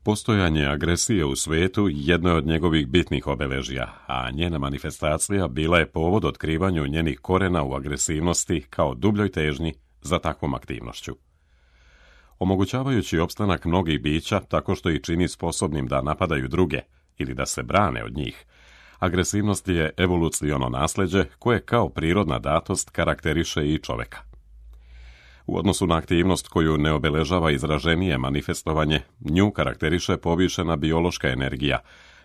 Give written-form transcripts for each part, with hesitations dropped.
Postojanje agresije u svijetu jedno je od njegovih bitnih obeležja, a njena manifestacija bila je povod otkrivanju njenih korena u agresivnosti kao dubljoj težnji za takvom aktivnošću. Omogućavajući opstanak mnogih bića tako što ih čini sposobnim da napadaju druge ili da se brane od njih, agresivnost je evoluciono nasljeđe koje kao prirodna datost karakteriše i čoveka. U odnosu na aktivnost koju ne obeležava izraženije manifestovanje, nju karakteriše povišena biološka energija,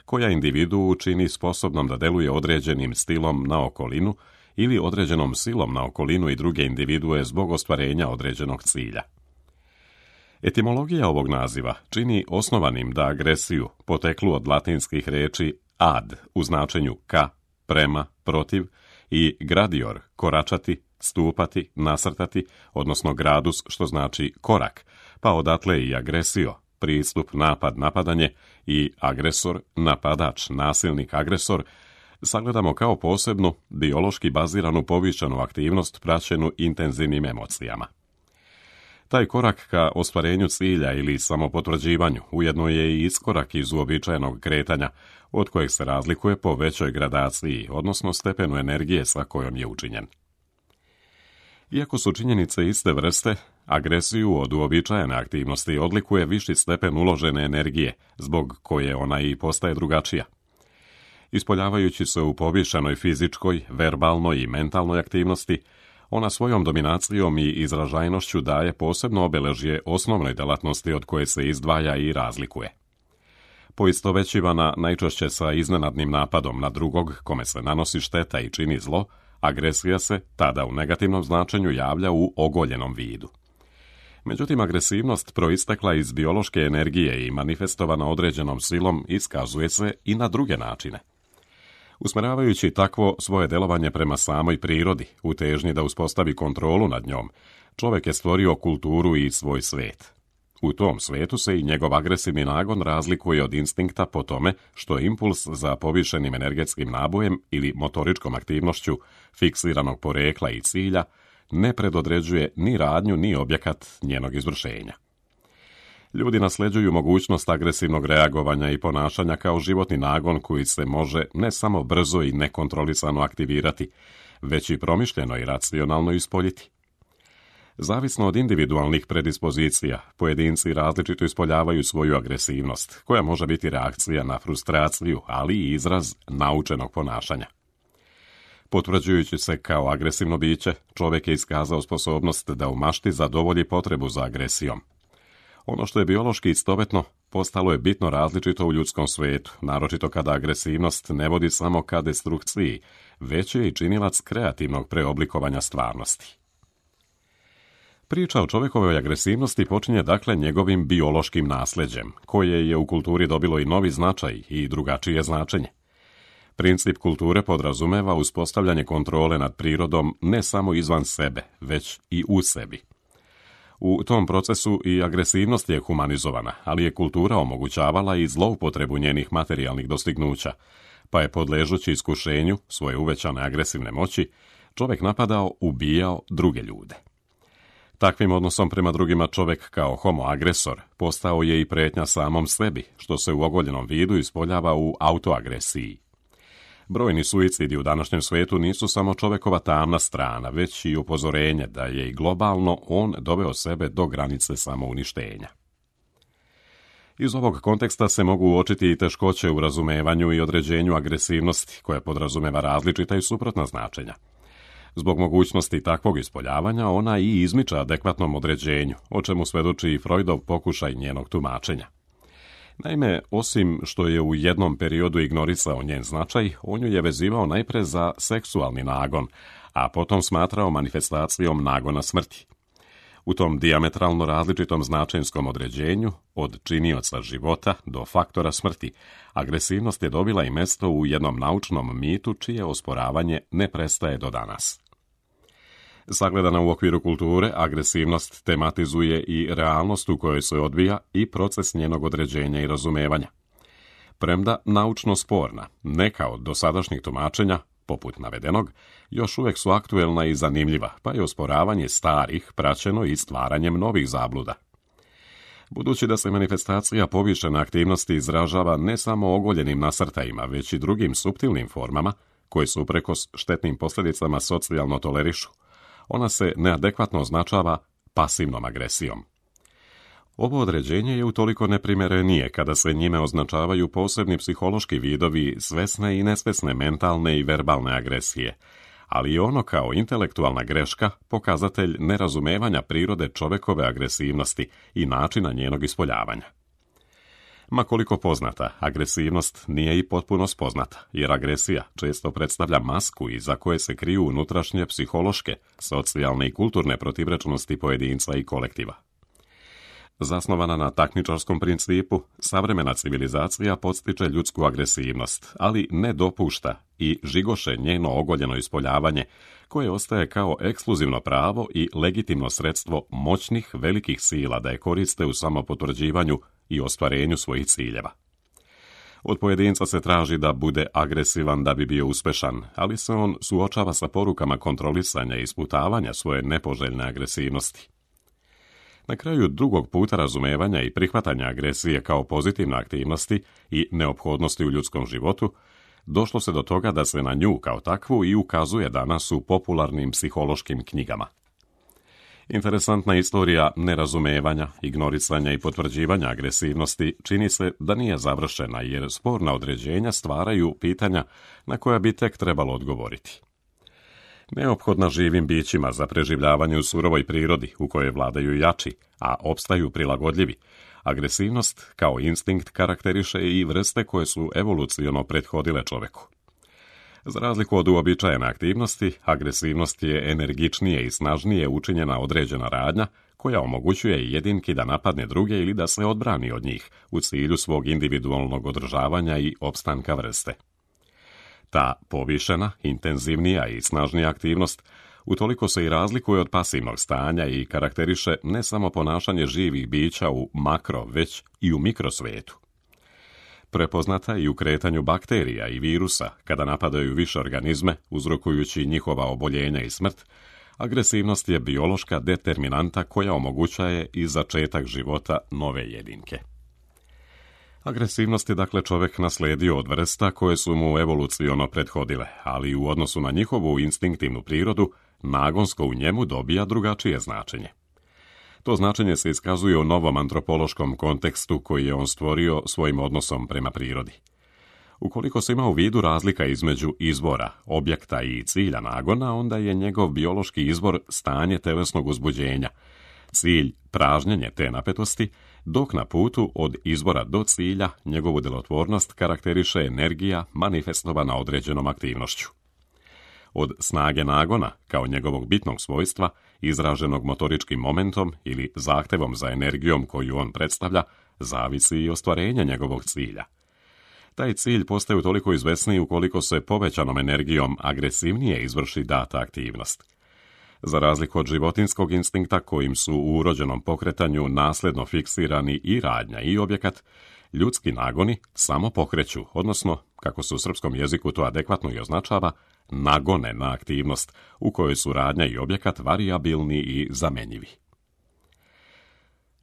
koja individuu čini sposobnom da deluje određenim stilom na okolinu ili određenom silom na okolinu i druge individue zbog ostvarenja određenog cilja. Etimologija ovog naziva čini osnovanim da agresiju, poteklu od latinskih reči ad u značenju ka, prema, protiv i gradior, koračati, stupati, nasrtati, odnosno gradus, što znači korak, pa odatle i agresio, pristup, napad, napadanje i agresor, napadač, nasilnik, agresor, sagledamo kao posebnu, biološki baziranu povišenu aktivnost praćenu intenzivnim emocijama. Taj korak ka ostvarenju cilja ili samopotvrđivanju ujedno je i iskorak iz uobičajenog kretanja, od kojeg se razlikuje po većoj gradaciji, odnosno stepenu energije sa kojom je učinjen. Iako su činjenice iste vrste, agresiju od uobičajene aktivnosti odlikuje viši stepen uložene energije, zbog koje ona i postaje drugačija. Ispoljavajući se u povišenoj fizičkoj, verbalnoj i mentalnoj aktivnosti, ona svojom dominacijom i izražajnošću daje posebno obeležje osnovnoj delatnosti od koje se izdvaja i razlikuje. Poistovećivana najčešće sa iznenadnim napadom na drugog kome se nanosi šteta i čini zlo, agresija se tada u negativnom značenju javlja u ogoljenom vidu. Međutim, agresivnost proistekla iz biološke energije i manifestovana određenom silom iskazuje se i na druge načine. Usmeravajući takvo svoje delovanje prema samoj prirodi, u težnji da uspostavi kontrolu nad njom, čovjek je stvorio kulturu i svoj svijet. U tom svijetu se i njegov agresivni nagon razlikuje od instinkta po tome što impuls za povišenim energetskim nabojem ili motoričkom aktivnošću fiksiranog porekla i cilja ne predodređuje ni radnju ni objekat njenog izvršenja. Ljudi nasljeđuju mogućnost agresivnog reagovanja i ponašanja kao životni nagon koji se može ne samo brzo i nekontrolisano aktivirati, već i promišljeno i racionalno ispoljiti. Zavisno od individualnih predispozicija, pojedinci različito ispoljavaju svoju agresivnost, koja može biti reakcija na frustraciju, ali i izraz naučenog ponašanja. Potvrđujući se kao agresivno biće, čovjek je iskazao sposobnost da u mašti zadovolji potrebu za agresijom. Ono što je biološki istovetno, postalo je bitno različito u ljudskom svijetu, naročito kada agresivnost ne vodi samo ka destrukciji, već je i činilac kreativnog preoblikovanja stvarnosti. Priča o čovjekovoj agresivnosti počinje dakle njegovim biološkim nasljeđem, koje je u kulturi dobilo i novi značaj i drugačije značenje. Princip kulture podrazumeva uspostavljanje kontrole nad prirodom ne samo izvan sebe, već i u sebi. U tom procesu i agresivnost je humanizovana, ali je kultura omogućavala i zloupotrebu njenih materijalnih dostignuća, pa je podležući iskušenju svoje uvećane agresivne moći, čovjek napadao, ubijao druge ljude. Takvim odnosom prema drugima čovjek kao homo agresor postao je i prijetnja samom sebi, što se u ogoljenom vidu ispoljava u autoagresiji. Brojni suicidi u današnjem svijetu nisu samo čovjekova tamna strana, već i upozorenje da je i globalno on doveo sebe do granice samouništenja. Iz ovog konteksta se mogu uočiti i teškoće u razumevanju i određenju agresivnosti, koja podrazumeva različita i suprotna značenja. Zbog mogućnosti takvog ispoljavanja, ona i izmiča adekvatnom određenju, o čemu svedoči i Freudov pokušaj njenog tumačenja. Naime, osim što je u jednom periodu ignorisao njen značaj, on ju je vezivao najpre za seksualni nagon, a potom smatrao manifestacijom nagona smrti. U tom dijametralno različitom značenjskom određenju, od činioca života do faktora smrti, agresivnost je dobila i mesto u jednom naučnom mitu čije osporavanje ne prestaje do danas. Sagledana u okviru kulture, agresivnost tematizuje i realnost u kojoj se odvija i proces njenog određenja i razumevanja. Premda naučno sporna, neka od dosadašnjih tumačenja, poput navedenog, još uvijek su aktuelna i zanimljiva, pa je osporavanje starih praćeno i stvaranjem novih zabluda. Budući da se manifestacija povišene aktivnosti izražava ne samo ogoljenim nasrtajima, već i drugim suptilnim formama, koje su uprkos štetnim posljedicama socijalno tolerišu, ona se neadekvatno označava pasivnom agresijom. Ovo određenje je utoliko neprimjerenije kada se njime označavaju posebni psihološki vidovi svesne i nesvesne mentalne i verbalne agresije, ali i ono kao intelektualna greška pokazatelj nerazumevanja prirode čovekove agresivnosti i načina njenog ispoljavanja. Ma koliko poznata, agresivnost nije i potpuno spoznata, jer agresija često predstavlja masku iza koje se kriju unutrašnje psihološke, socijalne i kulturne protivrečnosti pojedinca i kolektiva. Zasnovana na takmičarskom principu, savremena civilizacija podstiče ljudsku agresivnost, ali ne dopušta i žigoše njeno ogoljeno ispoljavanje, koje ostaje kao ekskluzivno pravo i legitimno sredstvo moćnih velikih sila da je koriste u samopotvrđivanju i ostvarenju svojih ciljeva. Od pojedinca se traži da bude agresivan da bi bio uspešan, ali se on suočava sa porukama kontrolisanja i isputavanja svoje nepoželjne agresivnosti. Na kraju drugog puta razumevanja i prihvatanja agresije kao pozitivne aktivnosti i neophodnosti u ljudskom životu, došlo se do toga da se na nju kao takvu i ukazuje danas u popularnim psihološkim knjigama. Interesantna istorija nerazumevanja, ignorisanja i potvrđivanja agresivnosti čini se da nije završena, jer sporna određenja stvaraju pitanja na koja bi tek trebalo odgovoriti. Neophodna živim bićima za preživljavanje u surovoj prirodi u kojoj vladaju jači, a opstaju prilagodljivi, agresivnost kao instinkt karakteriše i vrste koje su evoluciono prethodile čoveku. Za razliku od uobičajene aktivnosti, agresivnost je energičnije i snažnije učinjena određena radnja koja omogućuje jedinki da napadne druge ili da se odbrani od njih u cilju svog individualnog održavanja i opstanka vrste. Ta povišena, intenzivnija i snažnija aktivnost utoliko se i razlikuje od pasivnog stanja i karakteriše ne samo ponašanje živih bića u makro, već i u mikrosvetu. Prepoznata i u kretanju bakterija i virusa kada napadaju više organizme, uzrokujući njihova oboljenja i smrt, agresivnost je biološka determinanta koja omogućaje i začetak života nove jedinke. Agresivnost je dakle čovjek naslijedio od vrsta koje su mu evoluciono prethodile, ali u odnosu na njihovu instinktivnu prirodu, nagonsko u njemu dobija drugačije značenje. To značenje se iskazuje u novom antropološkom kontekstu koji je on stvorio svojim odnosom prema prirodi. Ukoliko se ima u vidu razlika između izvora, objekta i cilja nagona, onda je njegov biološki izvor stanje telesnog uzbuđenja, cilj pražnjenje te napetosti, dok na putu od izvora do cilja njegovu djelotvornost karakteriše energija manifestovana određenom aktivnošću. Od snage nagona, kao njegovog bitnog svojstva, izraženog motoričkim momentom ili zahtevom za energijom koju on predstavlja, zavisi i ostvarenje njegovog cilja. Taj cilj postaje toliko izvesniji ukoliko se povećanom energijom agresivnije izvrši data aktivnost. Za razliku od životinskog instinkta kojim su u urođenom pokretanju nasljedno fiksirani i radnja i objekat, ljudski nagoni samo pokreću, odnosno, kako se u srpskom jeziku to adekvatno i označava, nagone na aktivnost u kojoj su radnja i objekat varijabilni i zamenjivi.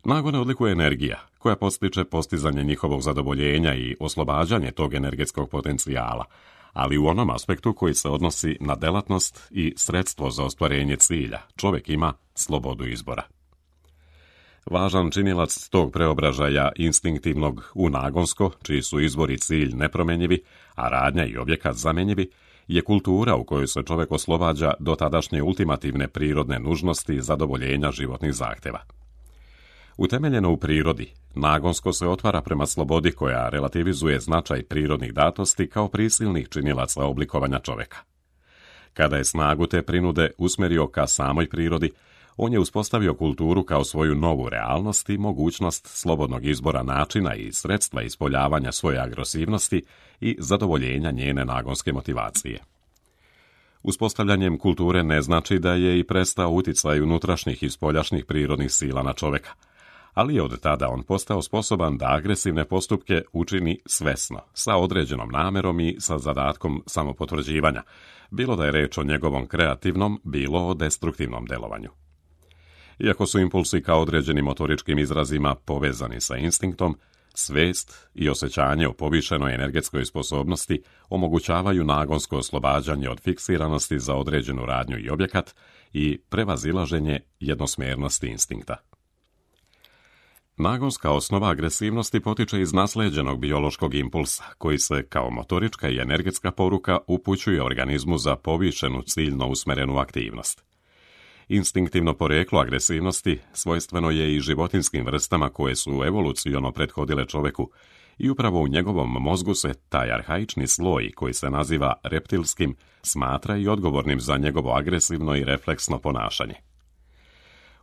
Nagone odlikuje energija, koja podstiče postizanje njihovog zadovoljenja i oslobađanje tog energetskog potencijala, ali u onom aspektu koji se odnosi na delatnost i sredstvo za ostvarenje cilja, čovjek ima slobodu izbora. Važan činilac tog preobražaja instinktivnog u nagonsko, čiji su izvor i cilj nepromenjivi, a radnja i objekat zamenjivi, je kultura u kojoj se čovjek oslobađa do tadašnje ultimativne prirodne nužnosti zadovoljenja životnih zahtjeva. Utemeljeno u prirodi, nagonsko se otvara prema slobodi koja relativizuje značaj prirodnih datosti kao prisilnih činilaca oblikovanja čovjeka. Kada je snagu te prinude usmjerio ka samoj prirodi, on je uspostavio kulturu kao svoju novu realnost i mogućnost slobodnog izbora načina i sredstva ispoljavanja svoje agresivnosti i zadovoljenja njene nagonske motivacije. Uspostavljanjem kulture ne znači da je i prestao uticaj unutrašnjih i spoljašnjih prirodnih sila na čovjeka, ali je od tada on postao sposoban da agresivne postupke učini svesno, sa određenom namerom i sa zadatkom samopotvrđivanja, bilo da je reč o njegovom kreativnom, bilo o destruktivnom delovanju. Iako su impulsi kao određenim motoričkim izrazima povezani sa instinktom, svest i osjećanje o povišenoj energetskoj sposobnosti omogućavaju nagonsko oslobađanje od fiksiranosti za određenu radnju i objekat i prevazilaženje jednosmjernosti instinkta. Nagonska osnova agresivnosti potiče iz naslijeđenog biološkog impulsa, koji se kao motorička i energetska poruka upućuje organizmu za povišenu ciljno usmerenu aktivnost. Instinktivno poreklo agresivnosti svojstveno je i životinjskim vrstama koje su evoluciono prethodile čoveku i upravo u njegovom mozgu se taj arhaični sloj, koji se naziva reptilskim, smatra i odgovornim za njegovo agresivno i refleksno ponašanje.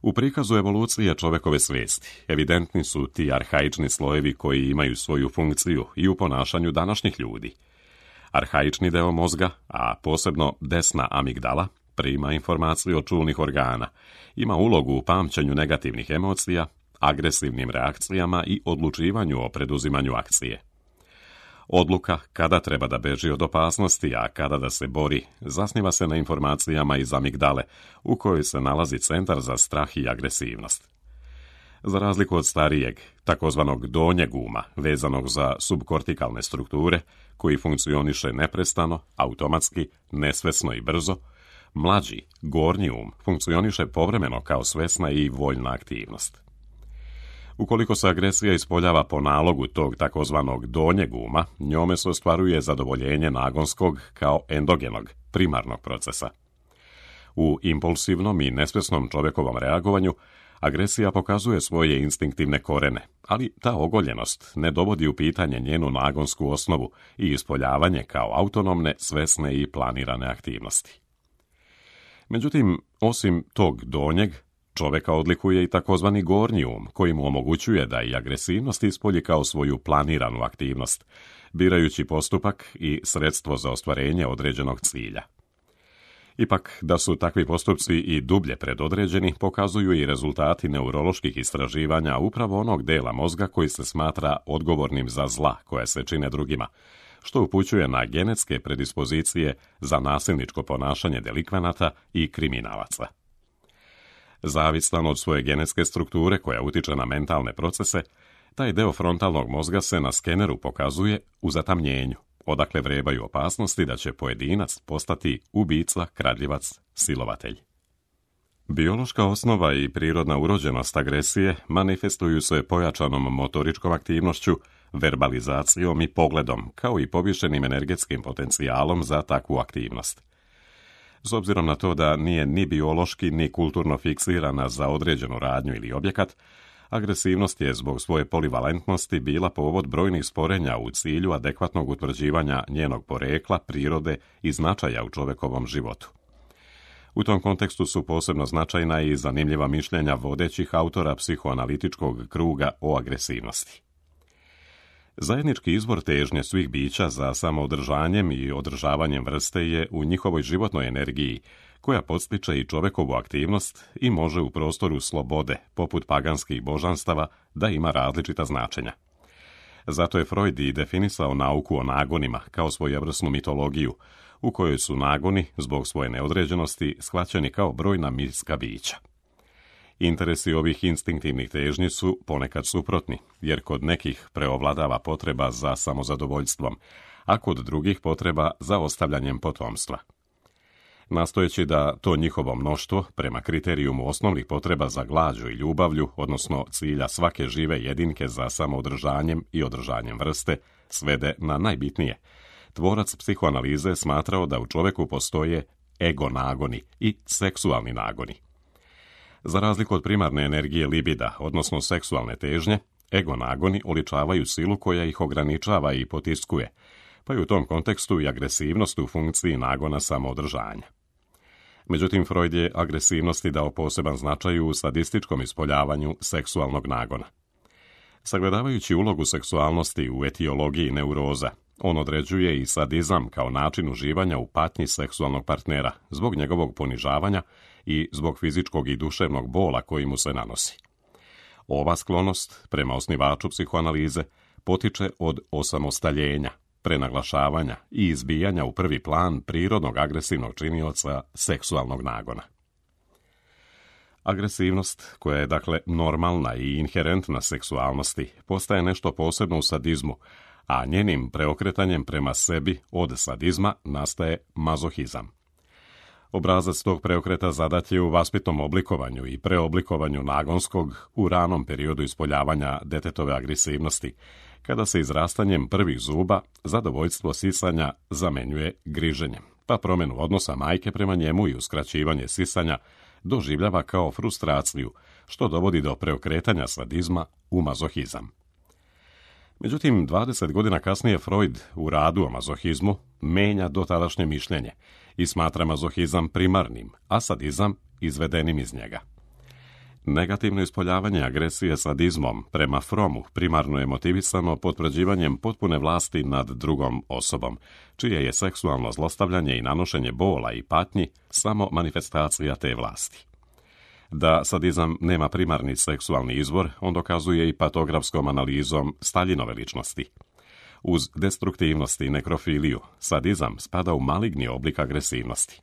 U prikazu evolucije čovekove svijesti evidentni su ti arhaični slojevi koji imaju svoju funkciju i u ponašanju današnjih ljudi. Arhaični deo mozga, a posebno desna amigdala, prima informaciju od čulnih organa, ima ulogu u pamćenju negativnih emocija, agresivnim reakcijama i odlučivanju o preduzimanju akcije. Odluka kada treba da beži od opasnosti, a kada da se bori, zasniva se na informacijama iz amigdale, u kojoj se nalazi centar za strah i agresivnost. Za razliku od starijeg, takozvanog donjeg uma, vezanog za subkortikalne strukture, koji funkcioniše neprestano, automatski, nesvesno i brzo, mlađi, gornji um, funkcioniše povremeno kao svesna i voljna aktivnost. Ukoliko se agresija ispoljava po nalogu tog takozvanog donjeg uma, njome se ostvaruje zadovoljenje nagonskog kao endogenog, primarnog procesa. U impulsivnom i nesvesnom čovjekovom reagovanju agresija pokazuje svoje instinktivne korene, ali ta ogoljenost ne dovodi u pitanje njenu nagonsku osnovu i ispoljavanje kao autonomne, svesne i planirane aktivnosti. Međutim, osim tog donjeg, čoveka odlikuje i takozvani gornji um, koji mu omogućuje da i agresivnost ispolji kao svoju planiranu aktivnost, birajući postupak i sredstvo za ostvarenje određenog cilja. Ipak, da su takvi postupci i dublje predodređeni, pokazuju i rezultati neuroloških istraživanja upravo onog dela mozga koji se smatra odgovornim za zla koja se čine drugima, što upućuje na genetske predispozicije za nasilničko ponašanje delikvenata i kriminalaca. Zavistan od svoje genetske strukture koja utiče na mentalne procese, taj deo frontalnog mozga se na skeneru pokazuje u zatamnjenju, odakle vrebaju opasnosti da će pojedinac postati ubica, kradljivac, silovatelj. Biološka osnova i prirodna urođenost agresije manifestuju se pojačanom motoričkom aktivnošću, verbalizacijom i pogledom, kao i povišenim energetskim potencijalom za takvu aktivnost. S obzirom na to da nije ni biološki ni kulturno fiksirana za određenu radnju ili objekat, agresivnost je zbog svoje polivalentnosti bila povod brojnih sporenja u cilju adekvatnog utvrđivanja njenog porekla, prirode i značaja u čovekovom životu. U tom kontekstu su posebno značajna i zanimljiva mišljenja vodećih autora psihoanalitičkog kruga o agresivnosti. Zajednički izvor težnje svih bića za samoodržanjem i održavanjem vrste je u njihovoj životnoj energiji, koja podstiče i čovekovu aktivnost i može u prostoru slobode, poput paganskih božanstava, da ima različita značenja. Zato je Freud i definisao nauku o nagonima kao svojevrsnu mitologiju, u kojoj su nagoni, zbog svoje neodređenosti, shvaćeni kao brojna mitska bića. Interesi ovih instinktivnih težnji su ponekad suprotni, jer kod nekih preovladava potreba za samozadovoljstvom, a kod drugih potreba za ostavljanjem potomstva. Nastojeći da to njihovo mnoštvo, prema kriterijumu osnovnih potreba za glađu i ljubavlju, odnosno cilja svake žive jedinke za samoodržanjem i održanjem vrste, svede na najbitnije, tvorac psihoanalize smatrao da u čoveku postoje ego nagoni i seksualni nagoni. Za razliku od primarne energije libida, odnosno seksualne težnje, ego nagoni oličavaju silu koja ih ograničava i potiskuje, pa je u tom kontekstu i agresivnost u funkciji nagona samoodržanja. Međutim, Freud je agresivnosti dao poseban značaj u sadističkom ispoljavanju seksualnog nagona. Sagledavajući ulogu seksualnosti u etiologiji neuroza, on određuje i sadizam kao način uživanja u patnji seksualnog partnera zbog njegovog ponižavanja i zbog fizičkog i duševnog bola koji mu se nanosi. Ova sklonost, prema osnivaču psihoanalize, potiče od osamostaljenja, prenaglašavanja i izbijanja u prvi plan prirodnog agresivnog činioca seksualnog nagona. Agresivnost, koja je dakle normalna i inherentna seksualnosti, postaje nešto posebno u sadizmu, a njenim preokretanjem prema sebi od sadizma nastaje mazohizam. Obrazac tog preokreta zadat je u vaspitnom oblikovanju i preoblikovanju nagonskog u ranom periodu ispoljavanja detetove agresivnosti, kada se izrastanjem prvih zuba zadovoljstvo sisanja zamenjuje griženjem, pa promjenu odnosa majke prema njemu i uskraćivanje sisanja doživljava kao frustraciju, što dovodi do preokretanja sadizma u mazohizam. Međutim, 20 godina kasnije Freud u radu o mazohizmu menja dotadašnje mišljenje i smatra mazohizam primarnim, a sadizam izvedenim iz njega. Negativno ispoljavanje agresije sadizmom prema Fromu primarno je motivisano potvrđivanjem potpune vlasti nad drugom osobom, čije je seksualno zlostavljanje i nanošenje bola i patnji samo manifestacija te vlasti. Da sadizam nema primarni seksualni izvor, on dokazuje i patografskom analizom Staljinove ličnosti. Uz destruktivnost i nekrofiliju, sadizam spada u maligni oblik agresivnosti.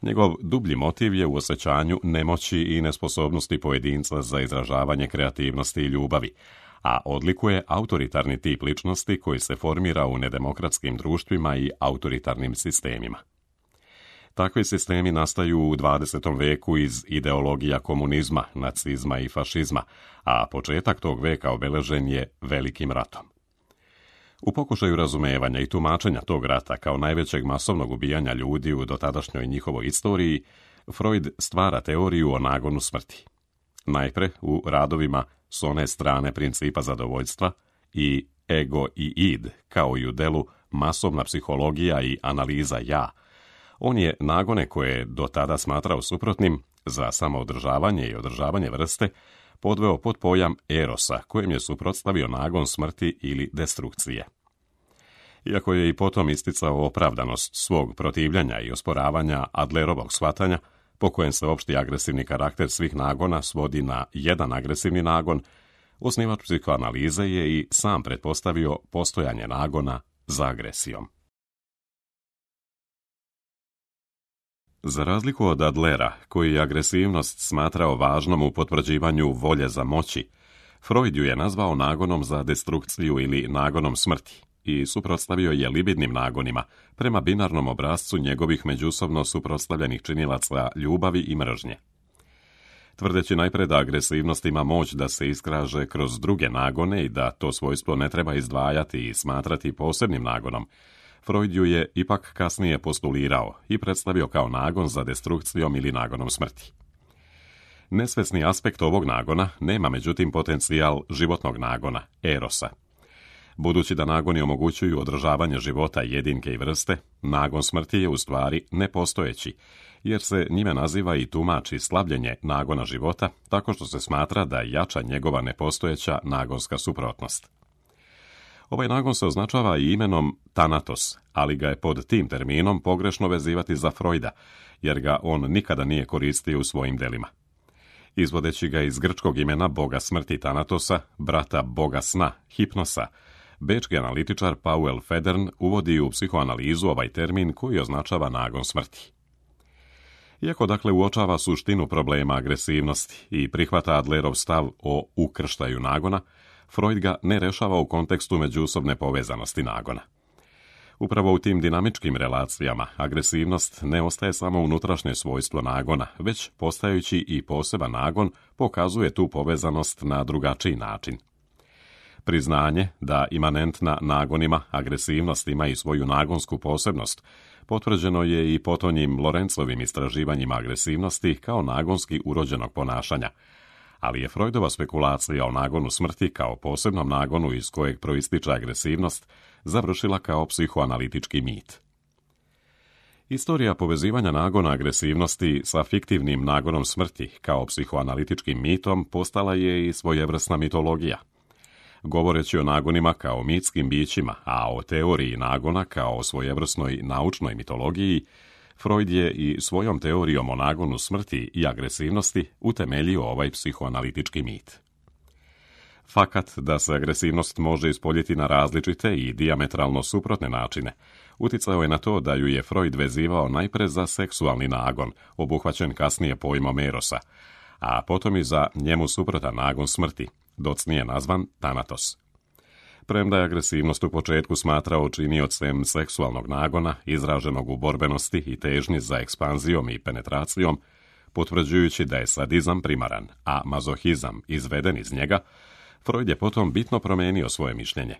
Njegov dublji motiv je u osjećanju nemoći i nesposobnosti pojedinca za izražavanje kreativnosti i ljubavi, a odlikuje autoritarni tip ličnosti koji se formira u nedemokratskim društvima i autoritarnim sistemima. Takvi sistemi nastaju u 20. veku iz ideologija komunizma, nacizma i fašizma, a početak tog veka obeležen je Velikim ratom. U pokušaju razumevanja i tumačenja tog rata kao najvećeg masovnog ubijanja ljudi u dotadašnjoj njihovoj istoriji, Freud stvara teoriju o nagonu smrti. Najpre u radovima s one strane principa zadovoljstva i ego i id, kao i u delu masovna psihologija i analiza ja. On je nagone koje je do tada smatrao suprotnim za samoodržavanje i održavanje vrste podveo pod pojam erosa, kojem je suprotstavio nagon smrti ili destrukcije. Iako je i potom isticao opravdanost svog protivljenja i osporavanja Adlerovog shvatanja, po kojem se opšti agresivni karakter svih nagona svodi na jedan agresivni nagon, osnivač psihoanalize je i sam pretpostavio postojanje nagona za agresijom. Za razliku od Adlera, koji je agresivnost smatrao važnom u potvrđivanju volje za moći, Freud ju je nazvao nagonom za destrukciju ili nagonom smrti i suprotstavio je libidnim nagonima prema binarnom obrascu njegovih međusobno suprotstavljenih činilaca ljubavi i mržnje. Tvrdeći najpre da agresivnost ima moć da se iskaže kroz druge nagone i da to svojstvo ne treba izdvajati i smatrati posebnim nagonom, Freud ju je ipak kasnije postulirao i predstavio kao nagon za destrukcijom ili nagonom smrti. Nesvesni aspekt ovog nagona nema međutim potencijal životnog nagona, erosa. Budući da nagoni omogućuju održavanje života jedinke i vrste, nagon smrti je u stvari nepostojeći, jer se njime naziva i tumači slabljenje nagona života, tako što se smatra da jača njegova nepostojeća nagonska suprotnost. Ovaj nagon se označava i imenom Thanatos, ali ga je pod tim terminom pogrešno vezivati za Freuda, jer ga on nikada nije koristio u svojim delima. Izvodeći ga iz grčkog imena boga smrti Thanatosa, brata boga sna, Hipnosa, bečki analitičar Paul Federn uvodi u psihoanalizu ovaj termin koji označava nagon smrti. Iako dakle uočava suštinu problema agresivnosti i prihvata Adlerov stav o ukrštaju nagona, Freud ga ne rešava u kontekstu međusobne povezanosti nagona. Upravo u tim dinamičkim relacijama agresivnost ne ostaje samo unutrašnje svojstvo nagona, već postajući i poseban nagon pokazuje tu povezanost na drugačiji način. Priznanje da imanentna nagonima agresivnost ima i svoju nagonsku posebnost potvrđeno je i potonjim Lorencovim istraživanjima agresivnosti kao nagonski urođenog ponašanja, ali je Freudova spekulacija o nagonu smrti kao posebnom nagonu iz kojeg proističe agresivnost završila kao psihoanalitički mit. Istorija povezivanja nagona agresivnosti sa fiktivnim nagonom smrti kao psihoanalitičkim mitom postala je i svojevrsna mitologija. Govoreći o nagonima kao mitskim bićima, a o teoriji nagona kao o svojevrsnoj naučnoj mitologiji, Freud je i svojom teorijom o nagonu smrti i agresivnosti utemeljio ovaj psihoanalitički mit. Fakat da se agresivnost može ispoljiti na različite i dijametralno suprotne načine, uticao je na to da ju je Freud vezivao najpre za seksualni nagon, obuhvaćen kasnije pojmom erosa, a potom i za njemu suprotan nagon smrti, docnije nazvan Thanatos. Premda je agresivnost u početku smatrao činiocem seksualnog nagona, izraženog u borbenosti i težnji za ekspanzijom i penetracijom, potvrđujući da je sadizam primaran, a mazohizam izveden iz njega, Freud je potom bitno promijenio svoje mišljenje.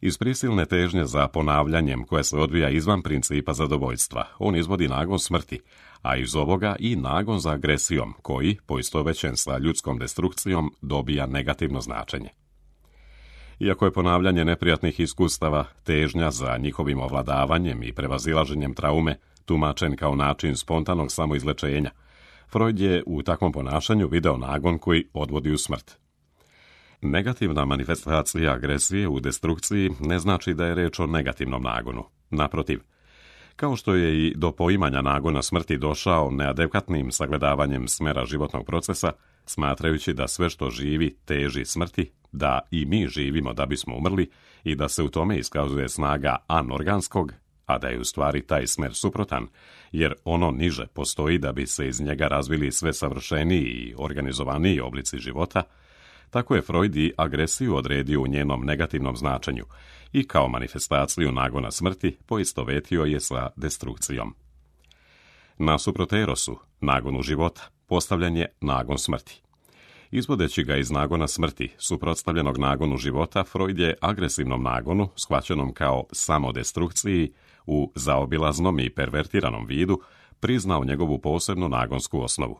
Iz prisilne težnje za ponavljanjem koje se odvija izvan principa zadovoljstva, on izvodi nagon smrti, a iz ovoga i nagon za agresijom, koji, poistovjećen sa ljudskom destrukcijom, dobija negativno značenje. Iako je ponavljanje neprijatnih iskustava, težnja za njihovim ovladavanjem i prevazilaženjem traume tumačen kao način spontanog samoizlečenja, Freud je u takvom ponašanju video nagon koji odvodi u smrt. Negativna manifestacija agresije u destrukciji ne znači da je reč o negativnom nagonu. Naprotiv, kao što je i do poimanja nagona smrti došao neadekvatnim sagledavanjem smera životnog procesa, smatrajući da sve što živi teži smrti, da i mi živimo da bismo umrli i da se u tome iskazuje snaga anorganskog, a da je u stvari taj smer suprotan, jer ono niže postoji da bi se iz njega razvili sve savršeniji i organizovaniji oblici života, tako je Freud i agresiju odredio u njenom negativnom značenju i kao manifestaciju nagona smrti poistovetio je sa destrukcijom. Nasuprot erosu, nagonu života, postavljen je nagon smrti. Izvodeći ga iz nagona smrti, suprotstavljenog nagonu života, Freud je agresivnom nagonu, shvaćenom kao samodestrukciji, u zaobilaznom i pervertiranom vidu, priznao njegovu posebnu nagonsku osnovu.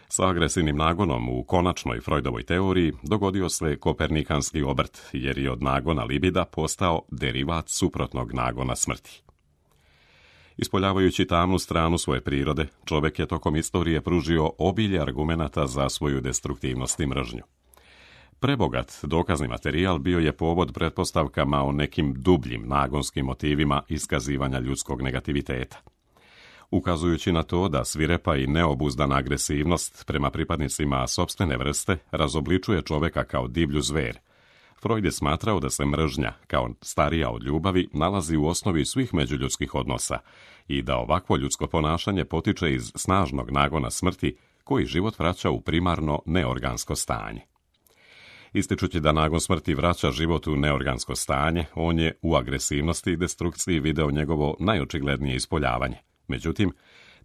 Sa agresivnim nagonom u konačnoj Freudovoj teoriji dogodio se kopernikanski obrt, jer je od nagona libida postao derivat suprotnog nagona smrti. Ispoljavajući tamnu stranu svoje prirode, čovjek je tokom istorije pružio obilje argumenata za svoju destruktivnost i mržnju. Prebogat dokazni materijal bio je povod pretpostavkama o nekim dubljim nagonskim motivima iskazivanja ljudskog negativiteta. Ukazujući na to da svirepa i neobuzdana agresivnost prema pripadnicima sopstvene vrste razobličuje čovjeka kao divlju zver, Freud je smatrao da se mržnja, kao starija od ljubavi, nalazi u osnovi svih međuljudskih odnosa i da ovakvo ljudsko ponašanje potiče iz snažnog nagona smrti koji život vraća u primarno neorgansko stanje. Ističući da nagon smrti vraća život u neorgansko stanje, on je u agresivnosti i destrukciji video njegovo najočiglednije ispoljavanje. Međutim,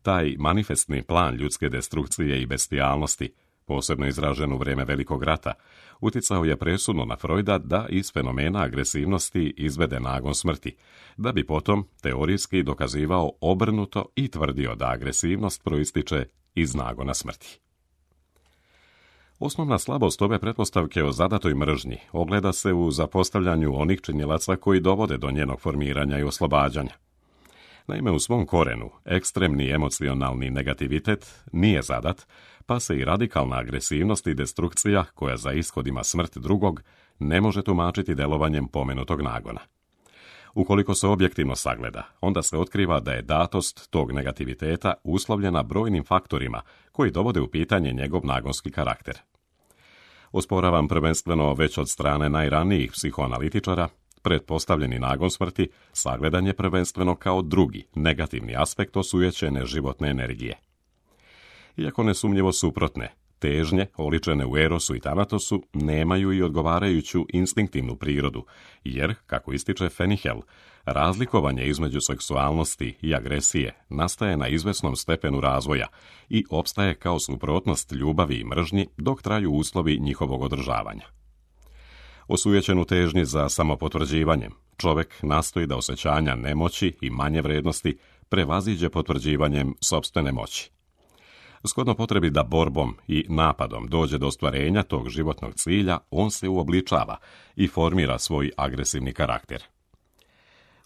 taj manifestni plan ljudske destrukcije i bestijalnosti, posebno izražen u vrijeme Velikog rata, uticao je presudno na Freuda da iz fenomena agresivnosti izvede nagon smrti, da bi potom teorijski dokazivao obrnuto i tvrdio da agresivnost proističe iz nagona smrti. Osnovna slabost ove pretpostavke o zadatoj mržnji ogleda se u zapostavljanju onih činilaca koji dovode do njenog formiranja i oslobađanja. Naime, u svom korenu, ekstremni emocionalni negativitet nije zadat, pa se i radikalna agresivnost i destrukcija, koja za ishod ima smrt drugog, ne može tumačiti delovanjem pomenutog nagona. Ukoliko se objektivno sagleda, onda se otkriva da je datost tog negativiteta uslovljena brojnim faktorima koji dovode u pitanje njegov nagonski karakter. Osporavam prvenstveno već od strane najranijih psihoanalitičara, pretpostavljeni nagon smrti sagledan je prvenstveno kao drugi, negativni aspekt osujećene životne energije. Iako nesumnjivo suprotne, težnje, oličene u erosu i tanatosu, nemaju i odgovarajuću instinktivnu prirodu, jer, kako ističe Fenichel, razlikovanje između seksualnosti i agresije nastaje na izvesnom stepenu razvoja i opstaje kao suprotnost ljubavi i mržnji dok traju uslovi njihovog održavanja. Osujećen u težnji za samopotvrđivanjem, čovjek nastoji da osjećanja nemoći i manje vrednosti prevaziđe potvrđivanjem sopstvene moći. Shodno potrebi da borbom i napadom dođe do ostvarenja tog životnog cilja, on se uobličava i formira svoj agresivni karakter.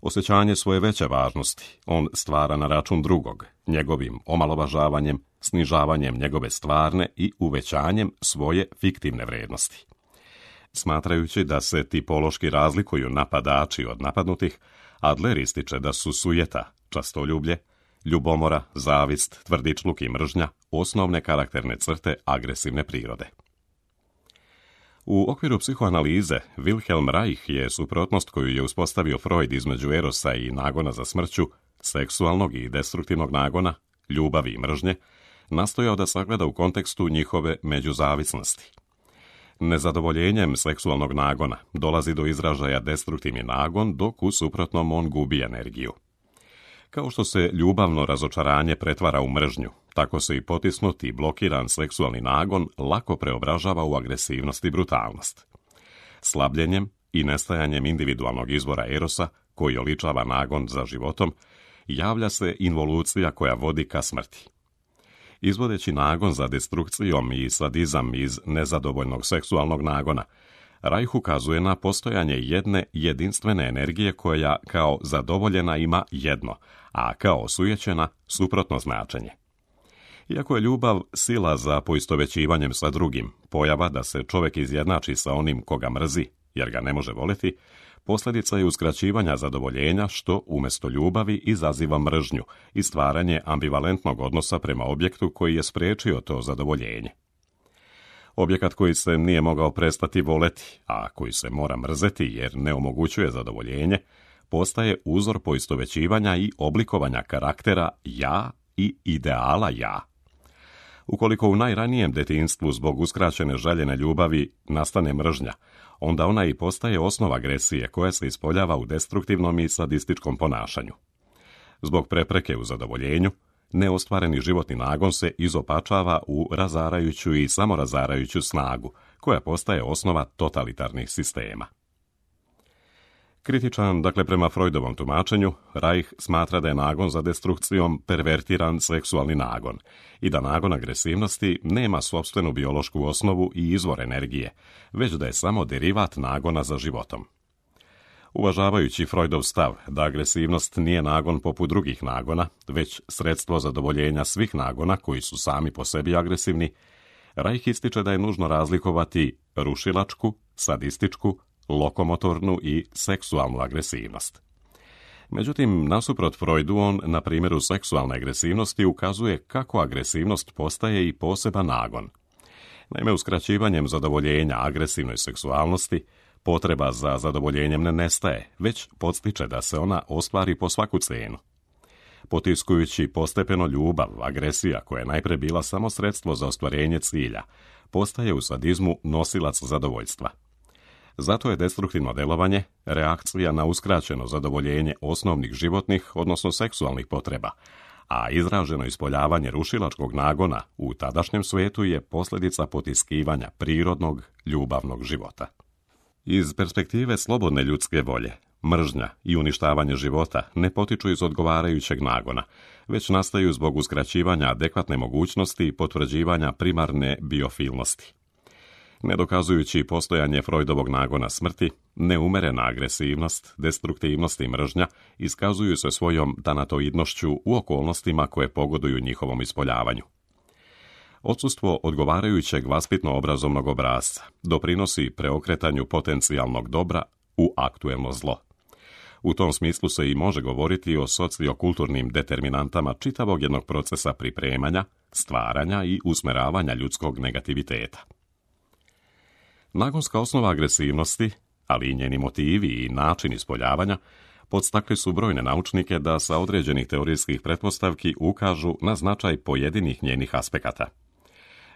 Osjećanje svoje veće važnosti on stvara na račun drugog, njegovim omalovažavanjem, snižavanjem njegove stvarne i uvećanjem svoje fiktivne vrednosti. Smatrajući da se tipološki razlikuju napadači od napadnutih, Adler ističe da su sujeta, častoljublje, ljubomora, zavist, tvrdičluk i mržnja osnovne karakterne crte agresivne prirode. U okviru psihoanalize, Wilhelm Reich je suprotnost koju je uspostavio Freud između erosa i nagona za smrću, seksualnog i destruktivnog nagona, ljubavi i mržnje, nastojao da sagleda u kontekstu njihove međuzavisnosti. Nezadovoljenjem seksualnog nagona dolazi do izražaja destruktivni nagon, dok u suprotnom on gubi energiju. Kao što se ljubavno razočaranje pretvara u mržnju, tako se i potisnuti i blokiran seksualni nagon lako preobražava u agresivnost i brutalnost. Slabljenjem i nestajanjem individualnog izvora erosa, koji oličava nagon za životom, javlja se involucija koja vodi ka smrti. Izvodeći nagon za destrukcijom i sadizam iz nezadovoljnog seksualnog nagona, Reich ukazuje na postojanje jedne jedinstvene energije koja kao zadovoljena ima jedno, a kao osujećena suprotno značenje. Iako je ljubav sila za poistovećivanjem sa drugim, pojava da se čovjek izjednači sa onim koga mrzi, jer ga ne može voliti, posljedica je uskraćivanja zadovoljenja što umjesto ljubavi izaziva mržnju i stvaranje ambivalentnog odnosa prema objektu koji je spriječio to zadovoljenje. Objekat koji se nije mogao prestati voleti, a koji se mora mrzeti jer ne omogućuje zadovoljenje, postaje uzor poistovećivanja i oblikovanja karaktera ja i ideala ja. Ukoliko u najranijem detinjstvu zbog uskraćene željene ljubavi nastane mržnja, onda ona i postaje osnova agresije koja se ispoljava u destruktivnom i sadističkom ponašanju. Zbog prepreke u zadovoljenju, neostvareni životni nagon se izopačava u razarajuću i samorazarajuću snagu, koja postaje osnova totalitarnih sistema. Kritičan, prema Freudovom tumačenju, Reich smatra da je nagon za destrukcijom pervertiran seksualni nagon i da nagon agresivnosti nema sopstvenu biološku osnovu i izvor energije, već da je samo derivat nagona za životom. Uvažavajući Freudov stav da agresivnost nije nagon poput drugih nagona, već sredstvo zadovoljenja svih nagona koji su sami po sebi agresivni, Reich ističe da je nužno razlikovati rušilačku, sadističku, lokomotornu i seksualnu agresivnost. Međutim, nasuprot Freudu, on na primjeru seksualne agresivnosti ukazuje kako agresivnost postaje i poseban nagon. Naime, uskraćivanjem zadovoljenja agresivnoj seksualnosti, potreba za zadovoljenjem ne nestaje, već podstiče da se ona ostvari po svaku cijenu. Potiskujući postepeno ljubav, agresija koja je najprije bila samo sredstvo za ostvarenje cilja, postaje u sadizmu nosilac zadovoljstva. Zato je destruktivno djelovanje reakcija na uskraćeno zadovoljenje osnovnih životnih, odnosno seksualnih potreba, a izraženo ispoljavanje rušilačkog nagona u tadašnjem svijetu je posljedica potiskivanja prirodnog, ljubavnog života. Iz perspektive slobodne ljudske volje, mržnja i uništavanje života ne potiču iz odgovarajućeg nagona, već nastaju zbog uskraćivanja adekvatne mogućnosti i potvrđivanja primarne biofilnosti. Ne dokazujući postojanje Freudovog nagona smrti, neumerena agresivnost, destruktivnost i mržnja iskazuju se svojom tanatoidnošću u okolnostima koje pogoduju njihovom ispoljavanju. Odsustvo odgovarajućeg vaspitno-obrazovnog obrasca doprinosi preokretanju potencijalnog dobra u aktuelno zlo. U tom smislu se i može govoriti o sociokulturnim determinantama čitavog jednog procesa pripremanja, stvaranja i usmeravanja ljudskog negativiteta. Nagonska osnova agresivnosti, ali i njeni motivi i način ispoljavanja, podstakli su brojne naučnike da sa određenih teorijskih pretpostavki ukažu na značaj pojedinih njenih aspekata.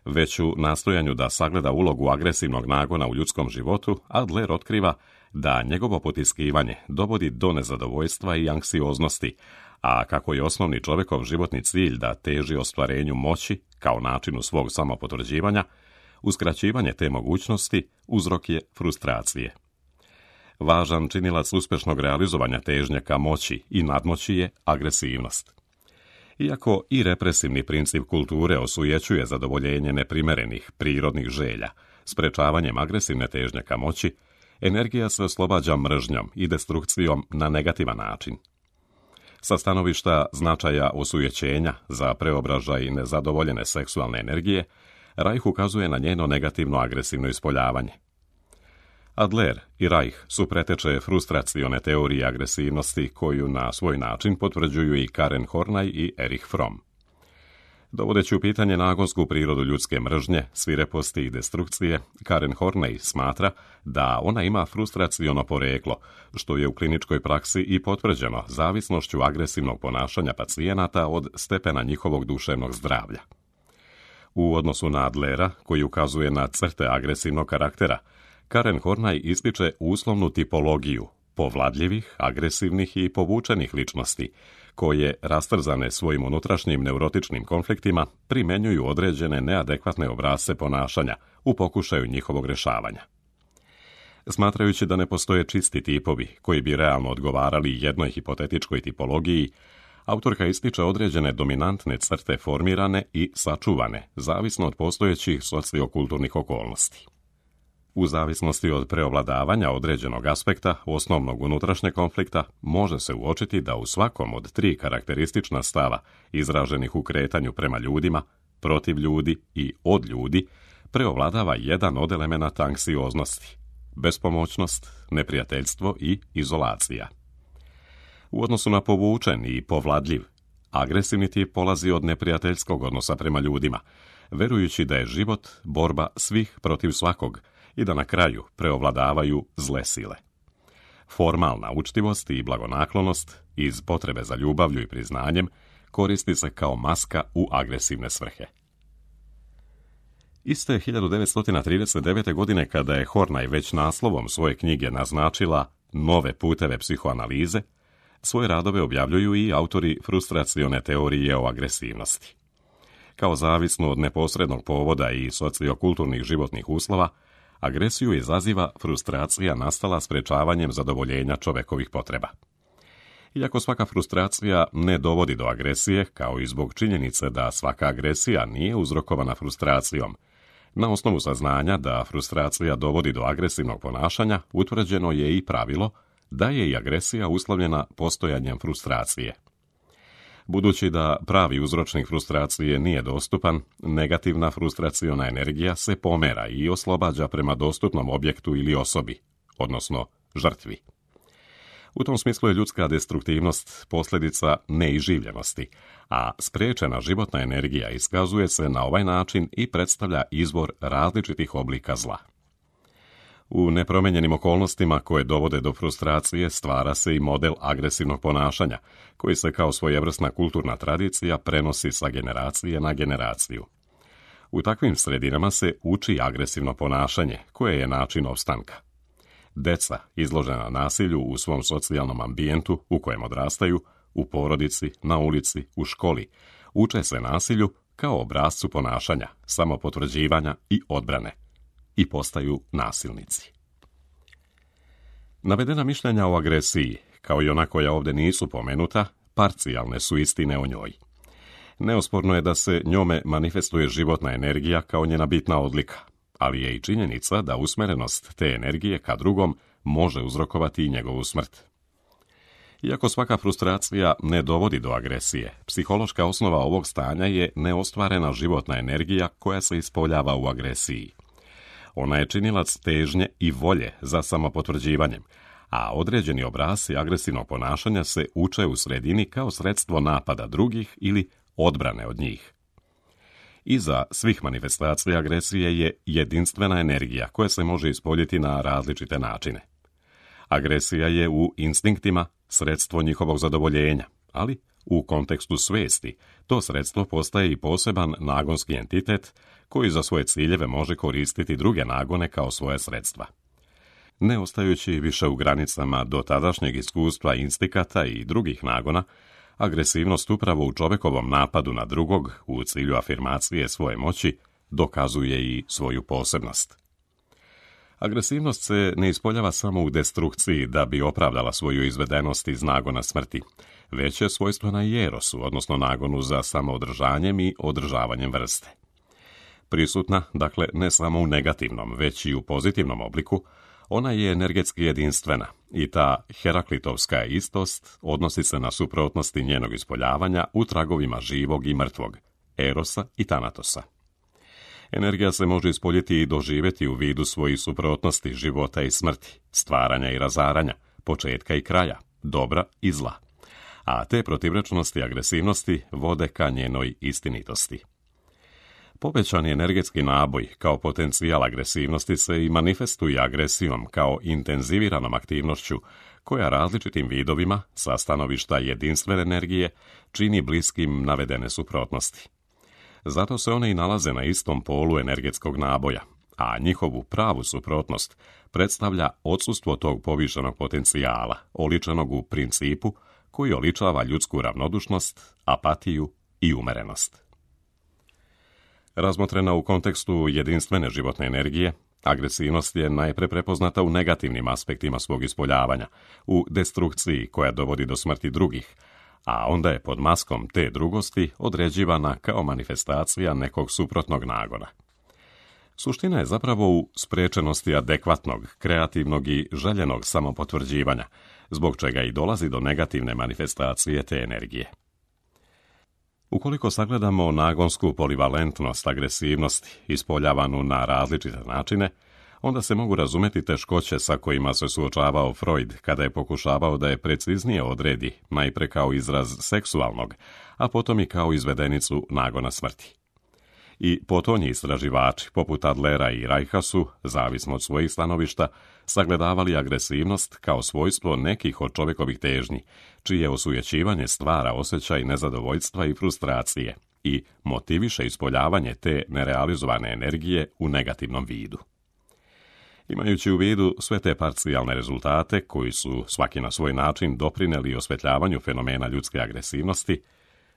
Već u nastojanju da sagleda ulogu agresivnog nagona u ljudskom životu, Adler otkriva da njegovo potiskivanje dovodi do nezadovoljstva i anksioznosti, a kako je osnovni čovjekov životni cilj da teži ostvarenju moći kao načinu svog samopotvrđivanja, uskraćivanje te mogućnosti uzrok je frustracije. Važan činilac uspješnog realizovanja težnje ka moći i nadmoći je agresivnost. Iako i represivni princip kulture osujećuje zadovoljenje neprimerenih prirodnih želja, sprečavanjem agresivne težnje ka moći, energija se oslobađa mržnjom i destrukcijom na negativan način. Sa stanovišta značaja osujećenja za preobražaj nezadovoljene seksualne energije, Reich ukazuje na njeno negativno agresivno ispoljavanje. Adler i Reich su preteče frustracione teorije agresivnosti koju na svoj način potvrđuju i Karen Horney i Erich Fromm. Dovodeći u pitanje nagonsku prirodu ljudske mržnje, svireposti i destrukcije, Karen Horney smatra da ona ima frustraciono poreklo, što je u kliničkoj praksi i potvrđeno zavisnošću agresivnog ponašanja pacijenata od stepena njihovog duševnog zdravlja. U odnosu na Adlera, koji ukazuje na crte agresivnog karaktera, Karen Horney ističe uslovnu tipologiju povladljivih, agresivnih i povučenih ličnosti, koje, rastrzane svojim unutrašnjim neurotičnim konfliktima, primjenjuju određene neadekvatne obrasce ponašanja u pokušaju njihovog rješavanja. Smatrajući da ne postoje čisti tipovi koji bi realno odgovarali jednoj hipotetičkoj tipologiji, autorka ističe određene dominantne crte formirane i sačuvane, zavisno od postojećih sociokulturnih okolnosti. U zavisnosti od preovladavanja određenog aspekta osnovnog unutrašnjeg konflikta, može se uočiti da u svakom od 3 karakteristična stava izraženih u kretanju prema ljudima, protiv ljudi i od ljudi, preovladava jedan od elemenata anksioznosti: bespomoćnost, neprijateljstvo i izolacija. U odnosu na povučen i povladljiv, agresivni tip polazi od neprijateljskog odnosa prema ljudima, verujući da je život borba svih protiv svakog i da na kraju preovladavaju zle sile. Formalna učtivost i blagonaklonost iz potrebe za ljubavlju i priznanjem koristi se kao maska u agresivne svrhe. Iste 1939. godine, kada je Horney već naslovom svoje knjige naznačila nove puteve psihoanalize, svoje radove objavljuju i autori frustracione teorije o agresivnosti. Kao zavisno od neposrednog povoda i sociokulturnih životnih uslova, agresiju izaziva frustracija nastala sprečavanjem zadovoljenja čovekovih potreba. Iako svaka frustracija ne dovodi do agresije, kao i zbog činjenice da svaka agresija nije uzrokovana frustracijom, na osnovu saznanja da frustracija dovodi do agresivnog ponašanja, utvrđeno je i pravilo da je i agresija uslovljena postojanjem frustracije. Budući da pravi uzročnik frustracije nije dostupan, negativna frustraciona energija se pomera i oslobađa prema dostupnom objektu ili osobi, odnosno žrtvi. U tom smislu je ljudska destruktivnost posljedica neiživljenosti, a spriječena životna energija iskazuje se na ovaj način i predstavlja izvor različitih oblika zla. U nepromijenjenim okolnostima koje dovode do frustracije stvara se i model agresivnog ponašanja, koji se kao svojevrsna kulturna tradicija prenosi sa generacije na generaciju. U takvim sredinama se uči agresivno ponašanje, koje je način opstanka. Deca, izložena nasilju u svom socijalnom ambijentu u kojem odrastaju, u porodici, na ulici, u školi, uče se nasilju kao obrascu ponašanja, samopotvrđivanja i odbrane i postaju nasilnici. Navedena mišljenja o agresiji, kao i ona koja ovdje nisu pomenuta, parcijalne su istine o njoj. Neosporno je da se njome manifestuje životna energija kao njena bitna odlika, ali je i činjenica da usmjerenost te energije ka drugom može uzrokovati i njegovu smrt. Iako svaka frustracija ne dovodi do agresije, psihološka osnova ovog stanja je neostvarena životna energija koja se ispoljava u agresiji. Ona je činilac težnje i volje za samopotvrđivanjem, a određeni obrasci agresivnog ponašanja se uče u sredini kao sredstvo napada drugih ili odbrane od njih. Iza svih manifestacija agresije je jedinstvena energija koja se može ispoljiti na različite načine. Agresija je u instinktima sredstvo njihovog zadovoljenja, ali u kontekstu svijesti to sredstvo postaje i poseban nagonski entitet koji za svoje ciljeve može koristiti druge nagone kao svoje sredstva. Ne ostajući više u granicama dotadašnjeg iskustva instikata i drugih nagona, agresivnost upravo u čovjekovom napadu na drugog u cilju afirmacije svoje moći dokazuje i svoju posebnost. Agresivnost se ne ispoljava samo u destrukciji da bi opravdala svoju izvedenost iz nagona smrti, već je svojstvena i erosu, odnosno nagonu za samoodržanjem i održavanjem vrste. Prisutna, dakle, ne samo u negativnom, već i u pozitivnom obliku, ona je energetski jedinstvena i ta heraklitovska istost odnosi se na suprotnosti njenog ispoljavanja u tragovima živog i mrtvog, erosa i tanatosa. Energija se može ispoljiti i doživjeti u vidu svojih suprotnosti života i smrti, stvaranja i razaranja, početka i kraja, dobra i zla. A te protivrečnosti i agresivnosti vode ka njenoj istinitosti. Povećani energetski naboj kao potencijal agresivnosti se i manifestuje agresijom kao intenziviranom aktivnošću koja različitim vidovima sa stanovišta jedinstvene energije čini bliskim navedene suprotnosti. Zato se one i nalaze na istom polu energetskog naboja, a njihovu pravu suprotnost predstavlja odsustvo tog povišenog potencijala, oličenog u principu koji oličava ljudsku ravnodušnost, apatiju i umerenost. Razmotrena u kontekstu jedinstvene životne energije, agresivnost je najpre prepoznata u negativnim aspektima svog ispoljavanja, u destrukciji koja dovodi do smrti drugih, a onda je pod maskom te drugosti određivana kao manifestacija nekog suprotnog nagona. Suština je zapravo u sprečenosti adekvatnog, kreativnog i željenog samopotvrđivanja, zbog čega i dolazi do negativne manifestacije te energije. Ukoliko sagledamo nagonsku polivalentnost agresivnosti ispoljavanu na različite načine, onda se mogu razumjeti teškoće sa kojima se suočavao Freud kada je pokušavao da je preciznije odredi, najpre kao izraz seksualnog, a potom i kao izvedenicu nagona smrti. I potonji istraživači, poput Adlera i Reicha su, zavisno od svojih stanovišta, sagledavali agresivnost kao svojstvo nekih od čovjekovih težnji, čije osujećivanje stvara osjećaj nezadovoljstva i frustracije i motiviše ispoljavanje te nerealizovane energije u negativnom vidu. Imajući u vidu sve te parcijalne rezultate, koji su svaki na svoj način doprineli osvetljavanju fenomena ljudske agresivnosti,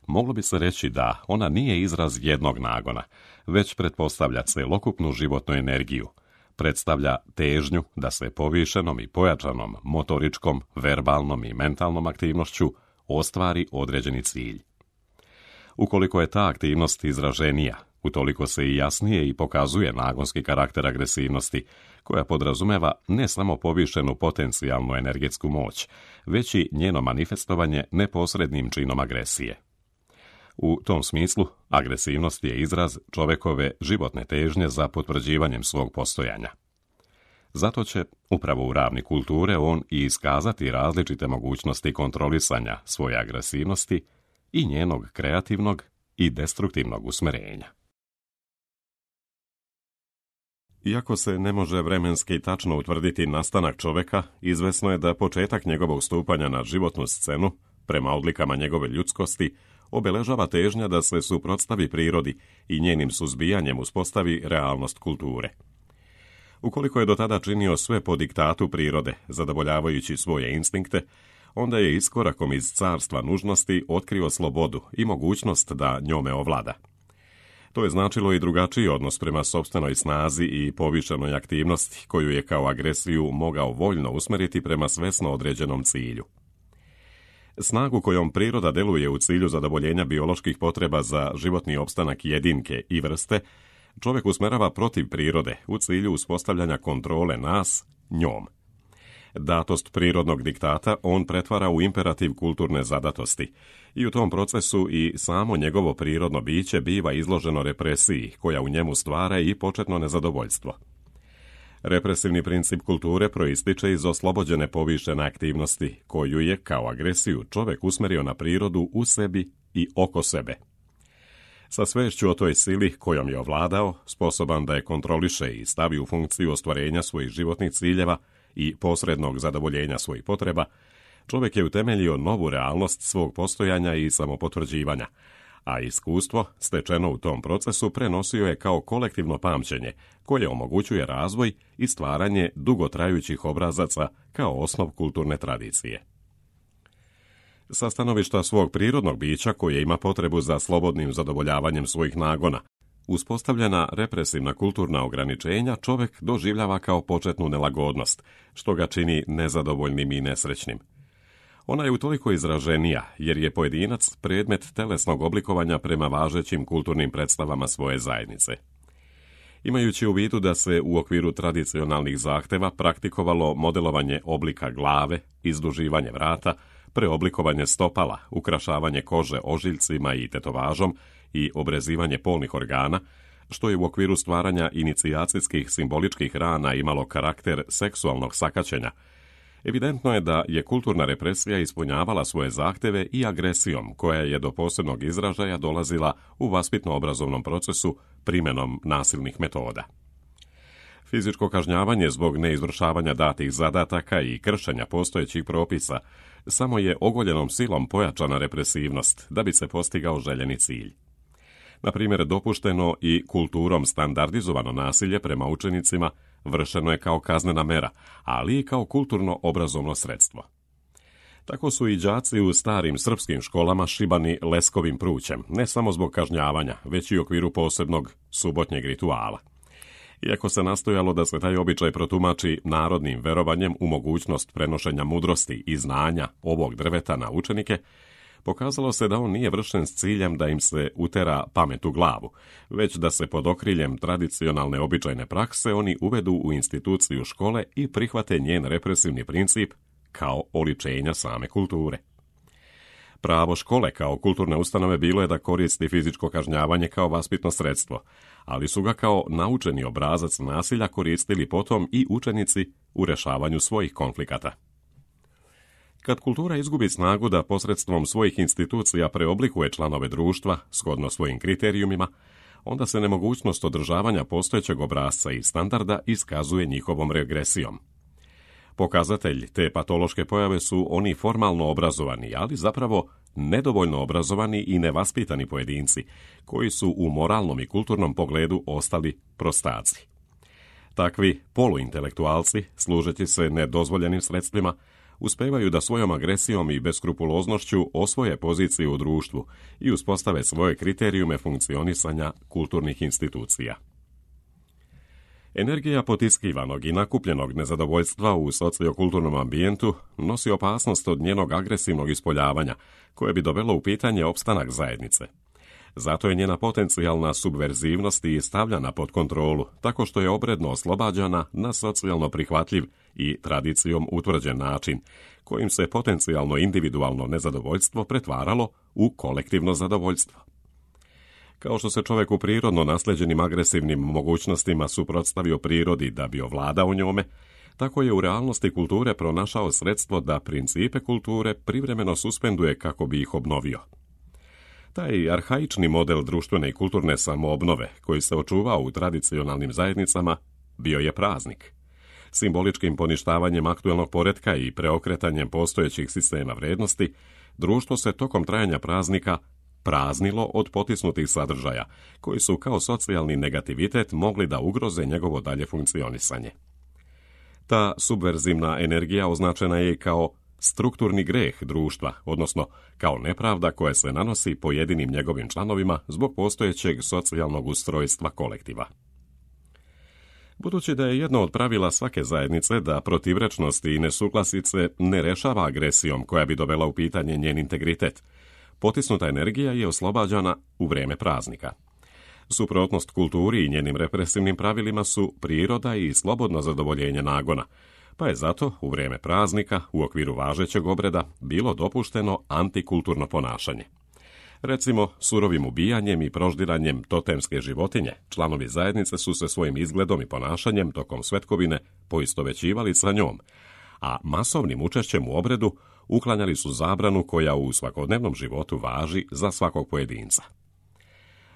moglo bi se reći da ona nije izraz jednog nagona, već pretpostavlja celokupnu životnu energiju, predstavlja težnju da se povišenom i pojačanom motoričkom, verbalnom i mentalnom aktivnošću ostvari određeni cilj. Ukoliko je ta aktivnost izraženija, utoliko se i jasnije i pokazuje nagonski karakter agresivnosti, koja podrazumeva ne samo povišenu potencijalnu energetsku moć, već i njeno manifestovanje neposrednim činom agresije. U tom smislu, agresivnost je izraz čovekove životne težnje za potvrđivanjem svog postojanja. Zato će, upravo u ravni kulture, on i iskazati različite mogućnosti kontrolisanja svoje agresivnosti i njenog kreativnog i destruktivnog usmerenja. Iako se ne može vremenski tačno utvrditi nastanak čoveka, izvesno je da početak njegovog stupanja na životnu scenu, prema odlikama njegove ljudskosti, obeležava težnja da se suprotstavi prirodi i njenim suzbijanjem uspostavi realnost kulture. Ukoliko je do tada činio sve po diktatu prirode, zadovoljavajući svoje instinkte, onda je iskorakom iz carstva nužnosti otkrio slobodu i mogućnost da njome ovlada. To je značilo i drugačiji odnos prema sopstvenoj snazi i povišenoj aktivnosti, koju je kao agresiju mogao voljno usmeriti prema svesno određenom cilju. Snagu kojom priroda deluje u cilju zadovoljenja bioloških potreba za životni opstanak jedinke i vrste, čovjek usmerava protiv prirode u cilju uspostavljanja kontrole nas njom. Datost prirodnog diktata on pretvara u imperativ kulturne zadatosti i u tom procesu i samo njegovo prirodno biće biva izloženo represiji koja u njemu stvara i početno nezadovoljstvo. Represivni princip kulture proističe iz oslobođene povišene aktivnosti, koju je, kao agresiju, čovjek usmerio na prirodu u sebi i oko sebe. Sa svešću o toj sili kojom je ovladao, sposoban da je kontroliše i stavi u funkciju ostvarenja svojih životnih ciljeva i posrednog zadovoljenja svojih potreba, čovjek je utemeljio novu realnost svog postojanja i samopotvrđivanja, a iskustvo, stečeno u tom procesu, prenosio je kao kolektivno pamćenje, koje omogućuje razvoj i stvaranje dugotrajućih obrazaca kao osnov kulturne tradicije. Sa stanovišta svog prirodnog bića, koje ima potrebu za slobodnim zadovoljavanjem svojih nagona, uspostavljena represivna kulturna ograničenja čovjek doživljava kao početnu nelagodnost, što ga čini nezadovoljnim i nesrećnim. Ona je utoliko izraženija, jer je pojedinac predmet telesnog oblikovanja prema važećim kulturnim predstavama svoje zajednice. Imajući u vidu da se u okviru tradicionalnih zahteva praktikovalo modelovanje oblika glave, izduživanje vrata, preoblikovanje stopala, ukrašavanje kože ožiljcima i tetovažom i obrezivanje polnih organa, što je u okviru stvaranja inicijacijskih simboličkih rana imalo karakter seksualnog sakaćenja, evidentno je da je kulturna represija ispunjavala svoje zahteve i agresijom, koja je do posebnog izražaja dolazila u vaspitno-obrazovnom procesu primjenom nasilnih metoda. Fizičko kažnjavanje zbog neizvršavanja datih zadataka i kršenja postojećih propisa samo je ogoljenom silom pojačana represivnost da bi se postigao željeni cilj. Na primjer, dopušteno i kulturom standardizovano nasilje prema učenicima vršeno je kao kaznena mera, ali i kao kulturno-obrazovno sredstvo. Tako su i đaci u starim srpskim školama šibani leskovim prućem, ne samo zbog kažnjavanja, već i u okviru posebnog subotnjeg rituala. Iako se nastojalo da se taj običaj protumači narodnim verovanjem u mogućnost prenošenja mudrosti i znanja ovog drveta na učenike, pokazalo se da on nije vršen s ciljem da im se utera pamet u glavu, već da se pod okriljem tradicionalne običajne prakse oni uvedu u instituciju škole i prihvate njen represivni princip kao oličenja same kulture. Pravo škole kao kulturne ustanove bilo je da koristi fizičko kažnjavanje kao vaspitno sredstvo, ali su ga kao naučeni obrazac nasilja koristili potom i učenici u rješavanju svojih konflikata. Kad kultura izgubi snagu da posredstvom svojih institucija preoblikuje članove društva, shodno svojim kriterijumima, onda se nemogućnost održavanja postojećeg obrasca i standarda iskazuje njihovom regresijom. Pokazatelj te patološke pojave su oni formalno obrazovani, ali zapravo nedovoljno obrazovani i nevaspitani pojedinci, koji su u moralnom i kulturnom pogledu ostali prostaci. Takvi poluintelektualci, služeći se nedozvoljenim sredstvima, uspevaju da svojom agresijom i beskrupuloznošću osvoje poziciju u društvu i uspostave svoje kriterijume funkcionisanja kulturnih institucija. Energija potiskivanog i nakupljenog nezadovoljstva u sociokulturnom ambijentu nosi opasnost od njenog agresivnog ispoljavanja, koje bi dovelo u pitanje opstanak zajednice. Zato je njena potencijalna subverzivnost i stavljana pod kontrolu, tako što je obredno oslobađana na socijalno prihvatljiv i tradicijom utvrđen način, kojim se potencijalno individualno nezadovoljstvo pretvaralo u kolektivno zadovoljstvo. Kao što se čovjek u prirodno nasleđenim agresivnim mogućnostima suprotstavio prirodi da bi ovladao njome, tako je u realnosti kulture pronašao sredstvo da principe kulture privremeno suspenduje kako bi ih obnovio. Taj arhaični model društvene i kulturne samoobnove, koji se očuvao u tradicionalnim zajednicama, bio je praznik. Simboličkim poništavanjem aktuelnog poretka i preokretanjem postojećih sistema vrednosti, društvo se tokom trajanja praznika praznilo od potisnutih sadržaja, koji su kao socijalni negativitet mogli da ugroze njegovo dalje funkcionisanje. Ta subverzivna energija označena je i kao strukturni greh društva, odnosno kao nepravda koja se nanosi pojedinim njegovim članovima zbog postojećeg socijalnog ustrojstva kolektiva. Budući da je jedno od pravila svake zajednice da protivrečnosti i nesuglasice ne rešava agresijom koja bi dovela u pitanje njen integritet, potisnuta energija je oslobađana u vrijeme praznika. Suprotnost kulturi i njenim represivnim pravilima su priroda i slobodno zadovoljenje nagona, pa je zato u vrijeme praznika u okviru važećeg obreda bilo dopušteno antikulturno ponašanje. Recimo, surovim ubijanjem i proždiranjem totemske životinje, članovi zajednice su se svojim izgledom i ponašanjem tokom svetkovine poistovećivali sa njom, a masovnim učešćem u obredu uklanjali su zabranu koja u svakodnevnom životu važi za svakog pojedinca.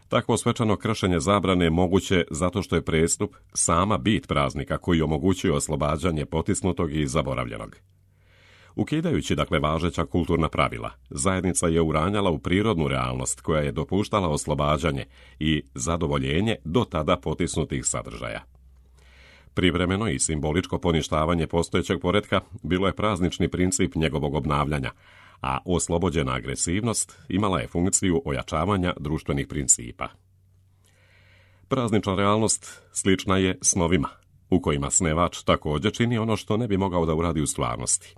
Takvo svečano kršenje zabrane je moguće zato što je prestup sama bit praznika koji omogućuje oslobađanje potisnutog i zaboravljenog. Ukidajući dakle važeća kulturna pravila, zajednica je uranjala u prirodnu realnost koja je dopuštala oslobađanje i zadovoljenje do tada potisnutih sadržaja. Privremeno i simboličko poništavanje postojećeg poretka bilo je praznični princip njegovog obnavljanja, a oslobođena agresivnost imala je funkciju ojačavanja društvenih principa. Praznična realnost slična je snovima, u kojima snevač također čini ono što ne bi mogao da uradi u stvarnosti.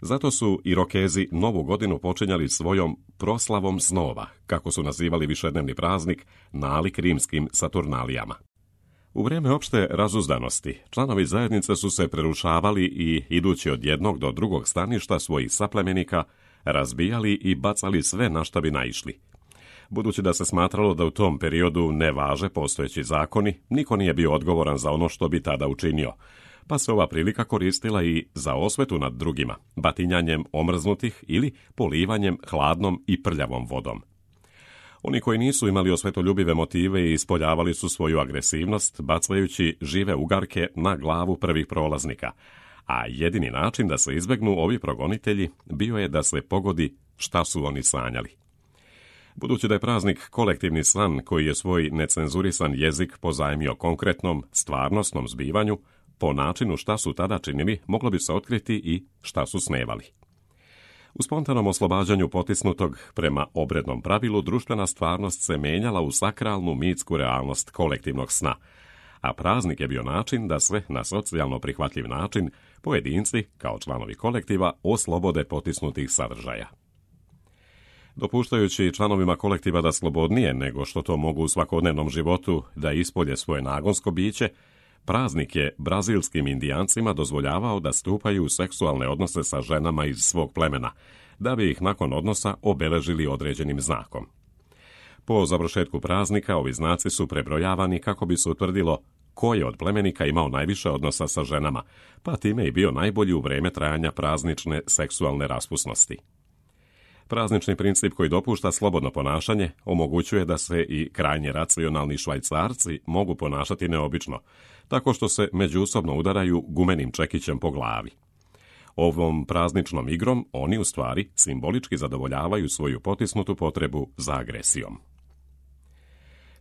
Zato su Irokezi Novu godinu počinjali svojom proslavom snova, kako su nazivali višednevni praznik, nalik rimskim Saturnalijama. U vrijeme opšte razuzdanosti, članovi zajednice su se prerušavali i, idući od jednog do drugog staništa svojih saplemenika, razbijali i bacali sve na šta bi naišli. Budući da se smatralo da u tom periodu ne važe postojeći zakoni, niko nije bio odgovoran za ono što bi tada učinio, pa se ova prilika koristila i za osvetu nad drugima, batinjanjem omrznutih ili polivanjem hladnom i prljavom vodom. Oni koji nisu imali osvetoljubive motive i ispoljavali su svoju agresivnost, bacajući žive ugarke na glavu prvih prolaznika, a jedini način da se izbegnu ovi progonitelji bio je da se pogodi šta su oni sanjali. Budući da je praznik kolektivni san koji je svoj necenzurisan jezik pozajmio konkretnom, stvarnosnom zbivanju, po načinu šta su tada činili, moglo bi se otkriti i šta su snevali. U spontanom oslobađanju potisnutog prema obrednom pravilu, društvena stvarnost se menjala u sakralnu mitsku realnost kolektivnog sna, a praznik je bio način da se na socijalno prihvatljiv način pojedinci, kao članovi kolektiva, oslobode potisnutih sadržaja. Dopuštajući članovima kolektiva da slobodnije nego što to mogu u svakodnevnom životu da ispolje svoje nagonsko biće, praznik je brazilskim indijancima dozvoljavao da stupaju u seksualne odnose sa ženama iz svog plemena, da bi ih nakon odnosa obeležili određenim znakom. Po završetku praznika ovi znaci su prebrojavani kako bi se utvrdilo ko je od plemenika imao najviše odnosa sa ženama, pa time i bio najbolji u vreme trajanja praznične seksualne raspusnosti. Praznični princip koji dopušta slobodno ponašanje omogućuje da se i krajnje racionalni Švajcarci mogu ponašati neobično, tako što se međusobno udaraju gumenim čekićem po glavi. Ovom prazničnom igrom oni u stvari simbolički zadovoljavaju svoju potisnutu potrebu za agresijom.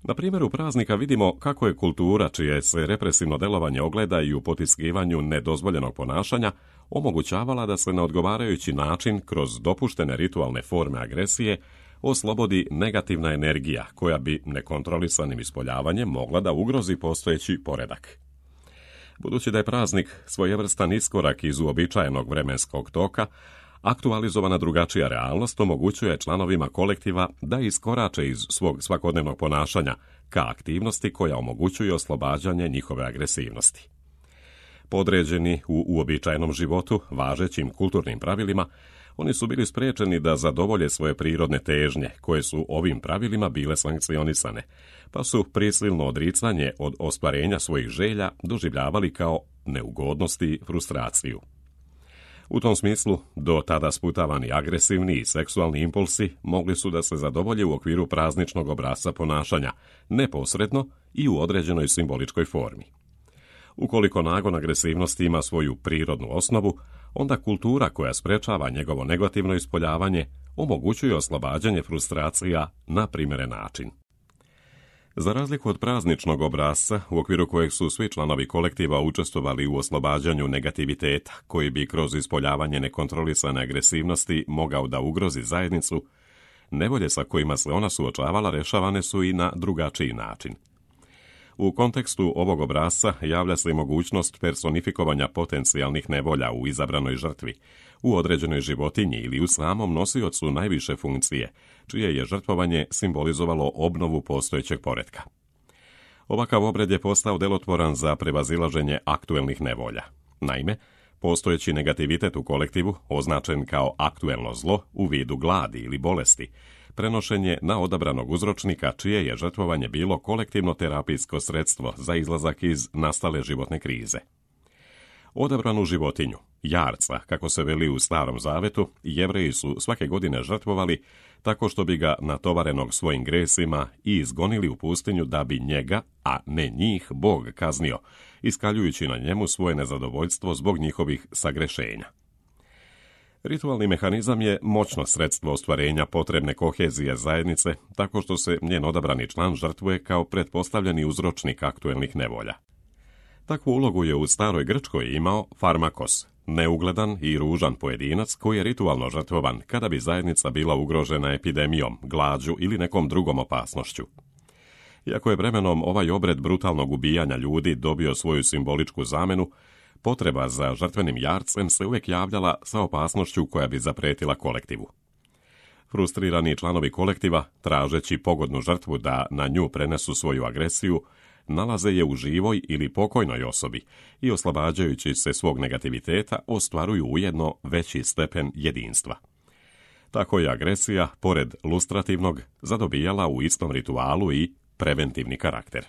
Na primjeru praznika vidimo kako je kultura, čije se represivno delovanje ogleda i u potiskivanju nedozvoljenog ponašanja, omogućavala da se na odgovarajući način, kroz dopuštene ritualne forme agresije, oslobodi negativna energija koja bi nekontrolisanim ispoljavanjem mogla da ugrozi postojeći poredak. Budući da je praznik svojevrstan iskorak iz uobičajenog vremenskog toka, aktualizovana drugačija realnost omogućuje članovima kolektiva da iskorače iz svog svakodnevnog ponašanja ka aktivnosti koja omogućuje oslobađanje njihove agresivnosti. Podređeni u uobičajenom životu, važećim kulturnim pravilima, oni su bili sprečeni da zadovolje svoje prirodne težnje, koje su ovim pravilima bile sankcionisane, pa su prisilno odricanje od ostvarenja svojih želja doživljavali kao neugodnost i frustraciju. U tom smislu, do tada sputavani agresivni i seksualni impulsi mogli su da se zadovolje u okviru prazničnog obrasca ponašanja, neposredno i u određenoj simboličkoj formi. Ukoliko nagon agresivnosti ima svoju prirodnu osnovu, onda kultura koja sprečava njegovo negativno ispoljavanje omogućuje oslobađanje frustracija na primjeren način. Za razliku od prazničnog obrasca, u okviru kojeg su svi članovi kolektiva učestvovali u oslobađanju negativiteta, koji bi kroz ispoljavanje nekontrolisane agresivnosti mogao da ugrozi zajednicu, nevolje sa kojima se ona suočavala rešavane su i na drugačiji način. U kontekstu ovog obrasca javlja se i mogućnost personifikovanja potencijalnih nevolja u izabranoj žrtvi, u određenoj životinji ili u samom nosiocu najviše funkcije, čije je žrtvovanje simbolizovalo obnovu postojećeg poretka. Ovakav obred je postao delotvoran za prevazilaženje aktuelnih nevolja. Naime, postojeći negativitet u kolektivu, označen kao aktuelno zlo u vidu gladi ili bolesti, prenošen je na odabranog uzročnika čije je žrtvovanje bilo kolektivno terapijsko sredstvo za izlazak iz nastale životne krize. Odabranu životinju, jarca, kako se veli u Starom Zavetu, Jevreji su svake godine žrtvovali tako što bi ga natovarenog svojim gresima i izgonili u pustinju da bi njega, a ne njih, Bog kaznio, iskaljujući na njemu svoje nezadovoljstvo zbog njihovih sagrešenja. Ritualni mehanizam je moćno sredstvo ostvarenja potrebne kohezije zajednice, tako što se njen odabrani član žrtvuje kao pretpostavljeni uzročnik aktuelnih nevolja. Takvu ulogu je u staroj Grčkoj imao Farmakos, neugledan i ružan pojedinac koji je ritualno žrtvovan kada bi zajednica bila ugrožena epidemijom, glađu ili nekom drugom opasnošću. Iako je vremenom ovaj obred brutalnog ubijanja ljudi dobio svoju simboličku zamenu, potreba za žrtvenim jarcem se uvijek javljala sa opasnošću koja bi zapretila kolektivu. Frustrirani članovi kolektiva, tražeći pogodnu žrtvu da na nju prenesu svoju agresiju, nalaze je u živoj ili pokojnoj osobi i oslobađajući se svog negativiteta ostvaruju ujedno veći stepen jedinstva. Tako je agresija, pored lustrativnog, zadobijala u istom ritualu i preventivni karakter.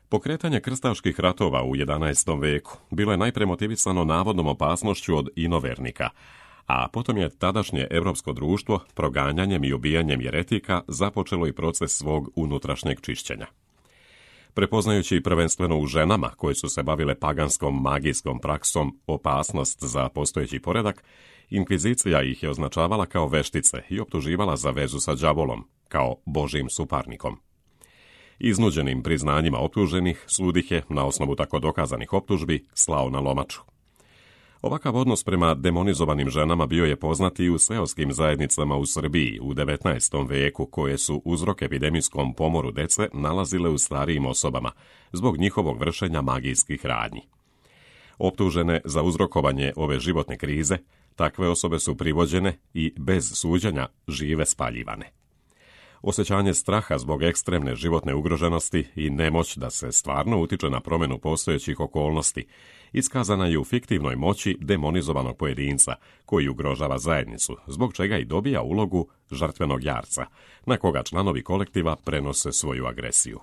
Pokretanje krstaških ratova u 11. veku bilo je najpre motivisano navodnom opasnošću od inovernika, a potom je tadašnje evropsko društvo proganjanjem i ubijanjem jeretika započelo i proces svog unutrašnjeg čišćenja. Prepoznajući prvenstveno u ženama koje su se bavile paganskom magijskom praksom opasnost za postojeći poredak, inkvizicija ih je označavala kao veštice i optuživala za vezu sa đavolom, kao božjim suparnikom. Iznuđenim priznanjima optuženih sud ih je, na osnovu tako dokazanih optužbi, slao na lomaču. Ovakav odnos prema demonizovanim ženama bio je poznat i u seoskim zajednicama u Srbiji u 19. veku, koje su uzrok epidemijskom pomoru dece nalazile u starijim osobama, zbog njihovog vršenja magijskih radnji. Optužene za uzrokovanje ove životne krize, takve osobe su privođene i bez suđenja žive spaljivane. Osjećanje straha zbog ekstremne životne ugroženosti i nemoć da se stvarno utiče na promjenu postojećih okolnosti iskazana je u fiktivnoj moći demonizovanog pojedinca koji ugrožava zajednicu, zbog čega i dobija ulogu žrtvenog jarca, na koga članovi kolektiva prenose svoju agresiju.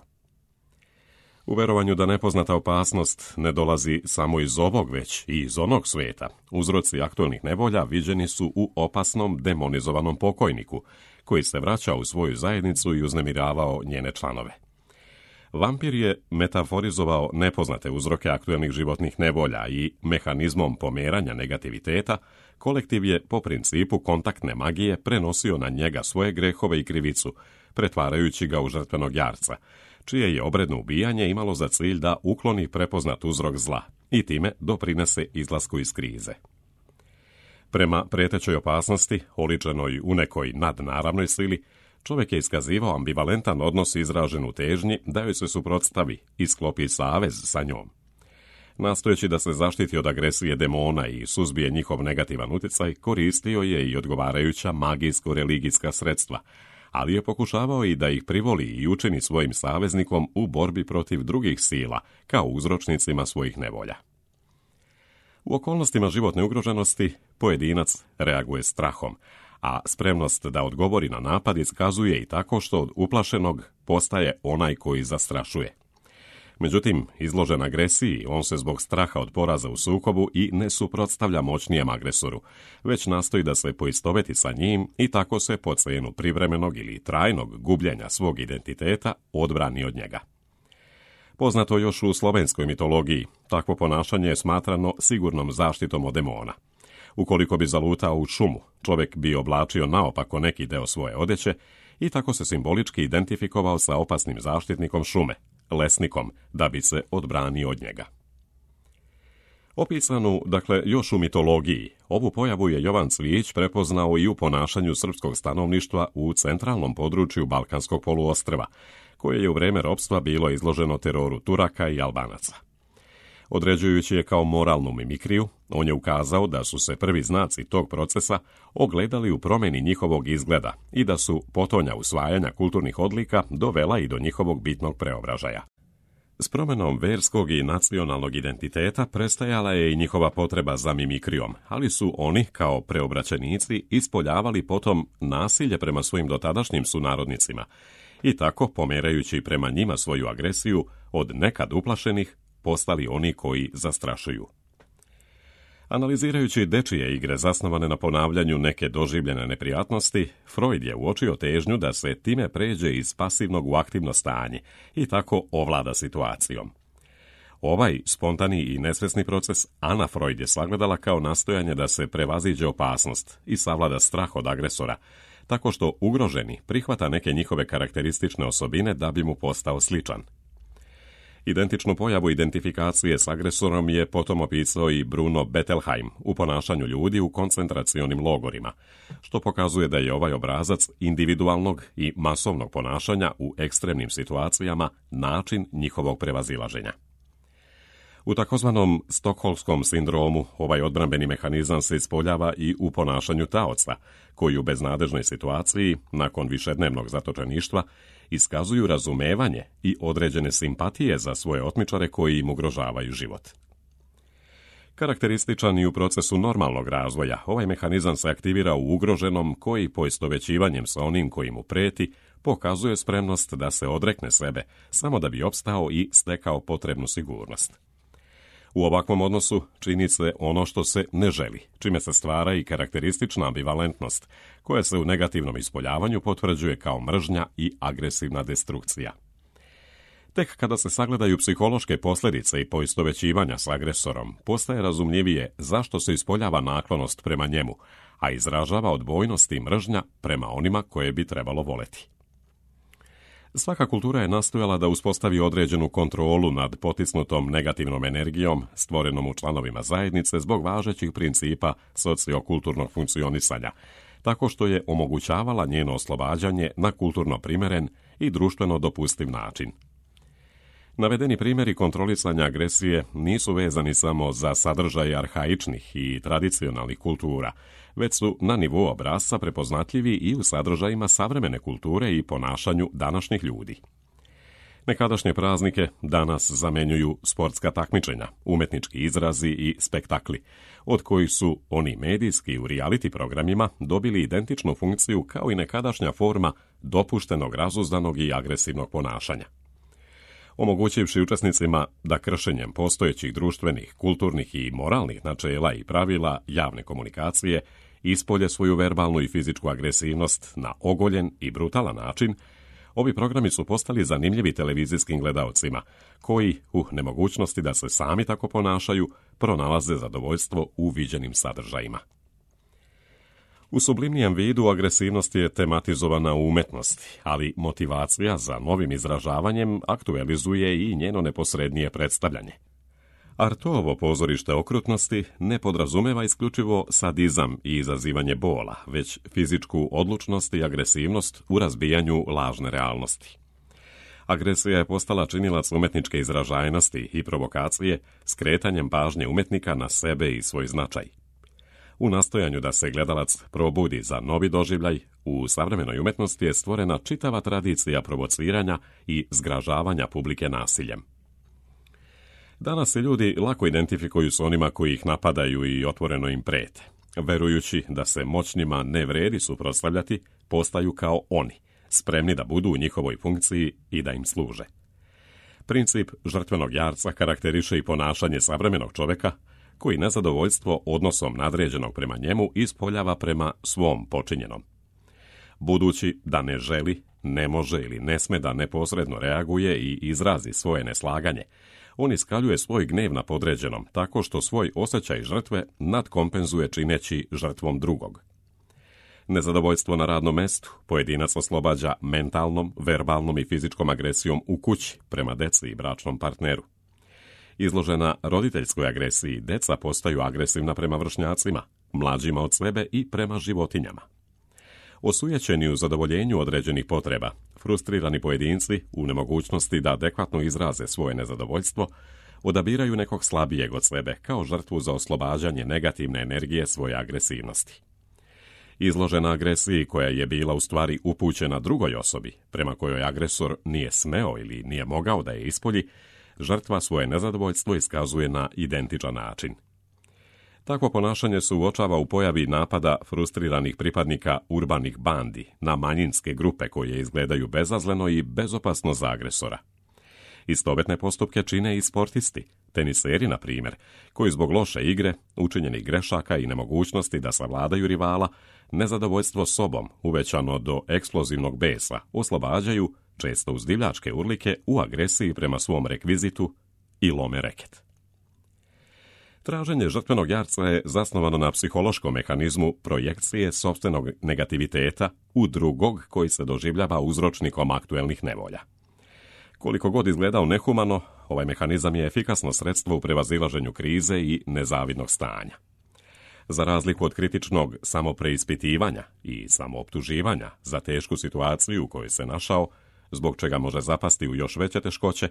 U verovanju da nepoznata opasnost ne dolazi samo iz ovog, već i iz onog svijeta, uzroci aktualnih nevolja viđeni su u opasnom demonizovanom pokojniku, koji se vraća u svoju zajednicu i uznemiravao njene članove. Vampir je metaforizovao nepoznate uzroke aktualnih životnih nevolja i mehanizmom pomeranja negativiteta, kolektiv je po principu kontaktne magije prenosio na njega svoje grehove i krivicu, pretvarajući ga u žrtvenog jarca, čije je obredno ubijanje imalo za cilj da ukloni prepoznat uzrok zla i time doprinese izlasku iz krize. Prema prijetećoj opasnosti, oličenoj u nekoj nadnaravnoj sili, čovjek je iskazivao ambivalentan odnos izražen u težnji da joj se suprotstavi i sklopi savez sa njom. Nastojeći da se zaštiti od agresije demona i suzbije njihov negativan utjecaj, koristio je i odgovarajuća magijsko-religijska sredstva, ali je pokušavao i da ih privoli i učini svojim saveznikom u borbi protiv drugih sila, kao uzročnicima svojih nevolja. U okolnostima životne ugroženosti pojedinac reaguje strahom, a spremnost da odgovori na napad iskazuje i tako što od uplašenog postaje onaj koji zastrašuje. Međutim, izložen agresiji, on se zbog straha od poraza u sukobu i ne suprotstavlja moćnijem agresoru, već nastoji da se poistoveti sa njim i tako se po cijenu privremenog ili trajnog gubljenja svog identiteta odbrani od njega. Poznato još u slovenskoj mitologiji, takvo ponašanje je smatrano sigurnom zaštitom od demona. Ukoliko bi zalutao u šumu, čovjek bi oblačio naopako neki deo svoje odeće i tako se simbolički identifikovao sa opasnim zaštitnikom šume, lesnikom, da bi se odbranio od njega. Opisanu, još u mitologiji, ovu pojavu je Jovan Cvijić prepoznao i u ponašanju srpskog stanovništva u centralnom području Balkanskog poluostrva, koje je u vrijeme ropstva bilo izloženo teroru Turaka i Albanaca. Određujući je kao moralnu mimikriju, on je ukazao da su se prvi znaci tog procesa ogledali u promjeni njihovog izgleda i da su potonja usvajanja kulturnih odlika dovela i do njihovog bitnog preobražaja. S promjenom verskog i nacionalnog identiteta prestajala je i njihova potreba za mimikrijom, ali su oni, kao preobraćenici, ispoljavali potom nasilje prema svojim dotadašnjim sunarodnicima i tako, pomerajući prema njima svoju agresiju, od nekad uplašenih, postali oni koji zastrašuju. Analizirajući dečije igre zasnovane na ponavljanju neke doživljene neprijatnosti, Freud je uočio težnju da se time pređe iz pasivnog u aktivno stanje i tako ovlada situacijom. Ovaj spontani i nesvesni proces Ana Freud je sagledala kao nastojanje da se prevaziđe opasnost i savlada strah od agresora, tako što ugroženi prihvata neke njihove karakteristične osobine da bi mu postao sličan. Identičnu pojavu identifikacije s agresorom je potom opisao i Bruno Bettelheim u ponašanju ljudi u koncentracionim logorima, što pokazuje da je ovaj obrazac individualnog i masovnog ponašanja u ekstremnim situacijama način njihovog prevazilaženja. U takozvanom stokholmskom sindromu ovaj odbrambeni mehanizam se ispoljava i u ponašanju taoca, koji u beznadežnoj situaciji, nakon višednevnog zatočeništva, iskazuju razumevanje i određene simpatije za svoje otmičare koji im ugrožavaju život. Karakterističan i u procesu normalnog razvoja, ovaj mehanizam se aktivira u ugroženom koji poistovjećivanjem sa onim koji mu preti pokazuje spremnost da se odrekne sebe, samo da bi opstao i stekao potrebnu sigurnost. U ovakvom odnosu čini se ono što se ne želi, čime se stvara i karakteristična ambivalentnost, koja se u negativnom ispoljavanju potvrđuje kao mržnja i agresivna destrukcija. Tek kada se sagledaju psihološke posljedice i poistovjećivanja s agresorom, postaje razumljivije zašto se ispoljava naklonost prema njemu, a izražava odbojnost i mržnja prema onima koje bi trebalo voleti. Svaka kultura je nastojala da uspostavi određenu kontrolu nad potisnutom negativnom energijom stvorenom u članovima zajednice zbog važećih principa sociokulturnog funkcionisanja, tako što je omogućavala njeno oslobađanje na kulturno primeren i društveno dopustiv način. Navedeni primjeri kontrolisanja agresije nisu vezani samo za sadržaj arhaičnih i tradicionalnih kultura, već su na nivou obrasca prepoznatljivi i u sadržajima savremene kulture i ponašanju današnjih ljudi. Nekadašnje praznike danas zamjenjuju sportska takmičenja, umetnički izrazi i spektakli, od kojih su oni medijski u reality programima dobili identičnu funkciju kao i nekadašnja forma dopuštenog, razuzdanog i agresivnog ponašanja. Omogućivši učesnicima da kršenjem postojećih društvenih, kulturnih i moralnih načela i pravila javne komunikacije ispolje svoju verbalnu i fizičku agresivnost na ogoljen i brutalan način, ovi programi su postali zanimljivi televizijskim gledaocima, koji, u nemogućnosti da se sami tako ponašaju, pronalaze zadovoljstvo u viđenim sadržajima. U sublimnijem vidu agresivnost je tematizovana u umetnosti, ali motivacija za novim izražavanjem aktualizuje i njeno neposrednije predstavljanje. Artovo pozorište okrutnosti ne podrazumeva isključivo sadizam i izazivanje bola, već fizičku odlučnost i agresivnost u razbijanju lažne realnosti. Agresija je postala činilac umetničke izražajnosti i provokacije skretanjem pažnje umetnika na sebe i svoj značaj. U nastojanju da se gledalac probudi za novi doživljaj, u savremenoj umetnosti je stvorena čitava tradicija provociranja i zgražavanja publike nasiljem. Danas se ljudi lako identifikuju s onima koji ih napadaju i otvoreno im prete. Verujući da se moćnima ne vredi suprotstavljati, postaju kao oni, spremni da budu u njihovoj funkciji i da im služe. Princip žrtvenog jarca karakteriše i ponašanje savremenog čovjeka, koji nezadovoljstvo odnosom nadređenog prema njemu ispoljava prema svom počinjenom. Budući da ne želi, ne može ili ne sme da neposredno reaguje i izrazi svoje neslaganje, on iskaljuje svoj gnev na podređenom tako što svoj osjećaj žrtve nadkompenzuje čineći žrtvom drugog. Nezadovoljstvo na radnom mestu pojedinac oslobađa mentalnom, verbalnom i fizičkom agresijom u kući prema deci i bračnom partneru. Izložena roditeljskoj agresiji, deca postaju agresivna prema vršnjacima, mlađima od sebe i prema životinjama. Osujećeni u zadovoljenju određenih potreba, frustrirani pojedinci u nemogućnosti da adekvatno izraze svoje nezadovoljstvo, odabiraju nekog slabijeg od sebe kao žrtvu za oslobađanje negativne energije svoje agresivnosti. Izložena agresiji koja je bila u stvari upućena drugoj osobi, prema kojoj agresor nije smeo ili nije mogao da je ispolji, žrtva svoje nezadovoljstvo iskazuje na identičan način. Takvo ponašanje se uočava u pojavi napada frustriranih pripadnika urbanih bandi na manjinske grupe koje izgledaju bezazleno i bezopasno za agresora. Istovetne postupke čine i sportisti, teniseri na primjer, koji zbog loše igre, učinjenih grešaka i nemogućnosti da savladaju rivala, nezadovoljstvo sobom, uvećano do eksplozivnog besa, oslobađaju, često uz divljačke urlike, u agresiji prema svom rekvizitu i lome reket. Traženje žrtvenog jarca je zasnovano na psihološkom mehanizmu projekcije sopstvenog negativiteta u drugog koji se doživljava uzročnikom aktuelnih nevolja. Koliko god izgledao nehumano, ovaj mehanizam je efikasno sredstvo u prevazilaženju krize i nezavidnog stanja. Za razliku od kritičnog samopreispitivanja i samooptuživanja za tešku situaciju u kojoj se našao, zbog čega može zapasti u još veće teškoće,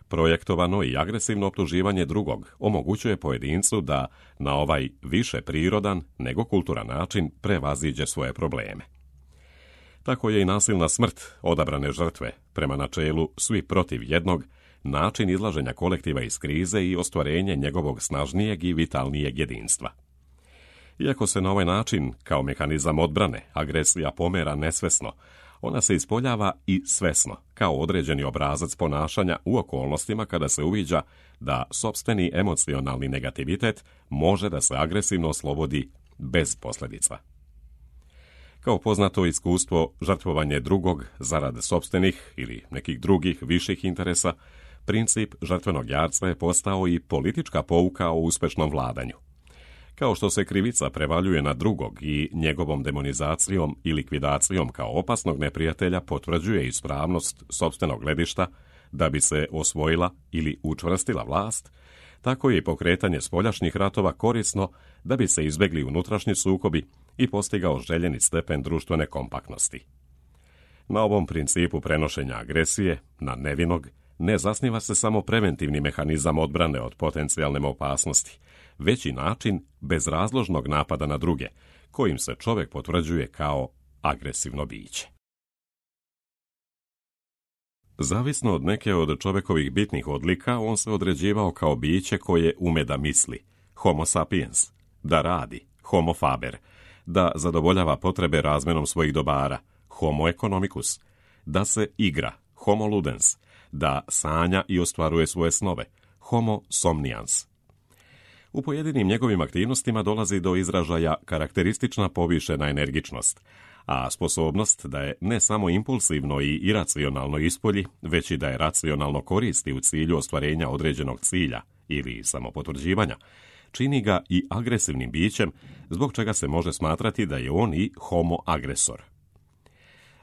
projektovano i agresivno optuživanje drugog omogućuje pojedincu da na ovaj više prirodan nego kulturan način prevaziđe svoje probleme. Tako je i nasilna smrt odabrane žrtve, prema načelu svi protiv jednog, način izlaženja kolektiva iz krize i ostvarenje njegovog snažnijeg i vitalnijeg jedinstva. Iako se na ovaj način, kao mehanizam odbrane, agresija pomera nesvesno, ona se ispoljava i svesno, kao određeni obrazac ponašanja u okolnostima kada se uviđa da sopstveni emocionalni negativitet može da se agresivno oslobodi bez posljedica. Kao poznato iskustvo, žrtvovanje drugog zarad sopstvenih ili nekih drugih viših interesa, princip žrtvenog jarca je postao i politička pouka o uspešnom vladanju. Kao što se krivica prevaljuje na drugog i njegovom demonizacijom i likvidacijom kao opasnog neprijatelja potvrđuje ispravnost sopstvenog gledišta da bi se osvojila ili učvrstila vlast, tako je i pokretanje spoljašnjih ratova korisno da bi se izbjegli unutrašnji sukobi i postigao željeni stepen društvene kompaktnosti. Na ovom principu prenošenja agresije na nevinog ne zasniva se samo preventivni mehanizam odbrane od potencijalne opasnosti, već i način bezrazložnog napada na druge, kojim se čovjek potvrđuje kao agresivno biće. Zavisno od neke od čovjekovih bitnih odlika, on se određivao kao biće koje ume da misli, homo sapiens, da radi, homo faber, da zadovoljava potrebe razmenom svojih dobara, homo economicus, da se igra, homo ludens, da sanja i ostvaruje svoje snove, homo somnians. U pojedinim njegovim aktivnostima dolazi do izražaja karakteristična povišena energičnost, a sposobnost da je ne samo impulsivno i iracionalno ispolji, već i da je racionalno koristi u cilju ostvarenja određenog cilja ili samopotvrđivanja, čini ga i agresivnim bićem, zbog čega se može smatrati da je on i homo agresor.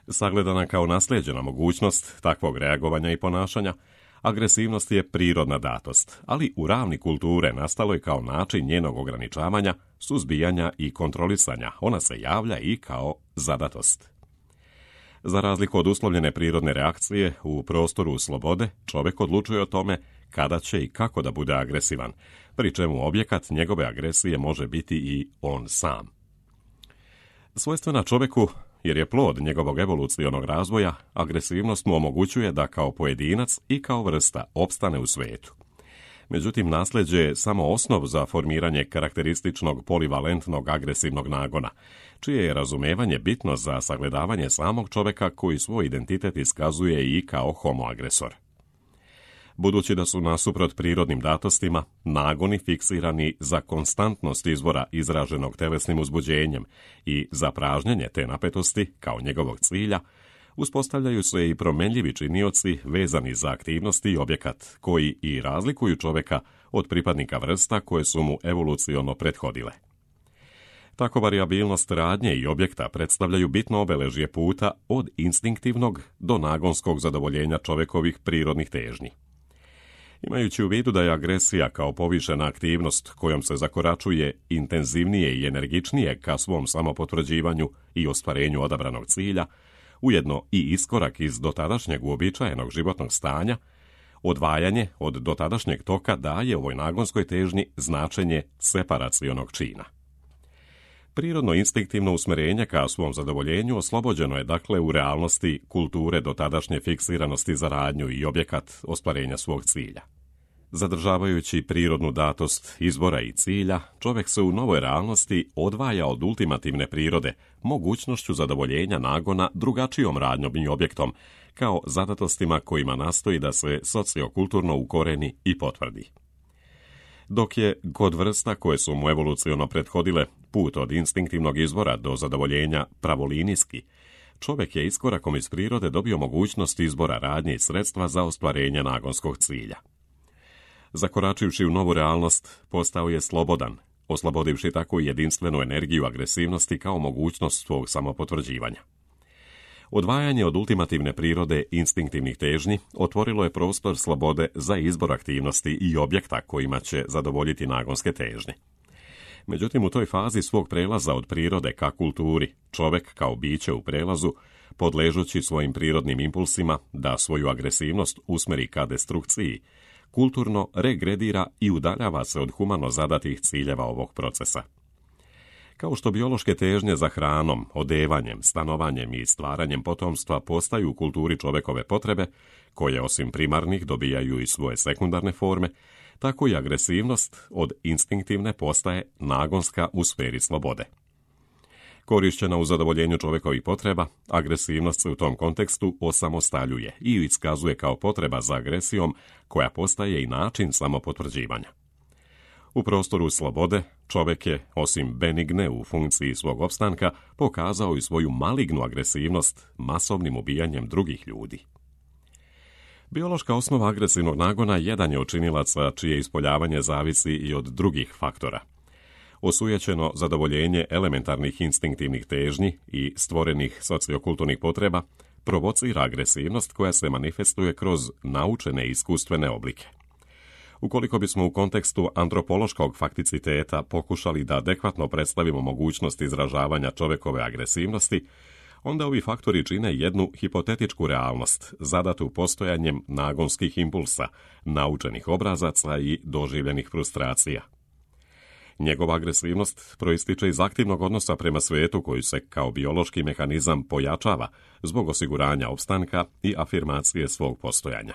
Sagledana kao naslijeđena mogućnost takvog reagovanja i ponašanja, agresivnost je prirodna datost, ali u ravni kulture nastalo je kao način njenog ograničavanja, suzbijanja i kontrolisanja. Ona se javlja i kao zadatost. Za razliku od uslovljene prirodne reakcije, u prostoru slobode čovjek odlučuje o tome kada će i kako da bude agresivan, pri čemu objekat njegove agresije može biti i on sam. Svojstvena čovjeku, jer je plod njegovog evolucionog razvoja, agresivnost mu omogućuje da kao pojedinac i kao vrsta opstane u svijetu. Međutim, nasljeđe je samo osnov za formiranje karakterističnog polivalentnog agresivnog nagona, čije je razumevanje bitno za sagledavanje samog čovjeka koji svoj identitet iskazuje i kao homo agresor. Budući da su nasuprot prirodnim datostima nagoni fiksirani za konstantnost izvora izraženog telesnim uzbuđenjem i za pražnjenje te napetosti kao njegovog cilja, uspostavljaju se i promenljivi činioci vezani za aktivnosti i objekat koji i razlikuju čovjeka od pripadnika vrsta koje su mu evoluciono prethodile. Tako variabilnost radnje i objekta predstavljaju bitno obeležje puta od instinktivnog do nagonskog zadovoljenja čovjekovih prirodnih težnji. Imajući u vidu da je agresija kao povišena aktivnost kojom se zakoračuje intenzivnije i energičnije ka svom samopotvrđivanju i ostvarenju odabranog cilja, ujedno i iskorak iz dotadašnjeg uobičajenog životnog stanja, odvajanje od dotadašnjeg toka daje ovoj nagonskoj težnji značenje separacionog čina. Prirodno instinktivno usmjerenje ka svom zadovoljenju oslobođeno je dakle u realnosti kulture dotadašnje fiksiranosti za radnju i objekat ostvarenja svog cilja. Zadržavajući prirodnu datost izbora i cilja, čovjek se u novoj realnosti odvaja od ultimativne prirode mogućnošću zadovoljenja nagona drugačijom radnjom i objektom, kao zadatostima kojima nastoji da se sociokulturno ukoreni i potvrdi. Dok je kod vrsta koje su mu evoluciono prethodile put od instinktivnog izvora do zadovoljenja pravolinijski, čovjek je iskorakom iz prirode dobio mogućnost izbora radnje i sredstva za ostvarenje nagonskog cilja. Zakoračivši u novu realnost, postao je slobodan, oslobodivši tako i jedinstvenu energiju agresivnosti kao mogućnost svog samopotvrđivanja. Odvajanje od ultimativne prirode instinktivnih težnji otvorilo je prostor slobode za izbor aktivnosti i objekta kojima će zadovoljiti nagonske težnje. Međutim, u toj fazi svog prelaza od prirode ka kulturi, čovjek kao biće u prelazu, podležući svojim prirodnim impulsima da svoju agresivnost usmeri ka destrukciji, kulturno regredira i udaljava se od humano zadatih ciljeva ovog procesa. Kao što biološke težnje za hranom, odevanjem, stanovanjem i stvaranjem potomstva postaju u kulturi čovjekove potrebe, koje osim primarnih dobijaju i svoje sekundarne forme, tako i agresivnost od instinktivne postaje nagonska u sferi slobode. Korišćena u zadovoljenju čovjekovih potreba, agresivnost se u tom kontekstu osamostaljuje i iskazuje kao potreba za agresijom koja postaje i način samopotvrđivanja. U prostoru slobode, čovjek je, osim benigne u funkciji svog opstanka, pokazao i svoju malignu agresivnost masovnim ubijanjem drugih ljudi. Biološka osnova agresivnog nagona jedan je od činilaca čije ispoljavanje zavisi i od drugih faktora. Osujećeno zadovoljenje elementarnih instinktivnih težnji i stvorenih sociokulturnih potreba provocira agresivnost koja se manifestuje kroz naučene iskustvene oblike. Ukoliko bismo u kontekstu antropološkog fakticiteta pokušali da adekvatno predstavimo mogućnost izražavanja čovjekove agresivnosti, onda ovi faktori čine jednu hipotetičku realnost, zadatu postojanjem nagonskih impulsa, naučenih obrazaca i doživljenih frustracija. Njegova agresivnost proističe iz aktivnog odnosa prema svijetu koji se kao biološki mehanizam pojačava zbog osiguranja opstanka i afirmacije svog postojanja.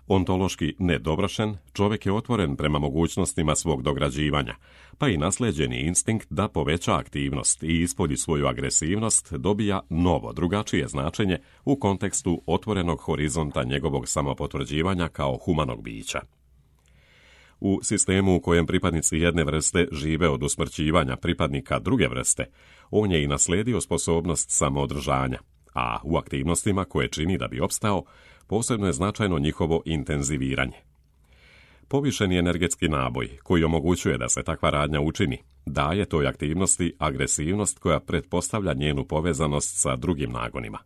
Ontološki nedovršen, čovjek je otvoren prema mogućnostima svog dograđivanja, pa i naslijeđeni instinkt da poveća aktivnost i ispolji svoju agresivnost dobija novo, drugačije značenje u kontekstu otvorenog horizonta njegovog samopotvrđivanja kao humanog bića. U sistemu u kojem pripadnici jedne vrste žive od usmrćivanja pripadnika druge vrste, on je i naslijedio sposobnost samoodržanja, a u aktivnostima koje čini da bi opstao, posebno je značajno njihovo intenziviranje. Povišeni energetski naboj, koji omogućuje da se takva radnja učini, daje toj aktivnosti agresivnost koja pretpostavlja njenu povezanost sa drugim nagonima.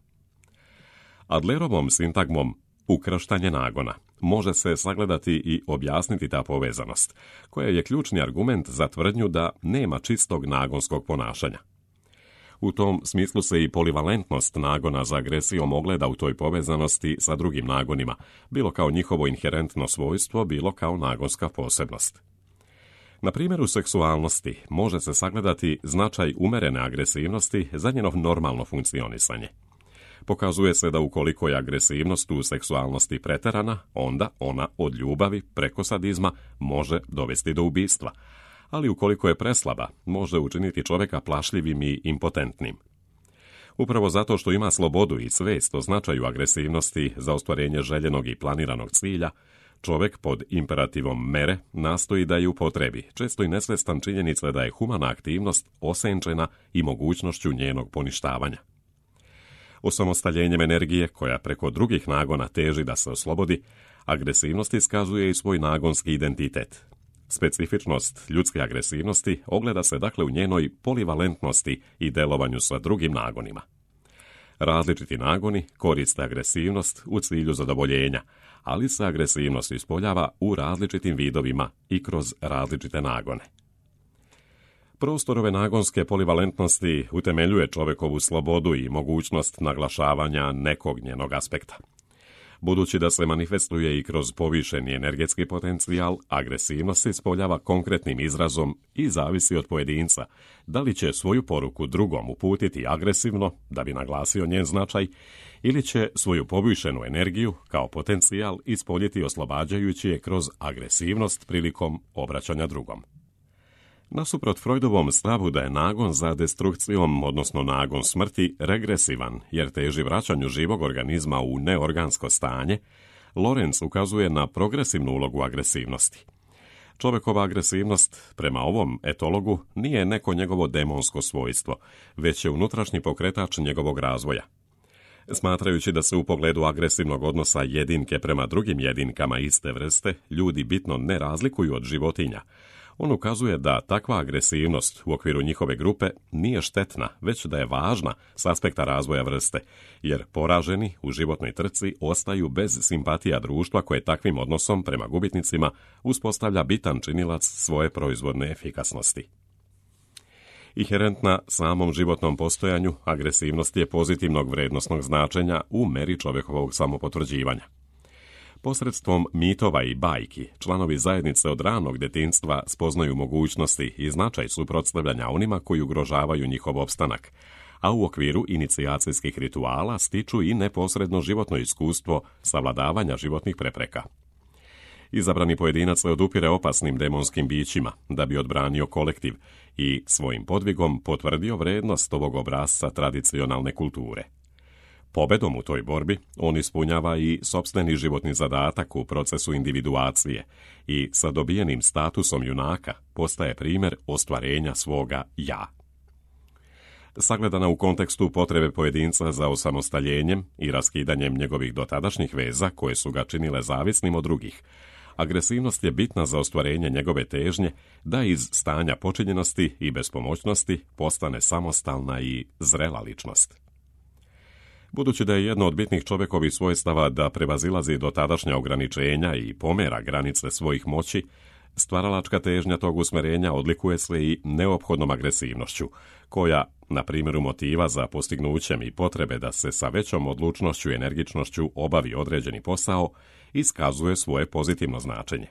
Adlerovom sintagmom ukrštanje nagona može se sagledati i objasniti ta povezanost, koja je ključni argument za tvrdnju da nema čistog nagonskog ponašanja. U tom smislu se i polivalentnost nagona za agresijom ogleda u toj povezanosti sa drugim nagonima, bilo kao njihovo inherentno svojstvo, bilo kao nagonska posebnost. Na primjeru seksualnosti može se sagledati značaj umerene agresivnosti za njeno normalno funkcionisanje. Pokazuje se da ukoliko je agresivnost u seksualnosti preterana, onda ona od ljubavi preko sadizma može dovesti do ubistva, ali ukoliko je preslaba, može učiniti čovjeka plašljivim i impotentnim. Upravo zato što ima slobodu i svijest o značaju agresivnosti za ostvarenje željenog i planiranog cilja, čovjek pod imperativom mere nastoji da je upotrebi, često i nesvjestan činjenica da je humana aktivnost osenčena i mogućnošću njenog poništavanja. Osamostaljenjem energije, koja preko drugih nagona teži da se oslobodi, agresivnost iskazuje i svoj nagonski identitet. Specifičnost ljudske agresivnosti ogleda se dakle u njenoj polivalentnosti i delovanju sa drugim nagonima. Različiti nagoni koriste agresivnost u cilju zadovoljenja, ali se agresivnost ispoljava u različitim vidovima i kroz različite nagone. Prostor ove nagonske polivalentnosti utemeljuje čovjekovu slobodu i mogućnost naglašavanja nekog njenog aspekta. Budući da se manifestuje i kroz povišeni energetski potencijal, agresivnost se ispoljava konkretnim izrazom i zavisi od pojedinca, da li će svoju poruku drugom uputiti agresivno, da bi naglasio njen značaj, ili će svoju povišenu energiju kao potencijal ispoljiti oslobađajući je kroz agresivnost prilikom obraćanja drugom. Nasuprot Freudovom stavu da je nagon za destrukcijom, odnosno nagon smrti, regresivan, jer teži vraćanju živog organizma u neorgansko stanje, Lorenz ukazuje na progresivnu ulogu agresivnosti. Čovjekova agresivnost, prema ovom etologu, nije neko njegovo demonsko svojstvo, već je unutrašnji pokretač njegovog razvoja. Smatrajući da se u pogledu agresivnog odnosa jedinke prema drugim jedinkama iste vrste ljudi bitno ne razlikuju od životinja, on ukazuje da takva agresivnost u okviru njihove grupe nije štetna, već da je važna s aspekta razvoja vrste, jer poraženi u životnoj trci ostaju bez simpatija društva koje takvim odnosom prema gubitnicima uspostavlja bitan činilac svoje proizvodne efikasnosti. Inherentna samom životnom postojanju, agresivnost je pozitivnog vrednosnog značenja u meri čovjekovog samopotvrđivanja. Posredstvom mitova i bajki, članovi zajednice od ranog djetinjstva spoznaju mogućnosti i značaj suprotstavljanja onima koji ugrožavaju njihov opstanak, a u okviru inicijacijskih rituala stiču i neposredno životno iskustvo savladavanja životnih prepreka. Izabrani pojedinac se odupire opasnim demonskim bićima da bi odbranio kolektiv i svojim podvigom potvrdio vrednost ovog obrasca tradicionalne kulture. Pobedom u toj borbi on ispunjava i sopstveni životni zadatak u procesu individuacije i sa dobijenim statusom junaka postaje primjer ostvarenja svoga ja. Sagledana u kontekstu potrebe pojedinca za osamostaljenjem i raskidanjem njegovih dotadašnjih veza koje su ga činile zavisnim od drugih, agresivnost je bitna za ostvarenje njegove težnje da iz stanja počinjenosti i bespomoćnosti postane samostalna i zrela ličnost. Budući da je jedno od bitnih čovjekovih svojstava da prevazilazi dotadašnja ograničenja i pomera granice svojih moći, stvaralačka težnja tog usmjerenja odlikuje se i neophodnom agresivnošću, koja, na primjeru motiva za postignućem i potrebe da se sa većom odlučnošću i energičnošću obavi određeni posao, iskazuje svoje pozitivno značenje.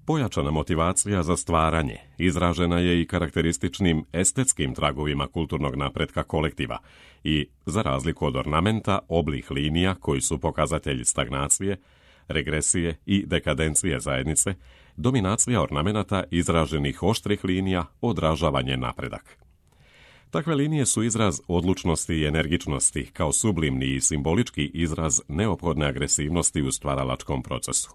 Pojačana motivacija za stvaranje izražena je i karakterističnim estetskim tragovima kulturnog napretka kolektiva i, za razliku od ornamenta, oblih linija koji su pokazatelji stagnacije, regresije i dekadencije zajednice, dominacija ornamenata izraženih oštrih linija odražava njen napredak. Takve linije su izraz odlučnosti i energičnosti kao sublimni i simbolički izraz neophodne agresivnosti u stvaralačkom procesu.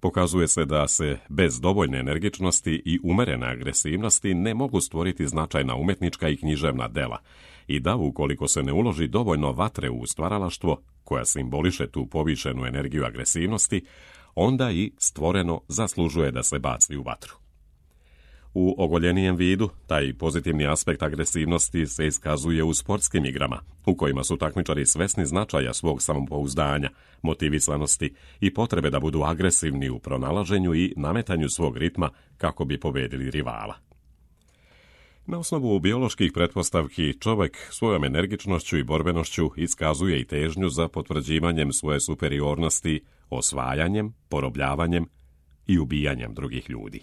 Pokazuje se da se bez dovoljne energičnosti i umerene agresivnosti ne mogu stvoriti značajna umjetnička i književna dela i da ukoliko se ne uloži dovoljno vatre u stvaralaštvo, koja simboliše tu povišenu energiju agresivnosti, onda i stvoreno zaslužuje da se baci u vatru. U ogoljenijem vidu, taj pozitivni aspekt agresivnosti se iskazuje u sportskim igrama, u kojima su takmičari svesni značaja svog samopouzdanja, motivisanosti i potrebe da budu agresivni u pronalaženju i nametanju svog ritma kako bi pobedili rivala. Na osnovu bioloških pretpostavki, čovjek svojom energičnošću i borbenošću iskazuje i težnju za potvrđivanjem svoje superiornosti, osvajanjem, porobljavanjem i ubijanjem drugih ljudi.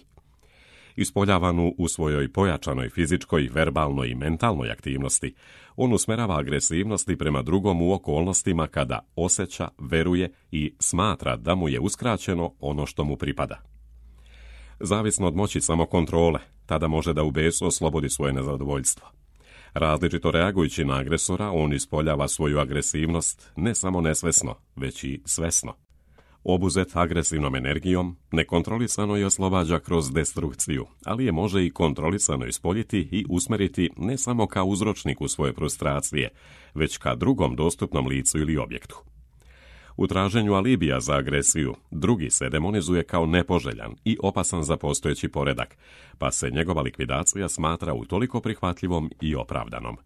Ispoljavanu u svojoj pojačanoj fizičkoj, verbalnoj i mentalnoj aktivnosti, on usmerava agresivnosti prema drugom u okolnostima kada osjeća, veruje i smatra da mu je uskraćeno ono što mu pripada. Zavisno od moći samokontrole, tada može da u besu oslobodi svoje nezadovoljstvo. Različito reagujući na agresora, on ispoljava svoju agresivnost ne samo nesvesno, već i svesno. Obuzet agresivnom energijom, nekontrolisano je oslobađa kroz destrukciju, ali je može i kontrolisano ispoljiti i usmeriti ne samo kao uzročniku svoje frustracije, već ka drugom dostupnom licu ili objektu. U traženju alibija za agresiju, drugi se demonizuje kao nepoželjan i opasan za postojeći poredak, pa se njegova likvidacija smatra utoliko prihvatljivom i opravdanom.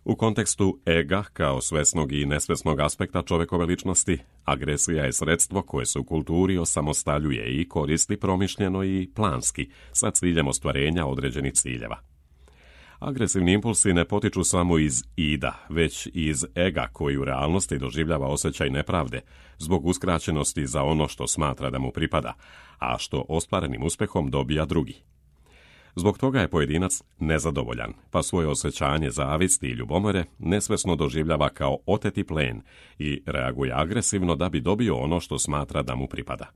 U kontekstu ega kao svesnog i nesvesnog aspekta čovjekove ličnosti, agresija je sredstvo koje se u kulturi osamostaljuje i koristi promišljeno i planski sa ciljem ostvarenja određenih ciljeva. Agresivni impulsi ne potiču samo iz ida, već iz ega koji u realnosti doživljava osjećaj nepravde zbog uskraćenosti za ono što smatra da mu pripada, a što ostvarenim uspjehom dobija drugi. Zbog toga je pojedinac nezadovoljan, pa svoje osjećanje zavisti i ljubomore nesvesno doživljava kao oteti plen i reaguje agresivno da bi dobio ono što smatra da mu pripada.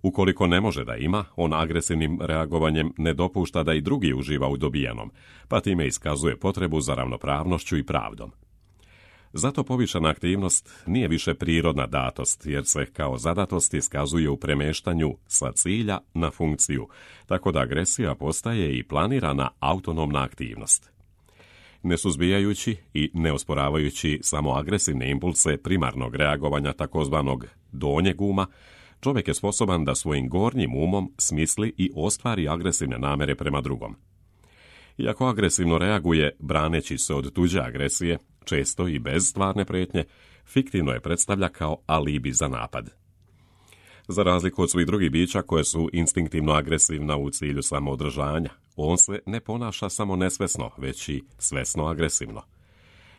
Ukoliko ne može da ima, on agresivnim reagovanjem ne dopušta da i drugi uživa u dobijanom, pa time iskazuje potrebu za ravnopravnošću i pravdom. Zato povišena aktivnost nije više prirodna datost, jer se kao zadatost iskazuje u premeštanju sa cilja na funkciju, tako da agresija postaje i planirana autonomna aktivnost. Ne suzbijajući i ne osporavajući samo agresivne impulse primarnog reagovanja takozvanog donjeg uma, čovjek je sposoban da svojim gornjim umom smisli i ostvari agresivne namere prema drugom. Iako agresivno reaguje braneći se od tuđe agresije, često i bez stvarne prijetnje, fiktivno je predstavlja kao alibi za napad. Za razliku od svih drugih bića koje su instinktivno agresivna u cilju samoodržanja, on se ne ponaša samo nesvesno, već i svesno agresivno.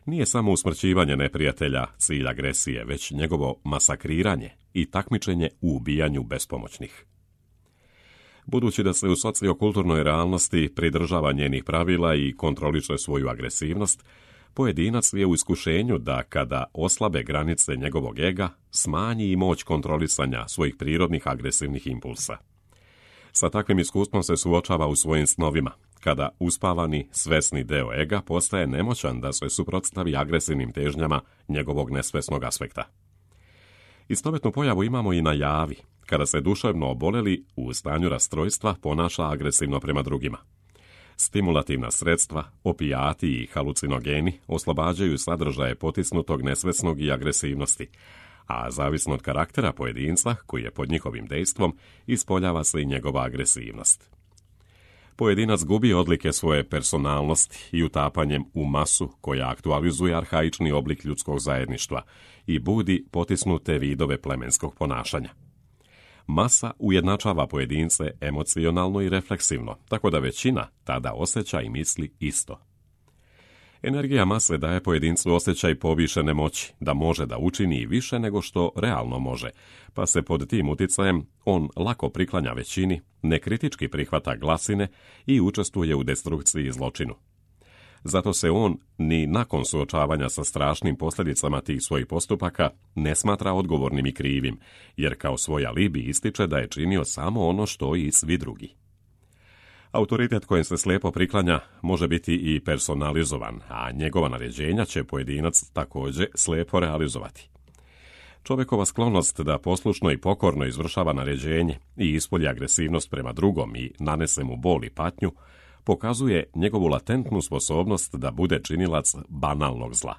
Nije samo usmrćivanje neprijatelja cilj agresije, već njegovo masakriranje i takmičenje u ubijanju bespomoćnih. Budući da se u sociokulturnoj realnosti pridržava njenih pravila i kontroliše svoju agresivnost, pojedinac je u iskušenju da kada oslabe granice njegovog ega, smanji i moć kontrolisanja svojih prirodnih agresivnih impulsa. Sa takvim iskustvom se suočava u svojim snovima, kada uspavani, svesni deo ega postaje nemoćan da se suprotstavi agresivnim težnjama njegovog nesvesnog aspekta. Istovetnu pojavu imamo i na javi, kada se duševno oboleli u stanju rastrojstva ponaša agresivno prema drugima. Stimulativna sredstva, opijati i halucinogeni oslobađaju sadržaje potisnutog nesvesnog i agresivnosti, a zavisno od karaktera pojedinca, koji je pod njihovim dejstvom, ispoljava se i njegova agresivnost. Pojedinac gubi odlike svoje personalnosti i utapanjem u masu koja aktualizuje arhaični oblik ljudskog zajedništva i budi potisnute vidove plemenskog ponašanja. Masa ujednačava pojedince emocionalno i refleksivno, tako da većina tada osjeća i misli isto. Energija mase daje pojedincu osjećaj povišene moći, da može da učini više nego što realno može, pa se pod tim uticajem on lako priklanja većini, nekritički prihvata glasine i učestvuje u destrukciji i zločinu. Zato se on, ni nakon suočavanja sa strašnim posljedicama tih svojih postupaka, ne smatra odgovornim i krivim, jer kao svoj alibi ističe da je činio samo ono što i svi drugi. Autoritet kojem se slijepo priklanja može biti i personalizovan, a njegova naređenja će pojedinac također slijepo realizovati. Čovjekova sklonost da poslušno i pokorno izvršava naređenje i ispolji agresivnost prema drugom i nanese mu bol i patnju, pokazuje njegovu latentnu sposobnost da bude činilac banalnog zla.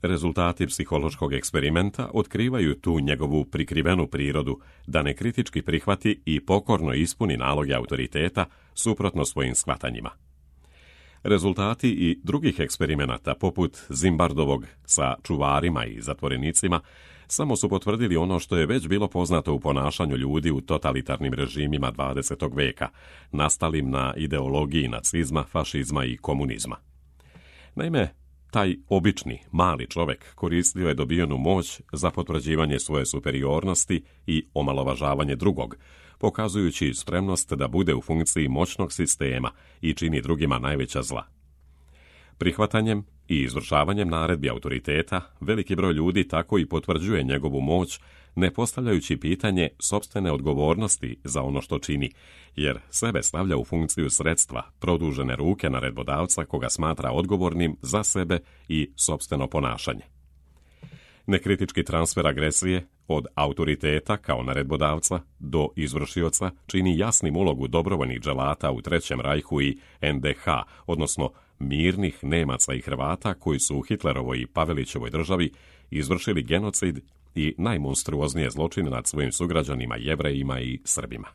Rezultati psihološkog eksperimenta otkrivaju tu njegovu prikrivenu prirodu da nekritički prihvati i pokorno ispuni naloge autoriteta suprotno svojim shvatanjima. Rezultati i drugih eksperimenata, poput Zimbardovog sa čuvarima i zatvorenicima, samo su potvrdili ono što je već bilo poznato u ponašanju ljudi u totalitarnim režimima 20. veka, nastalim na ideologiji nacizma, fašizma i komunizma. Naime, taj obični, mali čovjek koristio je dobijenu moć za potvrđivanje svoje superiornosti i omalovažavanje drugog, pokazujući spremnost da bude u funkciji moćnog sistema i čini drugima najveća zla. Prihvatanjem i izvršavanjem naredbi autoriteta, veliki broj ljudi tako i potvrđuje njegovu moć, ne postavljajući pitanje sopstvene odgovornosti za ono što čini, jer sebe stavlja u funkciju sredstva, produžene ruke naredbodavca koga smatra odgovornim za sebe i sopstveno ponašanje. Nekritički transfer agresije od autoriteta kao naredbodavca do izvršioca čini jasnim ulogu dobrovoljnih dželata u Trećem rajhu i NDH, odnosno mirnih Nemaca i Hrvata koji su u Hitlerovoj i Pavelićevoj državi izvršili genocid i najmonstruoznije zločine nad svojim sugrađanima, Jevrejima i Srbima.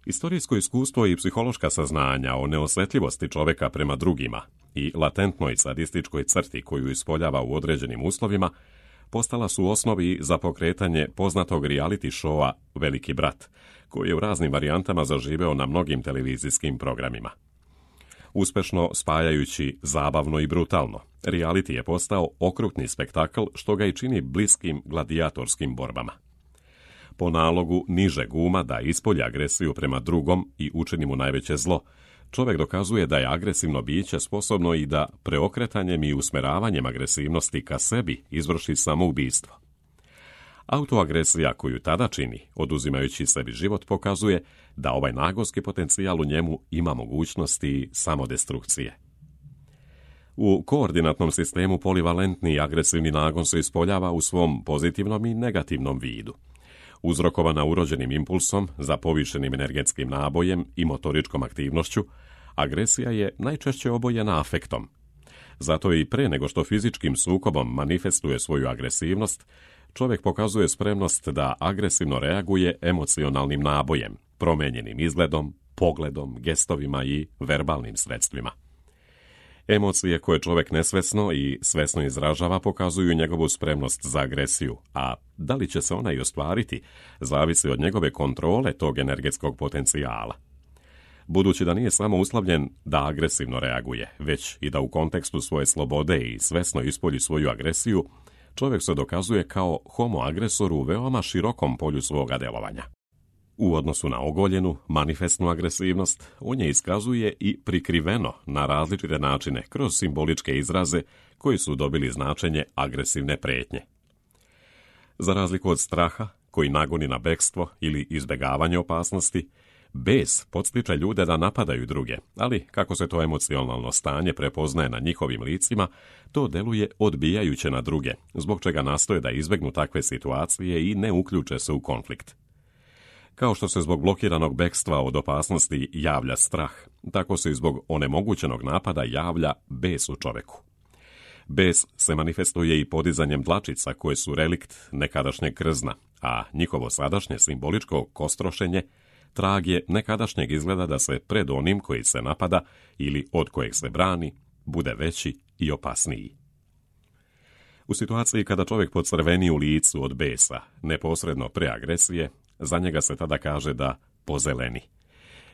Istorijsko iskustvo i psihološka saznanja o neosjetljivosti čovjeka prema drugima i latentnoj sadističkoj crti koju ispoljava u određenim uslovima postala su osnovi za pokretanje poznatog reality showa Veliki brat, koji je u raznim varijantama zaživeo na mnogim televizijskim programima. Uspešno spajajući zabavno i brutalno, reality je postao okrutni spektakl što ga i čini bliskim gladijatorskim borbama. Po nalogu nižeg uma da ispolji agresiju prema drugom i učini mu najveće zlo, čovjek dokazuje da je agresivno biće sposobno i da preokretanjem i usmeravanjem agresivnosti ka sebi izvrši samoubistvo. Autoagresija koju tada čini, oduzimajući sebi život, pokazuje da ovaj nagonski potencijal u njemu ima mogućnosti samodestrukcije. U koordinatnom sistemu polivalentni i agresivni nagon se ispoljava u svom pozitivnom i negativnom vidu. Uzrokovana urođenim impulsom za povišenim energetskim nabojem i motoričkom aktivnošću, agresija je najčešće obojena afektom. Zato i pre nego što fizičkim sukobom manifestuje svoju agresivnost, čovjek pokazuje spremnost da agresivno reaguje emocionalnim nabojem, promijenjenim izgledom, pogledom, gestovima i verbalnim sredstvima. Emocije koje čovjek nesvesno i svesno izražava pokazuju njegovu spremnost za agresiju, a da li će se ona i ostvariti, zavisi od njegove kontrole tog energetskog potencijala. Budući da nije samo uslovljen da agresivno reaguje, već i da u kontekstu svoje slobode i svesno ispolji svoju agresiju, čovjek se dokazuje kao homo agresor u veoma širokom polju svoga delovanja. U odnosu na ogoljenu, manifestnu agresivnost, on je iskazuje i prikriveno na različite načine kroz simboličke izraze koji su dobili značenje agresivne prijetnje. Za razliku od straha, koji nagoni na bekstvo ili izbjegavanje opasnosti, Bes podstiče ljude da napadaju druge, ali kako se to emocionalno stanje prepoznaje na njihovim licima, to deluje odbijajuće na druge, zbog čega nastoje da izbegnu takve situacije i ne uključe se u konflikt. Kao što se zbog blokiranog bekstva od opasnosti javlja strah, tako se i zbog onemogućenog napada javlja bes u čoveku. Bes se manifestuje i podizanjem dlačica koje su relikt nekadašnjeg krzna, a njihovo sadašnje simboličko kostrošenje trag je nekadašnjeg izgleda da se pred onim koji se napada ili od kojeg se brani bude veći i opasniji. U situaciji kada čovjek pocrveni u licu od besa, neposredno pre agresije, za njega se tada kaže da pozeleni.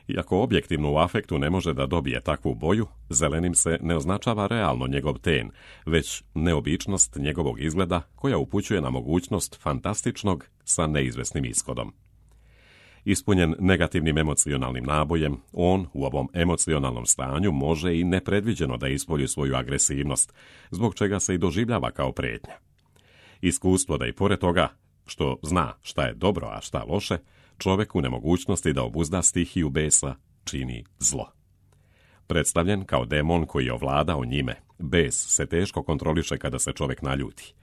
Iako objektivno u afektu ne može da dobije takvu boju, zelenim se ne označava realno njegov ten, već neobičnost njegovog izgleda koja upućuje na mogućnost fantastičnog sa neizvesnim ishodom. Ispunjen negativnim emocionalnim nabojem, on u ovom emocionalnom stanju može i nepredviđeno da ispolji svoju agresivnost, zbog čega se i doživljava kao prijetnja. Iskustvo da i pored toga što zna šta je dobro, a šta loše, čovjek u nemogućnosti da obuzda stihiju besa čini zlo. Predstavljen kao demon koji je ovladao njime, bes se teško kontroliše kada se čovjek naljuti.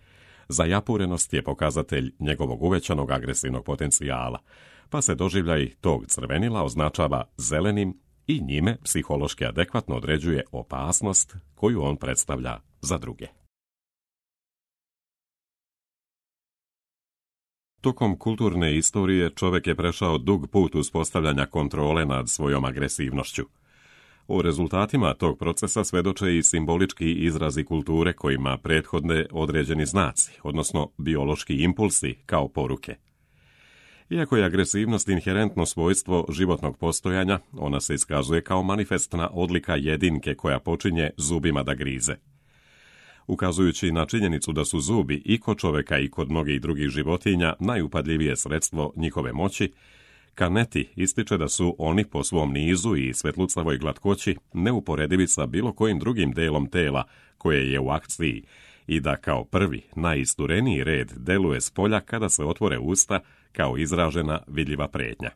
Zajapurenost je pokazatelj njegovog uvećanog agresivnog potencijala, pa se doživljaj tog crvenila označava zelenim i njime psihološki adekvatno određuje opasnost koju on predstavlja za druge. Tokom kulturne istorije čovjek je prešao dug put uspostavljanja kontrole nad svojom agresivnošću. O rezultatima tog procesa svedoče i simbolički izrazi kulture kojima prethodne određeni znaci, odnosno biološki impulsi kao poruke. Iako je agresivnost inherentno svojstvo životnog postojanja, ona se iskazuje kao manifestna odlika jedinke koja počinje zubima da grize. Ukazujući na činjenicu da su zubi i kod čoveka i kod mnogih drugih životinja najupadljivije sredstvo njihove moći, Canetti ističe da su oni po svom nizu i svetlucavoj glatkoći neuporedivi sa bilo kojim drugim delom tela koje je u akciji i da kao prvi, najistureniji red deluje s polja kada se otvore usta kao izražena vidljiva prijetnja.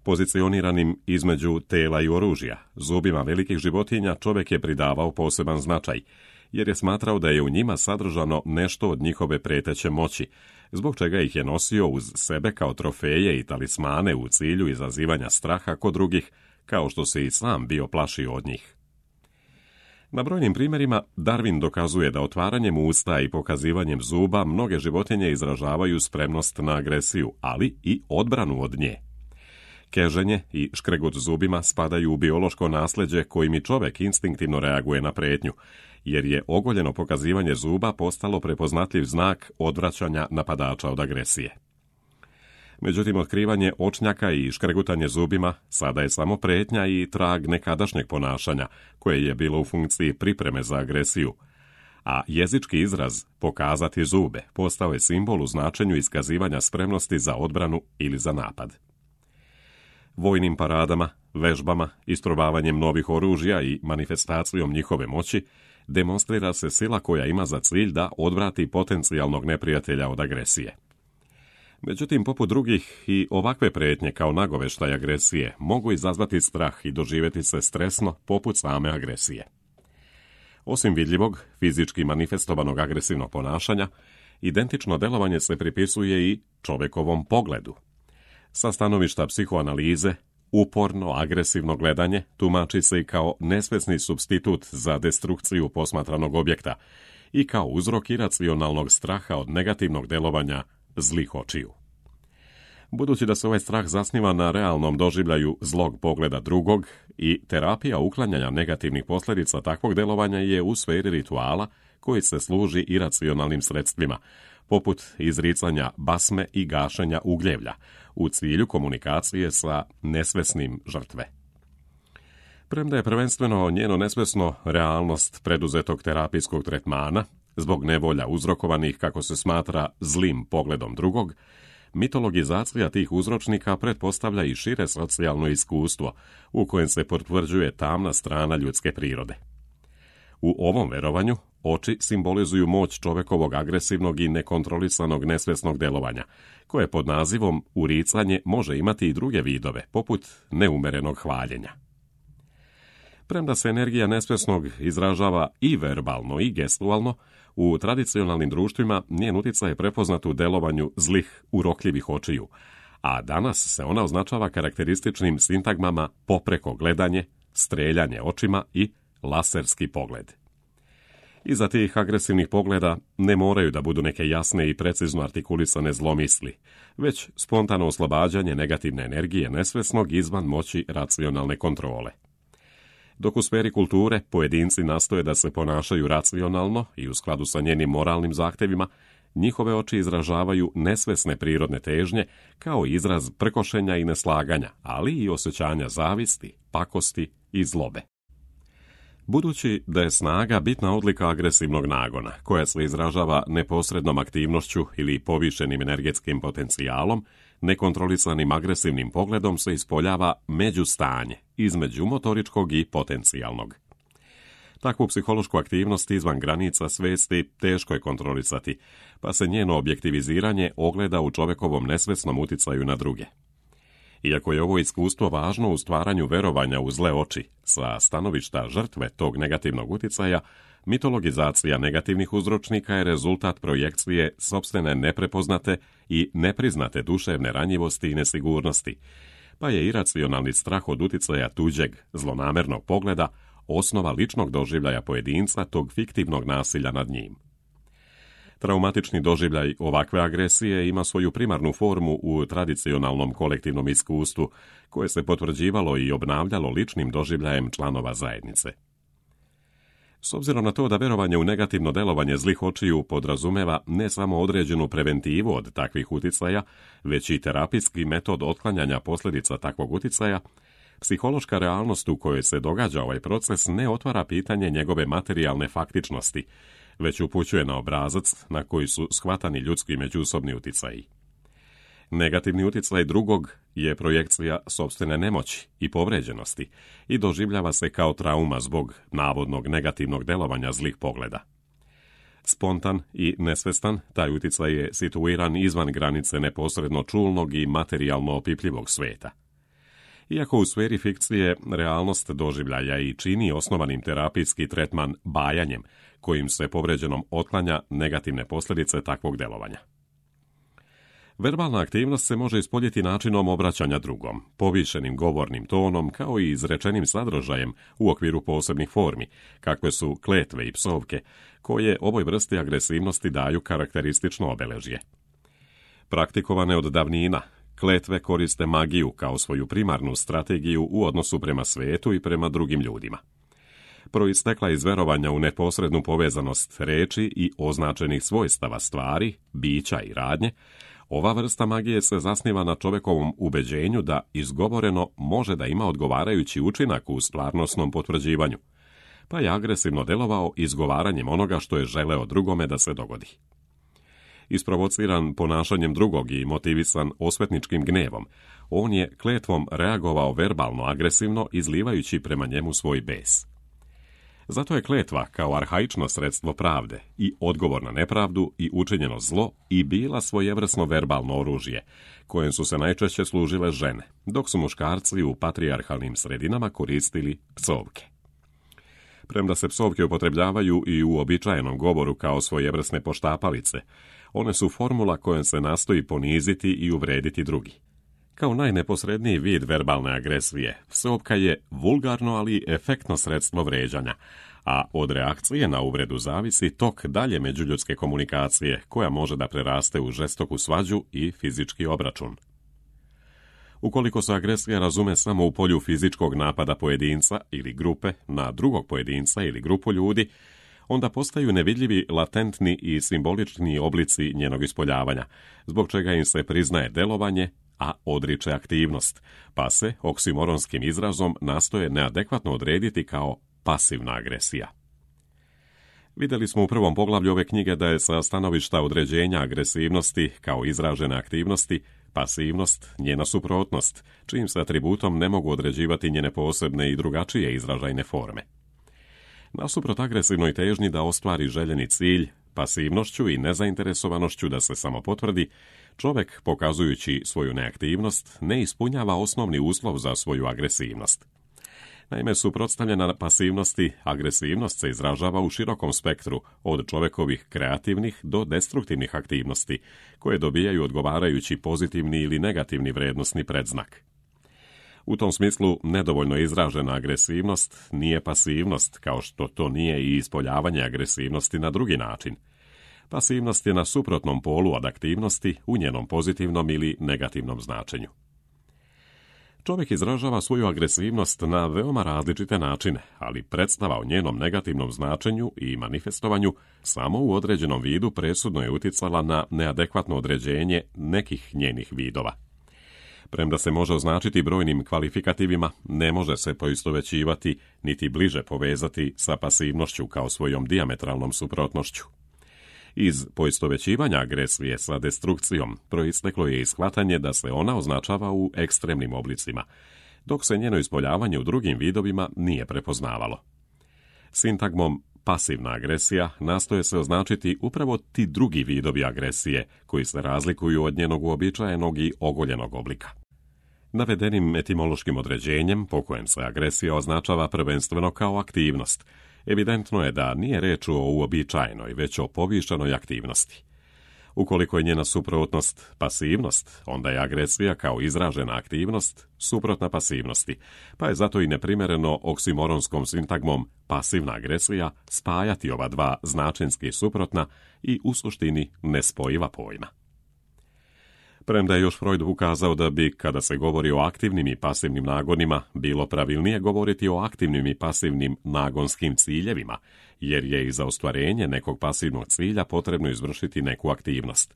Pozicioniranim između tela i oružja, zubima velikih životinja čovjek je pridavao poseban značaj, jer je smatrao da je u njima sadržano nešto od njihove preteće moći, zbog čega ih je nosio uz sebe kao trofeje i talismane u cilju izazivanja straha kod drugih, kao što se i sam bio plašio od njih. Na brojnim primjerima Darwin dokazuje da otvaranjem usta i pokazivanjem zuba mnoge životinje izražavaju spremnost na agresiju, ali i odbranu od nje. Keženje i škregut zubima spadaju u biološko nasljeđe kojim i čovjek instinktivno reaguje na prijetnju, jer je ogoljeno pokazivanje zuba postalo prepoznatljiv znak odvraćanja napadača od agresije. Međutim, otkrivanje očnjaka i škregutanje zubima sada je samo prijetnja i trag nekadašnjeg ponašanja, koje je bilo u funkciji pripreme za agresiju, a jezički izraz pokazati zube postao je simbol u značenju iskazivanja spremnosti za odbranu ili za napad. Vojnim paradama, vežbama, isprobavanjem novih oružja i manifestacijom njihove moći demonstrira se sila koja ima za cilj da odvrati potencijalnog neprijatelja od agresije. Međutim, poput drugih, i ovakve prijetnje kao nagoveštaj agresije mogu izazvati strah i doživjeti se stresno poput same agresije. Osim vidljivog, fizički manifestovanog agresivnog ponašanja, identično delovanje se pripisuje i čovjekovom pogledu. Sa stanovišta psihoanalize, uporno agresivno gledanje tumači se i kao nesvesni supstitut za destrukciju posmatranog objekta i kao uzrok iracionalnog straha od negativnog delovanja zlih očiju. Budući da se ovaj strah zasniva na realnom doživljaju zlog pogleda drugog i terapija uklanjanja negativnih posljedica takvog delovanja je u sferi rituala koji se služi iracionalnim sredstvima, poput izricanja basme i gašenja ugljevlja, u cilju komunikacije sa nesvesnim žrtve. Premda je prvenstveno njeno nesvesno realnost preduzetog terapijskog tretmana, zbog nevolja uzrokovanih, kako se smatra, zlim pogledom drugog, mitologizacija tih uzročnika pretpostavlja i šire socijalno iskustvo, u kojem se potvrđuje tamna strana ljudske prirode. U ovom verovanju, Oči simbolizuju moć čovekovog agresivnog i nekontrolisanog nesvesnog delovanja, koje pod nazivom uricanje može imati i druge vidove, poput neumerenog hvaljenja. Premda se energija nesvesnog izražava i verbalno i gestualno, u tradicionalnim društvima njen uticaj je prepoznat u delovanju zlih, urokljivih očiju, a danas se ona označava karakterističnim sintagmama popreko gledanje, streljanje očima i laserski pogled. Iza tih agresivnih pogleda ne moraju da budu neke jasne i precizno artikulisane zlomisli, već spontano oslobađanje negativne energije nesvesnog izvan moći racionalne kontrole. Dok u sferi kulture pojedinci nastoje da se ponašaju racionalno i u skladu sa njenim moralnim zahtevima, njihove oči izražavaju nesvesne prirodne težnje kao izraz prkošenja i neslaganja, ali i osjećanja zavisti, pakosti i zlobe. Budući da je snaga bitna odlika agresivnog nagona, koja se izražava neposrednom aktivnošću ili povišenim energetskim potencijalom, nekontrolisanim agresivnim pogledom se ispoljava međustanje između motoričkog i potencijalnog. Takvu psihološku aktivnost izvan granica svesti teško je kontrolisati, pa se njeno objektiviziranje ogleda u čovekovom nesvesnom uticaju na druge. Iako je ovo iskustvo važno u stvaranju verovanja u zle oči, sa stanovišta žrtve tog negativnog uticaja, mitologizacija negativnih uzročnika je rezultat projekcije sopstvene neprepoznate i nepriznate duševne ranjivosti i nesigurnosti, pa je iracionalni strah od uticaja tuđeg, zlonamernog pogleda osnova ličnog doživljaja pojedinca tog fiktivnog nasilja nad njim. Traumatični doživljaj ovakve agresije ima svoju primarnu formu u tradicionalnom kolektivnom iskustvu, koje se potvrđivalo i obnavljalo ličnim doživljajem članova zajednice. S obzirom na to da verovanje u negativno delovanje zlih očiju podrazumeva ne samo određenu preventivu od takvih uticaja, već i terapijski metod otklanjanja posljedica takvog uticaja, psihološka realnost u kojoj se događa ovaj proces ne otvara pitanje njegove materijalne faktičnosti, već upućuje na obrazac na koji su shvatani ljudski međusobni uticaji. Negativni uticaj drugog je projekcija sopstvene nemoći i povređenosti i doživljava se kao trauma zbog navodnog negativnog delovanja zlih pogleda. Spontan i nesvestan, taj uticaj je situiran izvan granice neposredno čulnog i materijalno opipljivog sveta. Iako u sferi fikcije realnost doživljaja i čini osnovanim terapijski tretman bajanjem, kojim se povređenom otklanja negativne posljedice takvog delovanja. Verbalna aktivnost se može ispoljiti načinom obraćanja drugom, povišenim govornim tonom kao i izrečenim sadržajem u okviru posebnih formi, kakve su kletve i psovke, koje ovoj vrsti agresivnosti daju karakteristično obeležje. Praktikovane od davnina, kletve koriste magiju kao svoju primarnu strategiju u odnosu prema svetu i prema drugim ljudima. Proistekla iz verovanja u neposrednu povezanost reči i označenih svojstava stvari, bića i radnje, ova vrsta magije se zasniva na čovekovom ubeđenju da izgovoreno može da ima odgovarajući učinak u stvarnosnom potvrđivanju, pa je agresivno delovao izgovaranjem onoga što je želeo drugome da se dogodi. Isprovociran ponašanjem drugog i motivisan osvetničkim gnevom, on je kletvom reagovao verbalno agresivno, izlivajući prema njemu svoj bes. Zato je kletva kao arhaično sredstvo pravde i odgovor na nepravdu i učinjeno zlo i bila svojevrsno verbalno oružje, kojem su se najčešće služile žene, dok su muškarci u patrijarhalnim sredinama koristili psovke. Premda se psovke upotrebljavaju i u uobičajenom govoru kao svojevrsne poštapalice, one su formula kojom se nastoji poniziti i uvrediti drugi. Kao najneposredniji vid verbalne agresije, psovka je vulgarno, ali efektno sredstvo vređanja, a od reakcije na uvredu zavisi tok dalje međuljudske komunikacije, koja može da preraste u žestoku svađu i fizički obračun. Ukoliko se agresija razume samo u polju fizičkog napada pojedinca ili grupe na drugog pojedinca ili grupu ljudi, onda postaju nevidljivi latentni i simbolični oblici njenog ispoljavanja, zbog čega im se priznaje delovanje, a odriče aktivnost, pa se oksimoronskim izrazom nastoje neadekvatno odrediti kao pasivna agresija. Vidjeli smo u prvom poglavlju ove knjige da je sa stanovišta određenja agresivnosti kao izražene aktivnosti pasivnost njena suprotnost, čijim se atributom ne mogu određivati njene posebne i drugačije izražajne forme. Nasuprot agresivnoj težnji da ostvari željeni cilj, pasivnošću i nezainteresovanošću da se samo potvrdi, čovjek, pokazujući svoju neaktivnost, ne ispunjava osnovni uslov za svoju agresivnost. Naime, suprotstavljena pasivnosti, agresivnost se izražava u širokom spektru, od čovjekovih kreativnih do destruktivnih aktivnosti, koje dobijaju odgovarajući pozitivni ili negativni vrednosni predznak. U tom smislu, nedovoljno izražena agresivnost nije pasivnost, kao što to nije i ispoljavanje agresivnosti na drugi način. Pasivnost je na suprotnom polu od aktivnosti u njenom pozitivnom ili negativnom značenju. Čovjek izražava svoju agresivnost na veoma različite načine, ali predstava o njenom negativnom značenju i manifestovanju samo u određenom vidu presudno je uticala na neadekvatno određenje nekih njenih vidova. Premda se može označiti brojnim kvalifikativima, ne može se poistovećivati niti bliže povezati sa pasivnošću kao svojom dijametralnom suprotnošću. Iz poistovećivanja agresije sa destrukcijom proisteklo je i shvatanje da se ona označava u ekstremnim oblicima, dok se njeno ispoljavanje u drugim vidovima nije prepoznavalo. Sintagmom pasivna agresija nastoje se označiti upravo ti drugi vidovi agresije koji se razlikuju od njenog uobičajenog i ogoljenog oblika. Navedenim etimološkim određenjem, po kojem se agresija označava prvenstveno kao aktivnost, evidentno je da nije reč o uobičajenoj, već o povišenoj aktivnosti. Ukoliko je njena suprotnost pasivnost, onda je agresija kao izražena aktivnost suprotna pasivnosti, pa je zato i neprimjereno oksimoronskom sintagmom pasivna agresija spajati ova dva značenski suprotna i u suštini nespojiva pojma. Premda je još Freud ukazao da bi, kada se govori o aktivnim i pasivnim nagonima, bilo pravilnije govoriti o aktivnim i pasivnim nagonskim ciljevima, jer je i za ostvarenje nekog pasivnog cilja potrebno izvršiti neku aktivnost.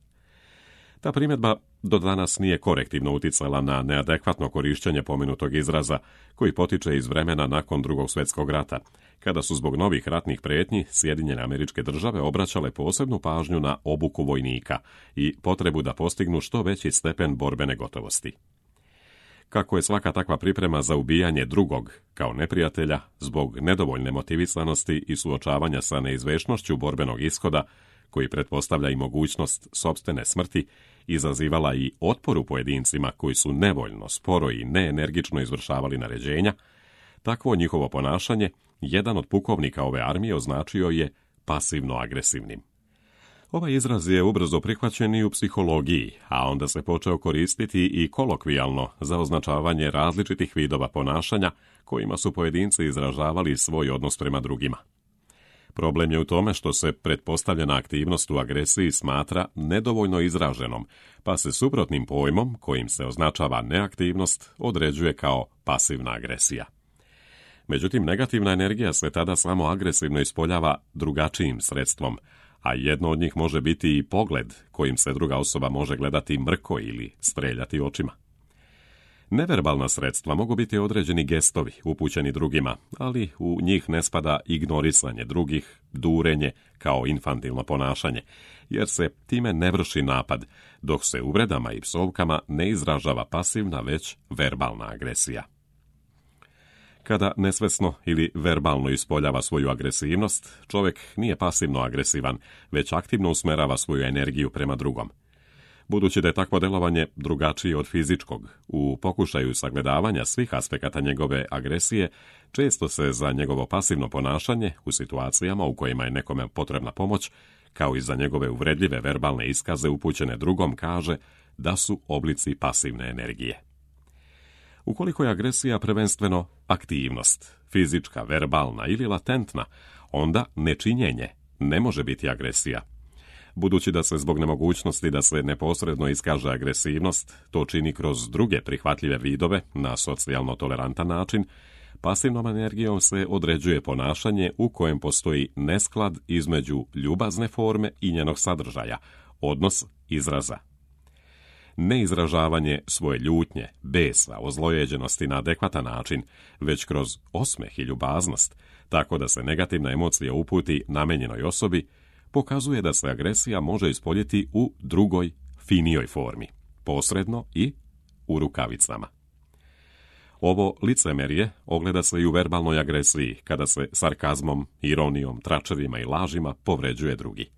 Ta primjedba do danas nije korektivno uticala na neadekvatno korištenje pomenutog izraza, koji potiče iz vremena nakon Drugog svjetskog rata, kada su zbog novih ratnih prijetnji Sjedinjene Američke Države obraćale posebnu pažnju na obuku vojnika i potrebu da postignu što veći stepen borbene gotovosti. Kako je svaka takva priprema za ubijanje drugog, kao neprijatelja, zbog nedovoljne motivisanosti i suočavanja sa neizvešnošću borbenog ishoda, koji pretpostavlja i mogućnost sopstvene smrti, izazivala i otpor u pojedincima koji su nevoljno, sporo i neenergično izvršavali naređenja, takvo njihovo ponašanje jedan od pukovnika ove armije označio je pasivno-agresivnim. Ovaj izraz je ubrzo prihvaćen i u psihologiji, a onda se počeo koristiti i kolokvijalno za označavanje različitih vidova ponašanja kojima su pojedinci izražavali svoj odnos prema drugima. Problem je u tome što se pretpostavljena aktivnost u agresiji smatra nedovoljno izraženom, pa se suprotnim pojmom, kojim se označava neaktivnost, određuje kao pasivna agresija. Međutim, negativna energija se tada samo agresivno ispoljava drugačijim sredstvom, a jedno od njih može biti i pogled kojim se druga osoba može gledati mrko ili streljati očima. Neverbalna sredstva mogu biti određeni gestovi upućeni drugima, ali u njih ne spada ignorisanje drugih, durenje kao infantilno ponašanje, jer se time ne vrši napad, dok se uvredama i psovkama ne izražava pasivna, već verbalna agresija. Kada nesvesno ili verbalno ispoljava svoju agresivnost, čovjek nije pasivno agresivan, već aktivno usmerava svoju energiju prema drugom. Budući da je takvo delovanje drugačije od fizičkog, u pokušaju sagledavanja svih aspekata njegove agresije, često se za njegovo pasivno ponašanje u situacijama u kojima je nekome potrebna pomoć, kao i za njegove uvredljive verbalne iskaze upućene drugom, kaže da su oblici pasivne energije. Ukoliko je agresija prvenstveno aktivnost, fizička, verbalna ili latentna, onda nečinjenje ne može biti agresija. Budući da se zbog nemogućnosti da se neposredno iskaže agresivnost, to čini kroz druge prihvatljive vidove na socijalno tolerantan način, pasivnom energijom se određuje ponašanje u kojem postoji nesklad između ljubazne forme i njenog sadržaja, odnos izraza. Neizražavanje svoje ljutnje, besa, ozlojeđenosti na adekvatan način, već kroz osmeh i ljubaznost, tako da se negativna emocija uputi namenjenoj osobi, pokazuje da se agresija može ispoljiti u drugoj, finijoj formi, posredno i u rukavicama. Ovo licemerje ogleda se i u verbalnoj agresiji, kada se sarkazmom, ironijom, tračevima i lažima povređuje drugi.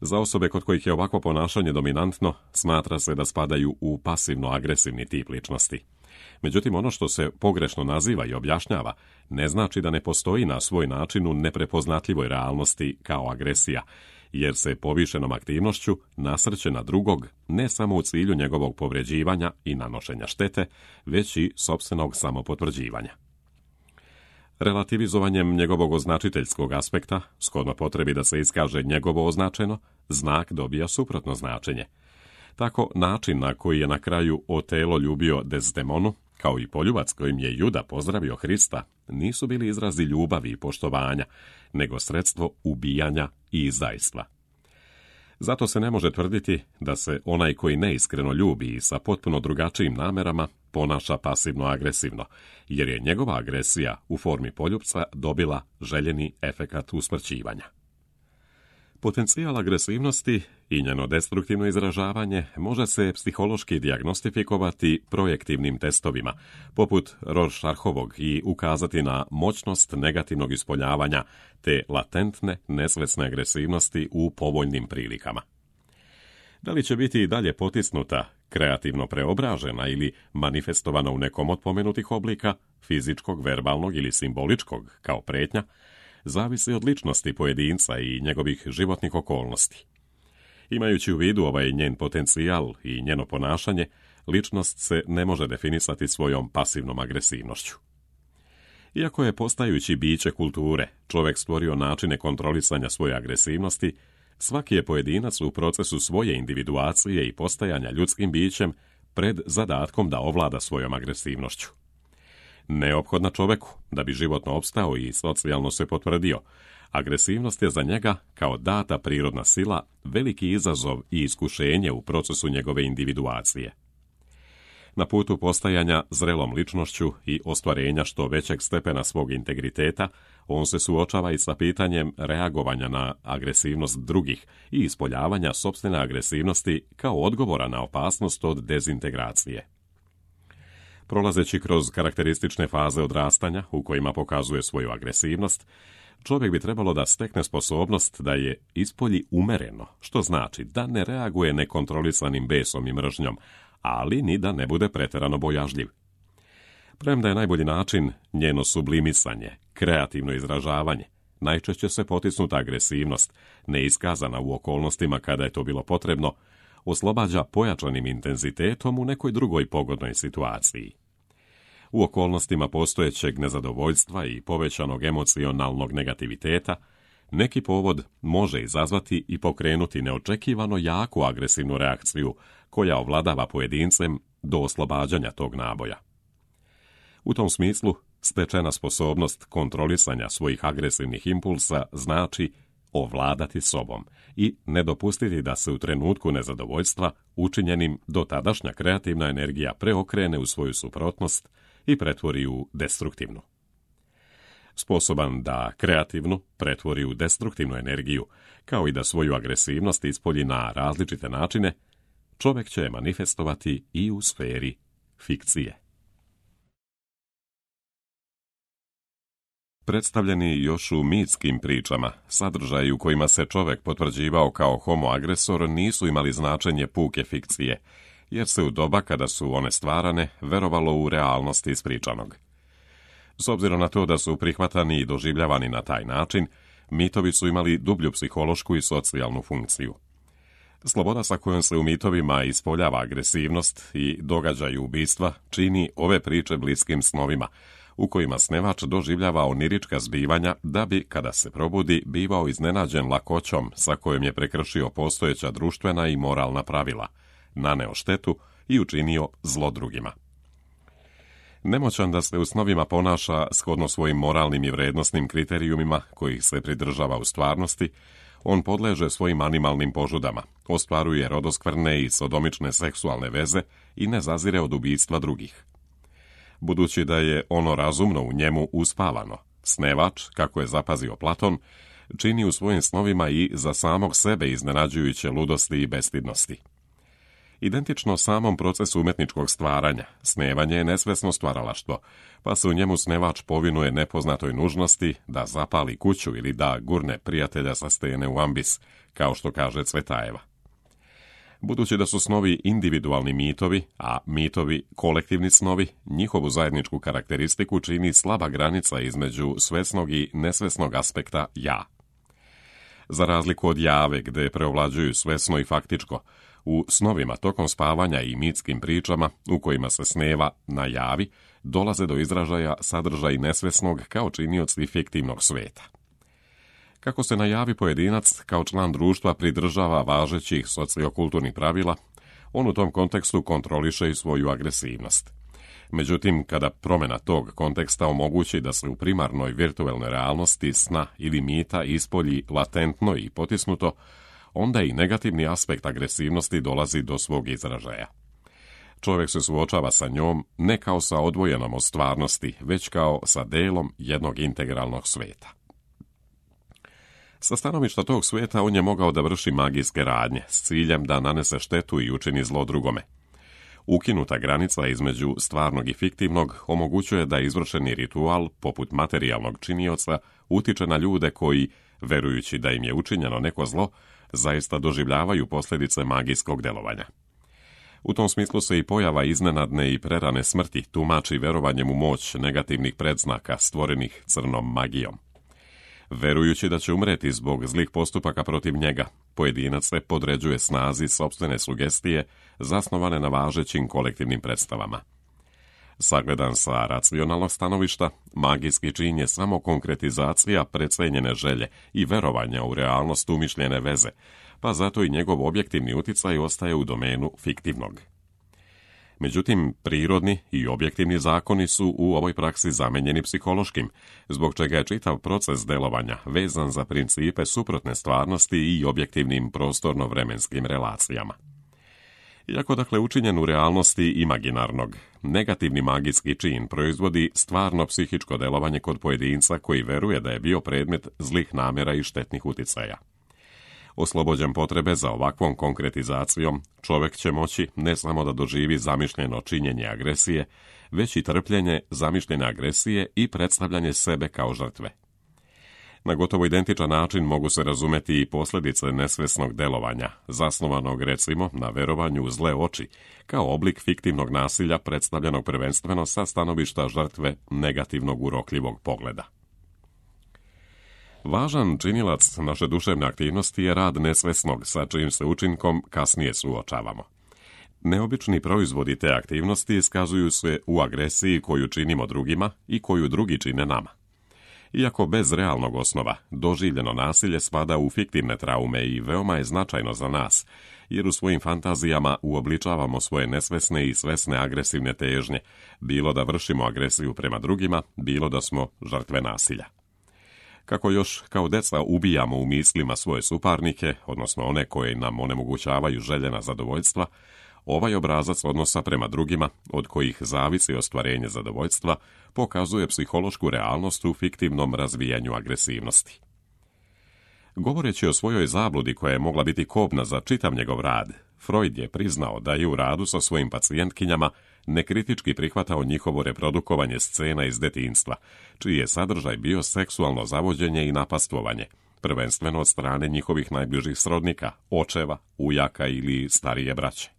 Za osobe kod kojih je ovakvo ponašanje dominantno, smatra se da spadaju u pasivno-agresivni tip ličnosti. Međutim, ono što se pogrešno naziva i objašnjava ne znači da ne postoji na svoj način u neprepoznatljivoj realnosti kao agresija, jer se povišenom aktivnošću nasrće na drugog ne samo u cilju njegovog povređivanja i nanošenja štete, već i sopstvenog samopotvrđivanja. Relativizovanjem njegovog označiteljskog aspekta, shodno potrebi da se iskaže njegovo označeno, znak dobija suprotno značenje. Tako, način na koji je na kraju Otelo ljubio Desdemonu, kao i poljubac kojim je Juda pozdravio Hrista, nisu bili izrazi ljubavi i poštovanja, nego sredstvo ubijanja i izdajstva. Zato se ne može tvrditi da se onaj koji neiskreno ljubi i sa potpuno drugačijim namerama ponaša pasivno-agresivno, jer je njegova agresija u formi poljupca dobila željeni efekat usmrćivanja. Potencijal agresivnosti i njeno destruktivno izražavanje može se psihološki dijagnostifikovati projektivnim testovima, poput Rorschachovog, i ukazati na moćnost negativnog ispoljavanja te latentne, nesvesne agresivnosti u povoljnim prilikama. Da li će biti i dalje potisnuta, kreativno preobražena ili manifestovana u nekom od pomenutih oblika, fizičkog, verbalnog ili simboličkog, kao pretnja, zavisi od ličnosti pojedinca i njegovih životnih okolnosti. Imajući u vidu ovaj njen potencijal i njeno ponašanje, ličnost se ne može definisati svojom pasivnom agresivnošću. Iako je postajući biće kulture čovjek stvorio načine kontrolisanja svoje agresivnosti, svaki je pojedinac u procesu svoje individuacije i postajanja ljudskim bićem pred zadatkom da ovlada svojom agresivnošću. Neophodna čoveku da bi životno opstao i socijalno se potvrdio, agresivnost je za njega, kao data prirodna sila, veliki izazov i iskušenje u procesu njegove individuacije. Na putu postajanja zrelom ličnošću i ostvarenja što većeg stepena svog integriteta, on se suočava i sa pitanjem reagovanja na agresivnost drugih i ispoljavanja sopstvene agresivnosti kao odgovora na opasnost od dezintegracije. Prolazeći kroz karakteristične faze odrastanja u kojima pokazuje svoju agresivnost, čovjek bi trebalo da stekne sposobnost da je ispolji umereno, što znači da ne reaguje nekontrolisanim besom i mržnjom, ali ni da ne bude pretjerano bojažljiv. Premda je najbolji način njeno sublimisanje, kreativno izražavanje, najčešće se potisnuta agresivnost, neiskazana u okolnostima kada je to bilo potrebno, oslobađa pojačanim intenzitetom u nekoj drugoj pogodnoj situaciji. U okolnostima postojećeg nezadovoljstva i povećanog emocionalnog negativiteta, neki povod može izazvati i pokrenuti neočekivano jaku agresivnu reakciju koja ovladava pojedincem do oslobađanja tog naboja. U tom smislu, stečena sposobnost kontrolisanja svojih agresivnih impulsa znači ovladati sobom i ne dopustiti da se u trenutku nezadovoljstva učinjenim dotadašnja kreativna energija preokrene u svoju suprotnost i pretvori u destruktivnu. Sposoban da kreativnu pretvori u destruktivnu energiju, kao i da svoju agresivnost ispolji na različite načine, čovjek će manifestovati i u sferi fikcije. Predstavljeni još u mitskim pričama, sadržaji u kojima se čovjek potvrđivao kao homo-agresor nisu imali značenje puke fikcije, jer se u doba kada su one stvarane verovalo u realnost ispričanog. S obzirom na to da su prihvatani i doživljavani na taj način, mitovi su imali dublju psihološku i socijalnu funkciju. Sloboda sa kojom se u mitovima ispoljava agresivnost i događaju ubistva čini ove priče bliskim snovima, u kojima snevač doživljava onirička zbivanja da bi, kada se probudi, bivao iznenađen lakoćom sa kojom je prekršio postojeća društvena i moralna pravila, naneo štetu i učinio zlo drugima. Nemoćan da se u snovima ponaša shodno svojim moralnim i vrednosnim kriterijumima kojih se pridržava u stvarnosti, on podleže svojim animalnim požudama, ostvaruje rodoskvrne i sodomične seksualne veze i ne zazire od ubistva drugih. Budući da je ono razumno u njemu uspavano, snevač, kako je zapazio Platon, čini u svojim snovima i za samog sebe iznenađujuće ludosti i bestidnosti. Identično samom procesu umjetničkog stvaranja, snevanje je nesvesno stvaralaštvo, pa se u njemu snevač povinuje nepoznatoj nužnosti da zapali kuću ili da gurne prijatelja sa stene u ambis, kao što kaže Cvetajeva. Budući da su snovi individualni mitovi, a mitovi kolektivni snovi, njihovu zajedničku karakteristiku čini slaba granica između svesnog i nesvesnog aspekta ja. Za razliku od jave, gde preovlađuju svesno i faktičko, u snovima tokom spavanja i mitskim pričama, u kojima se sneva na javi, dolaze do izražaja sadržaj nesvesnog kao činioci fiktivnog sveta. Kako se na javi pojedinac kao član društva pridržava važećih sociokulturnih pravila, on u tom kontekstu kontroliše i svoju agresivnost. Međutim, kada promjena tog konteksta omogući da se u primarnoj virtualnoj realnosti sna ili mita ispolji latentno i potisnuto, onda i negativni aspekt agresivnosti dolazi do svog izražaja. Čovjek se suočava sa njom ne kao sa odvojenom od stvarnosti, već kao sa delom jednog integralnog sveta. Sa stanovišta tog sveta on je mogao da vrši magijske radnje s ciljem da nanese štetu i učini zlo drugome. Ukinuta granica između stvarnog i fiktivnog omogućuje da izvršeni ritual, poput materijalnog činioca, utiče na ljude koji, verujući da im je učinjeno neko zlo, zaista doživljavaju posljedice magijskog delovanja. U tom smislu se i pojava iznenadne i prerane smrti tumači verovanjem u moć negativnih predznaka stvorenih crnom magijom. Verujući da će umreti zbog zlih postupaka protiv njega, pojedinac se podređuje snazi sopstvene sugestije zasnovane na važećim kolektivnim predstavama. Sagledan sa racionalnog stanovišta, magijski čin je samo konkretizacija precenjene želje i verovanja u realnost umišljene veze, pa zato i njegov objektivni uticaj ostaje u domenu fiktivnog. Međutim, prirodni i objektivni zakoni su u ovoj praksi zamenjeni psihološkim, zbog čega je čitav proces delovanja vezan za principe suprotne stvarnosti i objektivnim prostorno-vremenskim relacijama. Iako dakle učinjen u realnosti imaginarnog, negativni magijski čin proizvodi stvarno psihičko delovanje kod pojedinca koji veruje da je bio predmet zlih namjera i štetnih uticaja. Oslobođen potrebe za ovakvom konkretizacijom, čovjek će moći ne samo da doživi zamišljeno činjenje agresije, već i trpljenje zamišljene agresije i predstavljanje sebe kao žrtve. Na gotovo identičan način mogu se razumeti i posljedice nesvesnog delovanja, zasnovanog recimo na verovanju u zle oči, kao oblik fiktivnog nasilja predstavljenog prvenstveno sa stanovišta žrtve negativnog urokljivog pogleda. Važan činilac naše duševne aktivnosti je rad nesvesnog, sa čijim se učinkom kasnije suočavamo. Neobični proizvodi te aktivnosti iskazuju se u agresiji koju činimo drugima i koju drugi čine nama. Iako bez realnog osnova, doživljeno nasilje spada u fiktivne traume i veoma je značajno za nas, jer u svojim fantazijama uobličavamo svoje nesvesne i svesne agresivne težnje, bilo da vršimo agresiju prema drugima, bilo da smo žrtve nasilja. Kako još kao deca ubijamo u mislima svoje suparnike, odnosno one koje nam onemogućavaju željena zadovoljstva, ovaj obrazac odnosa prema drugima, od kojih zavisi ostvarenje zadovoljstva, pokazuje psihološku realnost u fiktivnom razvijanju agresivnosti. Govoreći o svojoj zabludi koja je mogla biti kobna za čitav njegov rad, Freud je priznao da je u radu sa svojim pacijentkinjama nekritički prihvatao njihovo reprodukovanje scena iz detinjstva, čiji je sadržaj bio seksualno zavođenje i napastvovanje, prvenstveno od strane njihovih najbližih srodnika, očeva, ujaka ili starije braće.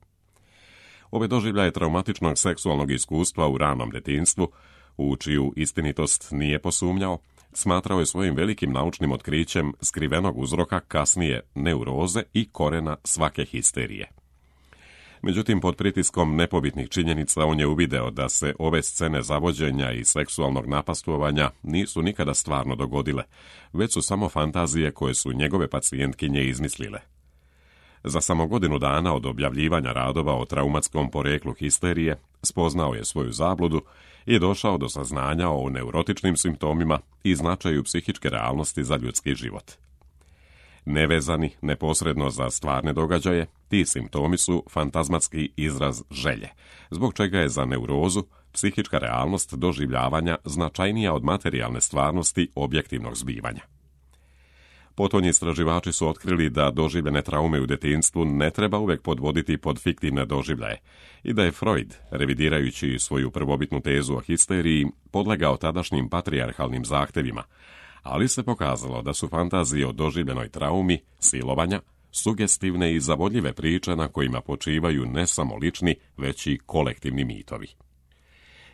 Ove doživljaje traumatičnog seksualnog iskustva u ranom detinjstvu, u čiju istinitost nije posumnjao, smatrao je svojim velikim naučnim otkrićem skrivenog uzroka kasnije neuroze i korena svake histerije. Međutim, pod pritiskom nepobitnih činjenica on je uvideo da se ove scene zavođenja i seksualnog napastvovanja nisu nikada stvarno dogodile, već su samo fantazije koje su njegove pacijentkinje izmislile. Za samo godinu dana od objavljivanja radova o traumatskom poreklu histerije, spoznao je svoju zabludu i došao do saznanja o neurotičnim simptomima i značaju psihičke realnosti za ljudski život. Nevezani neposredno za stvarne događaje, ti simptomi su fantazmatski izraz želje, zbog čega je za neurozu psihička realnost doživljavanja značajnija od materijalne stvarnosti objektivnog zbivanja. Potonji istraživači su otkrili da doživljene traume u djetinjstvu ne treba uvijek podvoditi pod fiktivne doživljaje i da je Freud, revidirajući svoju prvobitnu tezu o histeriji, podlegao tadašnjim patrijarhalnim zahtjevima, ali se pokazalo da su fantazije o doživljenoj traumi, silovanja, sugestivne i zavodljive priče na kojima počivaju ne samo lični, već i kolektivni mitovi.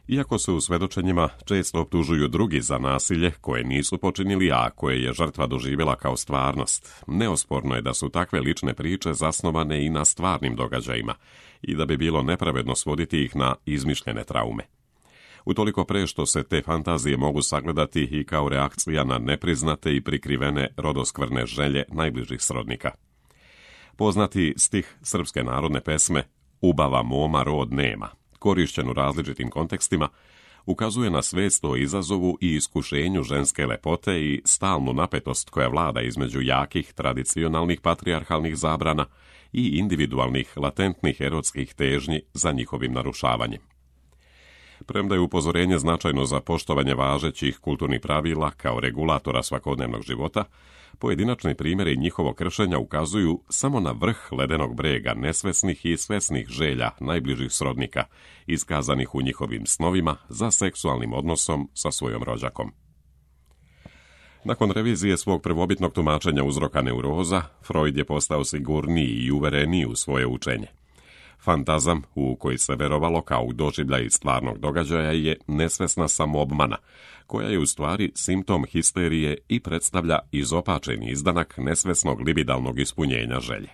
Iako se u svedočenjima često optužuju drugi za nasilje koje nisu počinili, a koje je žrtva doživjela kao stvarnost, neosporno je da su takve lične priče zasnovane i na stvarnim događajima i da bi bilo nepravedno svoditi ih na izmišljene traume. Utoliko pre što se te fantazije mogu sagledati i kao reakcija na nepriznate i prikrivene rodoskvrne želje najbližih srodnika. Poznati stih srpske narodne pesme "Ubava moma rod nema", korišćen u različitim kontekstima, ukazuje na svest o izazovu i iskušenju ženske lepote i stalnu napetost koja vlada između jakih tradicionalnih patrijarhalnih zabrana i individualnih latentnih erotskih težnji za njihovim narušavanjem. Premda je upozorenje značajno za poštovanje važećih kulturnih pravila kao regulatora svakodnevnog života, pojedinačni primjeri njihovog kršenja ukazuju samo na vrh ledenog brega nesvesnih i svesnih želja najbližih srodnika, iskazanih u njihovim snovima za seksualnim odnosom sa svojom rođakom. Nakon revizije svog prvobitnog tumačenja uzroka neuroza, Freud je postao sigurniji i uvereniji u svoje učenje. Fantazam, u koji se verovalo kao u doživljaj stvarnog događaja, je nesvesna samoobmana, koja je u stvari simptom histerije i predstavlja izopačeni izdanak nesvesnog libidalnog ispunjenja želje.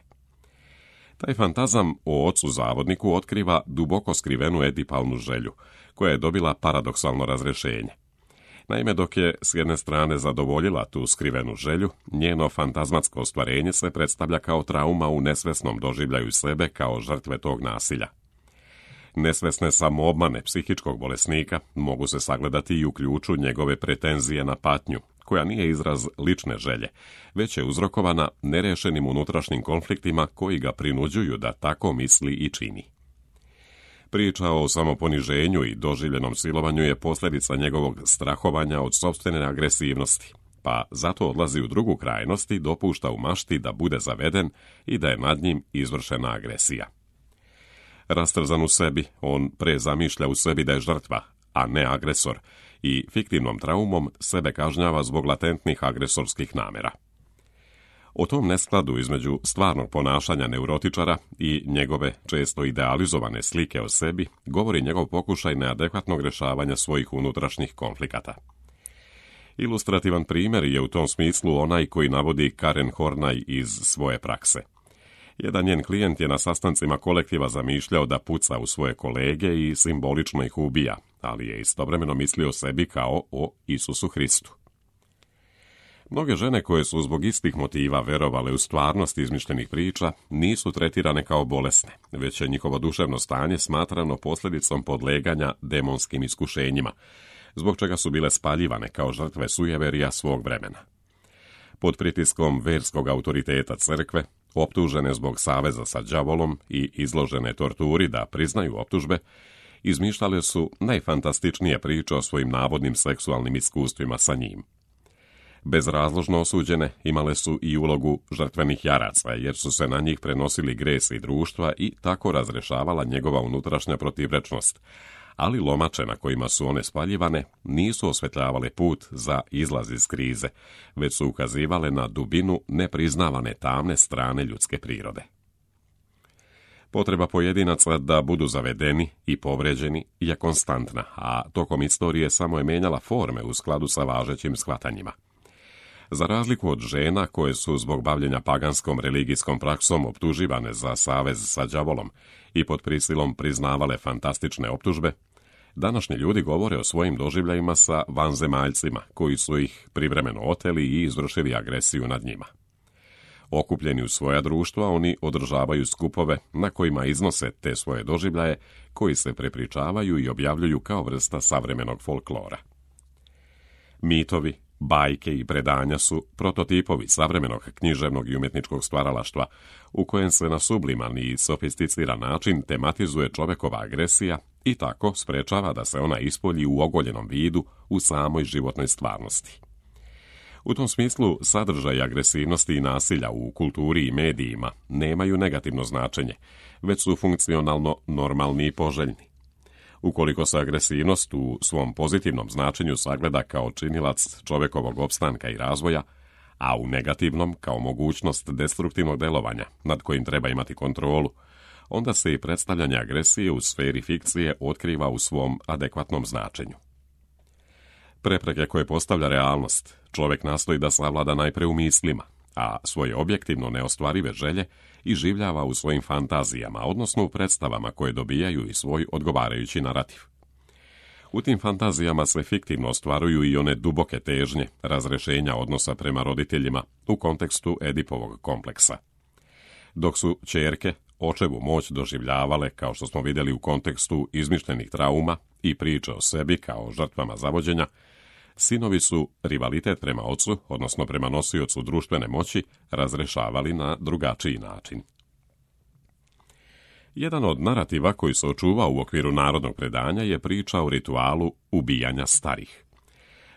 Taj fantazam o ocu zavodniku otkriva duboko skrivenu edipalnu želju, koja je dobila paradoksalno razrješenje. Naime, dok je s jedne strane zadovoljila tu skrivenu želju, njeno fantazmatsko ostvarenje se predstavlja kao trauma u nesvesnom doživljaju sebe kao žrtve tog nasilja. Nesvesne samoobmane psihičkog bolesnika mogu se sagledati i u ključu njegove pretenzije na patnju, koja nije izraz lične želje, već je uzrokovana nerešenim unutrašnjim konfliktima koji ga prinuđuju da tako misli i čini. Priča o samoponiženju i doživljenom silovanju je posljedica njegovog strahovanja od sopstvene agresivnosti, pa zato odlazi u drugu krajnost i dopušta u mašti da bude zaveden i da je nad njim izvršena agresija. Rastrzan u sebi, on prezamišlja u sebi da je žrtva, a ne agresor, i fiktivnom traumom sebe kažnjava zbog latentnih agresorskih namjera. O tom neskladu između stvarnog ponašanja neurotičara i njegove često idealizovane slike o sebi govori njegov pokušaj neadekvatnog rješavanja svojih unutrašnjih konflikata. Ilustrativan primjer je u tom smislu onaj koji navodi Karen Horney iz svoje prakse. Jedan njen klijent je na sastancima kolektiva zamišljao da puca u svoje kolege i simbolično ih ubija, ali je istovremeno mislio o sebi kao o Isusu Hristu. Mnoge žene koje su zbog istih motiva verovale u stvarnost izmišljenih priča nisu tretirane kao bolesne, već je njihovo duševno stanje smatrano posljedicom podleganja demonskim iskušenjima, zbog čega su bile spaljivane kao žrtve sujeverija svog vremena. Pod pritiskom verskog autoriteta crkve, optužene zbog saveza sa đavolom i izložene torturi da priznaju optužbe, izmišljale su najfantastičnije priče o svojim navodnim seksualnim iskustvima sa njim. Bezrazložno osuđene imale su i ulogu žrtvenih jaraca, jer su se na njih prenosili gresi društva i tako razrešavala njegova unutrašnja protivrečnost, ali lomače na kojima su one spaljivane nisu osvetljavale put za izlaz iz krize, već su ukazivale na dubinu nepriznavane tamne strane ljudske prirode. Potreba pojedinaca da budu zavedeni i povređeni je konstantna, a tokom istorije samo je menjala forme u skladu sa važećim shvatanjima. Za razliku od žena koje su zbog bavljenja paganskom religijskom praksom optuživane za savez sa đavolom i pod prisilom priznavale fantastične optužbe, današnji ljudi govore o svojim doživljajima sa vanzemaljcima koji su ih privremeno oteli i izvršili agresiju nad njima. Okupljeni u svoja društva, oni održavaju skupove na kojima iznose te svoje doživljaje koji se prepričavaju i objavljuju kao vrsta savremenog folklora. Mitovi, bajke i predanja su prototipovi savremenog književnog i umjetničkog stvaralaštva, u kojem se na subliman i sofisticiran način tematizuje čovekova agresija i tako sprečava da se ona ispolji u ogoljenom vidu u samoj životnoj stvarnosti. U tom smislu, sadržaj agresivnosti i nasilja u kulturi i medijima nemaju negativno značenje, već su funkcionalno normalni i poželjni. Ukoliko se agresivnost u svom pozitivnom značenju sagleda kao činilac čovjekovog opstanka i razvoja, a u negativnom kao mogućnost destruktivnog delovanja nad kojim treba imati kontrolu, onda se i predstavljanje agresije u sferi fikcije otkriva u svom adekvatnom značenju. Prepreke koje postavlja realnost čovjek nastoji da savlada najpre u mislima, a svoje objektivno neostvarive želje iživljava u svojim fantazijama, odnosno u predstavama koje dobijaju i svoj odgovarajući narativ. U tim fantazijama se fiktivno ostvaruju i one duboke težnje razrešenja odnosa prema roditeljima u kontekstu Edipovog kompleksa. Dok su ćerke očevu moć doživljavale, kao što smo vidjeli u kontekstu izmišljenih trauma i priče o sebi kao žrtvama zavođenja, sinovi su rivalitet prema ocu, odnosno prema nosiocu društvene moći, razrešavali na drugačiji način. Jedan od narativa koji se očuvao u okviru narodnog predanja je priča o ritualu ubijanja starih.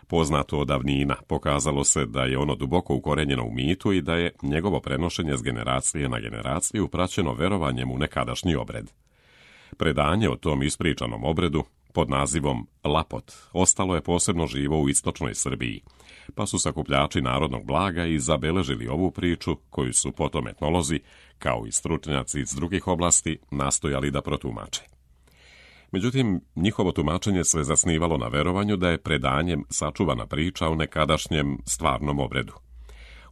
Poznato od davnina, pokazalo se da je ono duboko ukorenjeno u mitu i da je njegovo prenošenje s generacije na generaciju praćeno verovanjem u nekadašnji obred. Predanje o tom ispričanom obredu pod nazivom Lapot ostalo je posebno živo u istočnoj Srbiji, pa su sakupljači narodnog blaga i zabeležili ovu priču koju su potom etnolozi, kao i stručnjaci iz drugih oblasti, nastojali da protumače. Međutim, njihovo tumačenje se zasnivalo na verovanju da je predanjem sačuvana priča o nekadašnjem stvarnom obredu.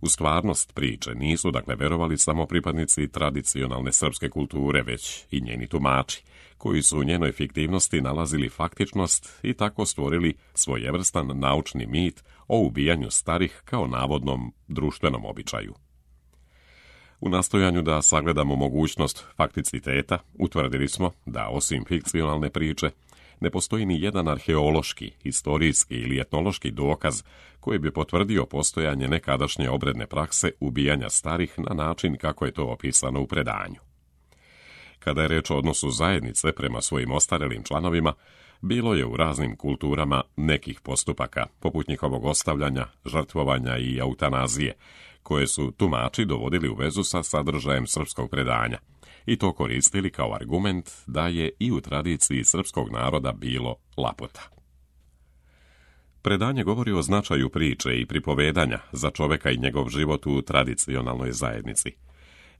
U stvarnost priče nisu dakle verovali samo pripadnici tradicionalne srpske kulture, već i njeni tumači, koji su u njenoj fiktivnosti nalazili faktičnost i tako stvorili svojevrstan naučni mit o ubijanju starih kao navodnom društvenom običaju. U nastojanju da sagledamo mogućnost fakticiteta, utvrdili smo da osim fikcionalne priče, ne postoji ni jedan arheološki, historijski ili etnološki dokaz koji bi potvrdio postojanje nekadašnje obredne prakse ubijanja starih na način kako je to opisano u predanju. Kada je reč o odnosu zajednice prema svojim ostarelim članovima, bilo je u raznim kulturama nekih postupaka, poput njihovog ostavljanja, žrtvovanja i eutanazije, koje su tumači dovodili u vezu sa sadržajem srpskog predanja i to koristili kao argument da je i u tradiciji srpskog naroda bilo lapota. Predanje govori o značaju priče i pripovedanja za čovjeka i njegov život u tradicionalnoj zajednici.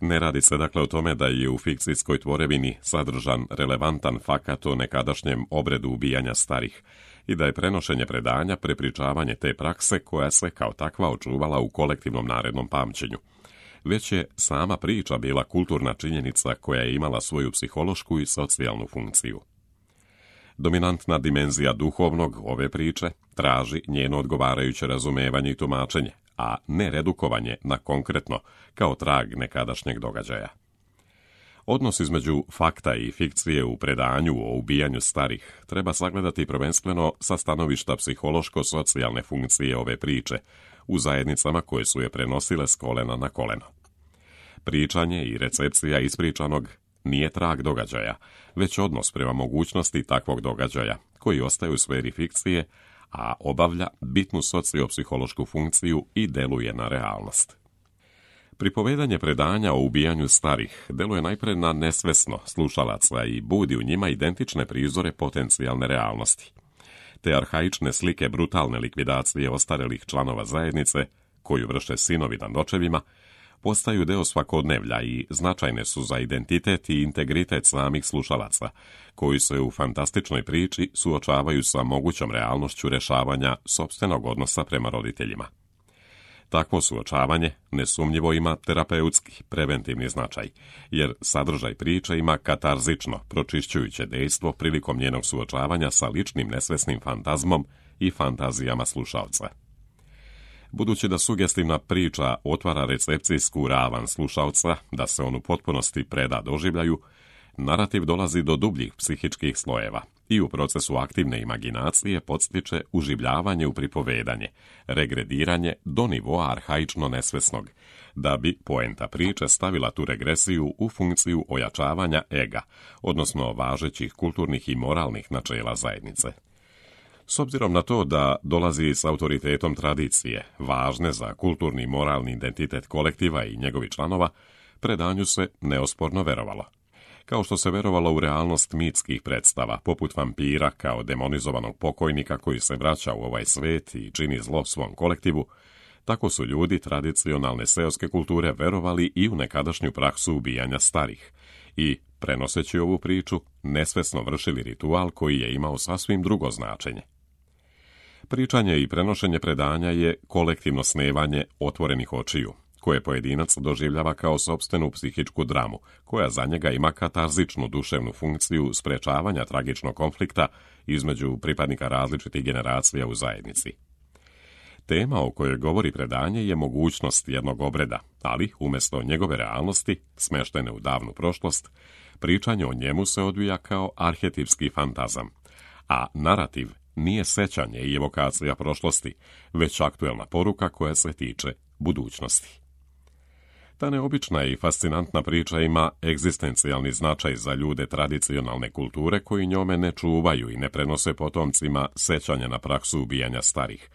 Ne radi se dakle o tome da je u fikcijskoj tvorevini sadržan relevantan fakat o nekadašnjem obredu ubijanja starih i da je prenošenje predanja prepričavanje te prakse koja se kao takva očuvala u kolektivnom narednom pamćenju. Već je sama priča bila kulturna činjenica koja je imala svoju psihološku i socijalnu funkciju. Dominantna dimenzija duhovnog ove priče traži njeno odgovarajuće razumevanje i tumačenje, a ne redukovanje na konkretno kao trag nekadašnjeg događaja. Odnos između fakta i fikcije u predanju o ubijanju starih treba sagledati prvenstveno sa stanovišta psihološko-socijalne funkcije ove priče u zajednicama koje su je prenosile s kolena na koleno. Pričanje i recepcija ispričanog nije trag događaja, već odnos prema mogućnosti takvog događaja koji ostaje u sferi fikcije, a obavlja bitnu sociopsihološku funkciju i deluje na realnost. Pripovedanje predanja o ubijanju starih deluje najpre na nesvesno slušalaca i budi u njima identične prizore potencijalne realnosti. Te arhaične slike brutalne likvidacije ostarelih članova zajednice, koju vrše sinovi nad očevima, postaju deo svakodnevlja i značajne su za identitet i integritet samih slušalaca, koji se u fantastičnoj priči suočavaju sa mogućom realnošću rešavanja sopstvenog odnosa prema roditeljima. Takvo suočavanje nesumnjivo ima terapeutski, preventivni značaj, jer sadržaj priče ima katarzično, pročišćujuće dejstvo prilikom njenog suočavanja sa ličnim nesvesnim fantazmom i fantazijama slušalca. Budući da sugestivna priča otvara recepcijsku ravan slušalca, da se on u potpunosti preda doživljaju, narativ dolazi do dubljih psihičkih slojeva i u procesu aktivne imaginacije podstiče uživljavanje u pripovedanje, regrediranje do nivoa arhaično nesvesnog, da bi poenta priče stavila tu regresiju u funkciju ojačavanja ega, odnosno važećih kulturnih i moralnih načela zajednice. S obzirom na to da dolazi s autoritetom tradicije, važne za kulturni i moralni identitet kolektiva i njegovih članova, predanju se neosporno verovalo. Kao što se verovalo u realnost mitskih predstava, poput vampira kao demonizovanog pokojnika koji se vraća u ovaj svet i čini zlo svom kolektivu, tako su ljudi tradicionalne seoske kulture verovali i u nekadašnju praksu ubijanja starih i, prenoseći ovu priču, nesvesno vršili ritual koji je imao sasvim drugo značenje. Pričanje i prenošenje predanja je kolektivno snevanje otvorenih očiju, koje pojedinac doživljava kao sopstvenu psihičku dramu, koja za njega ima katarzičnu duševnu funkciju sprečavanja tragičnog konflikta između pripadnika različitih generacija u zajednici. Tema o kojoj govori predanje je mogućnost jednog obreda, ali umjesto njegove realnosti, smeštene u davnu prošlost, pričanje o njemu se odvija kao arhetipski fantazam, a narativ nije sećanje i evokacija prošlosti, već aktuelna poruka koja se tiče budućnosti. Ta neobična i fascinantna priča ima egzistencijalni značaj za ljude tradicionalne kulture koji njome ne čuvaju i ne prenose potomcima sećanja na praksu ubijanja starih,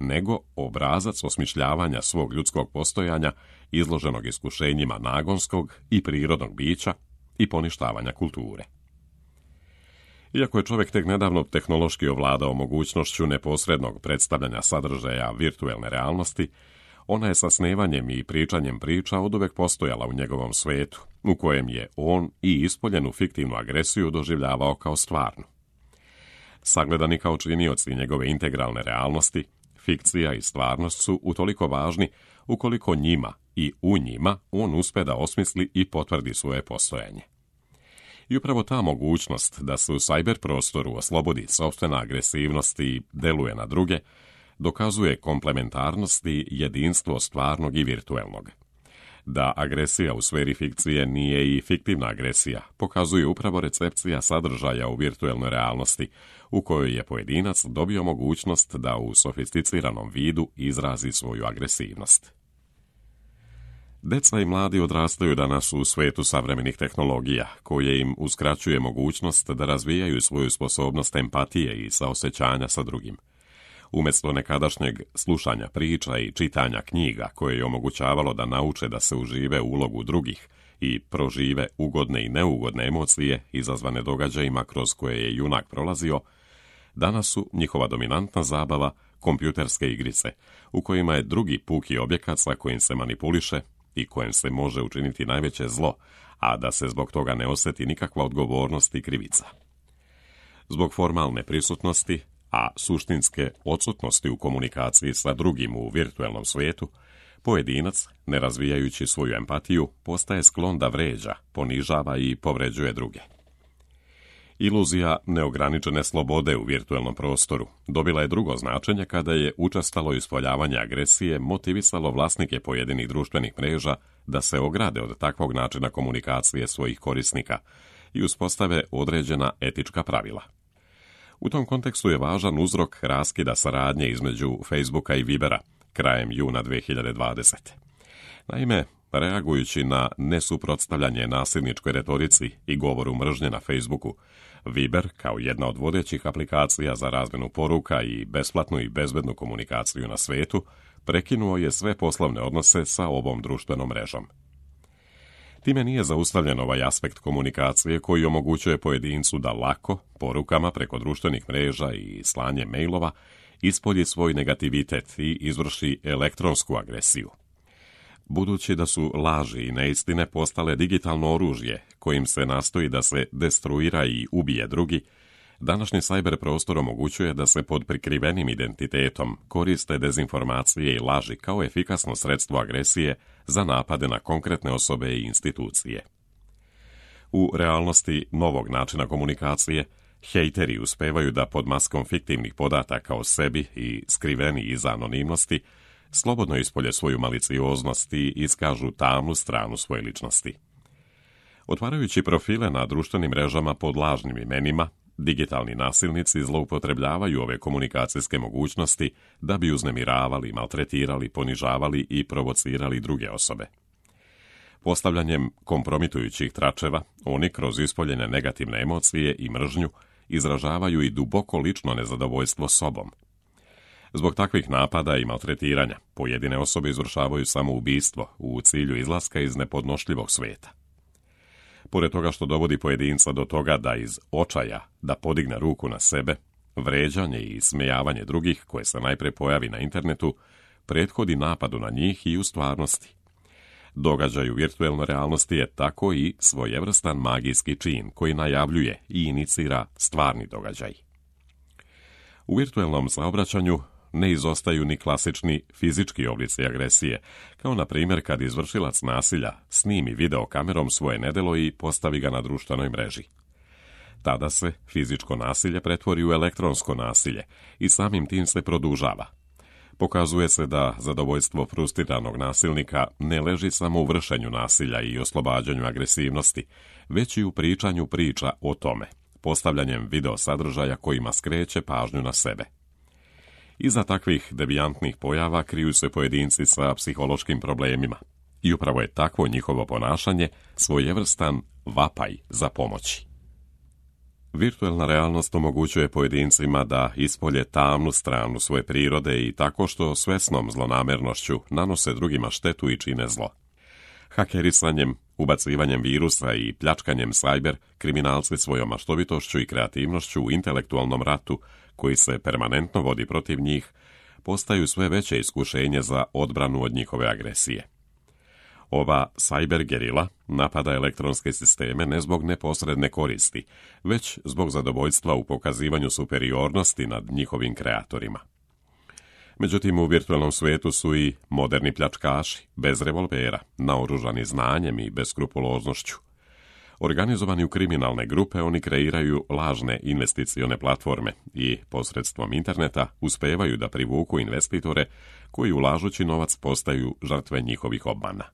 nego obrazac osmišljavanja svog ljudskog postojanja izloženog iskušenjima nagonskog i prirodnog bića i poništavanja kulture. Iako je čovjek tek nedavno tehnološki ovladao mogućnošću neposrednog predstavljanja sadržaja virtuelne realnosti, ona je sa snevanjem i pričanjem priča oduvek postojala u njegovom svetu, u kojem je on i ispoljenu fiktivnu agresiju doživljavao kao stvarnu. Sagledani kao činioci njegove integralne realnosti, fikcija i stvarnost su utoliko važni ukoliko njima i u njima on uspe da osmisli i potvrdi svoje postojanje. I upravo ta mogućnost da se u sajber prostoru oslobodi sopstvena agresivnost i deluje na druge, dokazuje komplementarnost i jedinstvo stvarnog i virtuelnog. Da agresija u sferi fikcije nije i fiktivna agresija, pokazuje upravo recepcija sadržaja u virtuelnoj realnosti, u kojoj je pojedinac dobio mogućnost da u sofisticiranom vidu izrazi svoju agresivnost. Deca i mladi odrastaju danas u svetu savremenih tehnologija, koje im uskraćuje mogućnost da razvijaju svoju sposobnost empatije i saosećanja sa drugim. Umjesto nekadašnjeg slušanja priča i čitanja knjiga koje je omogućavalo da nauče da se užive u ulogu drugih i prožive ugodne i neugodne emocije izazvane događajima kroz koje je junak prolazio, danas su njihova dominantna zabava kompjuterske igrice, u kojima je drugi puki objekat sa kojim se manipuliše i kojem se može učiniti najveće zlo, a da se zbog toga ne osjeti nikakva odgovornost i krivica. Zbog formalne prisutnosti, a suštinske odsutnosti u komunikaciji sa drugim u virtuelnom svijetu, pojedinac, ne razvijajući svoju empatiju, postaje sklon da vređa, ponižava i povređuje druge. Iluzija neograničene slobode u virtuelnom prostoru dobila je drugo značenje kada je učestalo ispoljavanje agresije motivisalo vlasnike pojedinih društvenih mreža da se ograde od takvog načina komunikacije svojih korisnika i uspostave određena etička pravila. U tom kontekstu je važan uzrok raskida saradnje između Facebooka i Vibera krajem juna 2020. Naime, reagujući na nesuprotstavljanje nasilničkoj retorici i govoru mržnje na Facebooku, Viber, kao jedna od vodećih aplikacija za razmjenu poruka i besplatnu i bezbednu komunikaciju na svetu, prekinuo je sve poslovne odnose sa ovom društvenom mrežom. Time nije zaustavljen ovaj aspekt komunikacije koji omogućuje pojedincu da lako, porukama preko društvenih mreža i slanje mailova, ispolji svoj negativitet i izvrši elektronsku agresiju. Budući da su laži i neistine postale digitalno oružje kojim se nastoji da se destruira i ubije drugi, današnji sajber prostor omogućuje da se pod prikrivenim identitetom koriste dezinformacije i laži kao efikasno sredstvo agresije za napade na konkretne osobe i institucije. U realnosti novog načina komunikacije, hejteri uspevaju da pod maskom fiktivnih podataka o sebi i skriveni iza anonimnosti slobodno ispolje svoju malicioznost i iskažu tamnu stranu svoje ličnosti. Otvarajući profile na društvenim mrežama pod lažnim imenima, digitalni nasilnici zloupotrebljavaju ove komunikacijske mogućnosti da bi uznemiravali, maltretirali, ponižavali i provocirali druge osobe. Postavljanjem kompromitujućih tračeva, oni kroz ispoljene negativne emocije i mržnju izražavaju i duboko lično nezadovoljstvo sobom. Zbog takvih napada i maltretiranja, pojedine osobe izvršavaju samoubistvo u cilju izlaska iz nepodnošljivog sveta. Pored toga što dovodi pojedinca do toga da iz očaja da podigne ruku na sebe, vređanje i smejavanje drugih, koje se najpre pojavi na internetu, prethodi napadu na njih i u stvarnosti. Događaj u virtuelnoj realnosti je tako i svojevrstan magijski čin koji najavljuje i inicira stvarni događaj. U virtuelnom saobraćanju ne izostaju ni klasični fizički oblici agresije, kao na primjer kad izvršilac nasilja snimi videokamerom svoje nedelo i postavi ga na društvenoj mreži. Tada se fizičko nasilje pretvori u elektronsko nasilje i samim tim se produžava. Pokazuje se da zadovoljstvo frustriranog nasilnika ne leži samo u vršenju nasilja i oslobađanju agresivnosti, već i u pričanju priča o tome, postavljanjem video sadržaja kojima skreće pažnju na sebe. Iza takvih devijantnih pojava kriju se pojedinci sa psihološkim problemima i upravo je takvo njihovo ponašanje svojevrstan vapaj za pomoći. Virtuelna realnost omogućuje pojedincima da ispolje tamnu stranu svoje prirode i tako što svesnom zlonamernošću nanose drugima štetu i čine zlo. Hakerisanjem, ubacivanjem virusa i pljačkanjem sajber, kriminalci svojom maštovitošću i kreativnošću u intelektualnom ratu, koji se permanentno vodi protiv njih, postaju sve veće iskušenje za odbranu od njihove agresije. Ova cyber gerila napada elektronske sisteme ne zbog neposredne koristi, već zbog zadovoljstva u pokazivanju superiornosti nad njihovim kreatorima. Međutim, u virtualnom svijetu su i moderni pljačkaši, bez revolvera, naoružani znanjem i beskrupuloznošću. Organizovani u kriminalne grupe, oni kreiraju lažne investicione platforme i posredstvom interneta uspevaju da privuku investitore koji ulažući novac postaju žrtve njihovih obmana.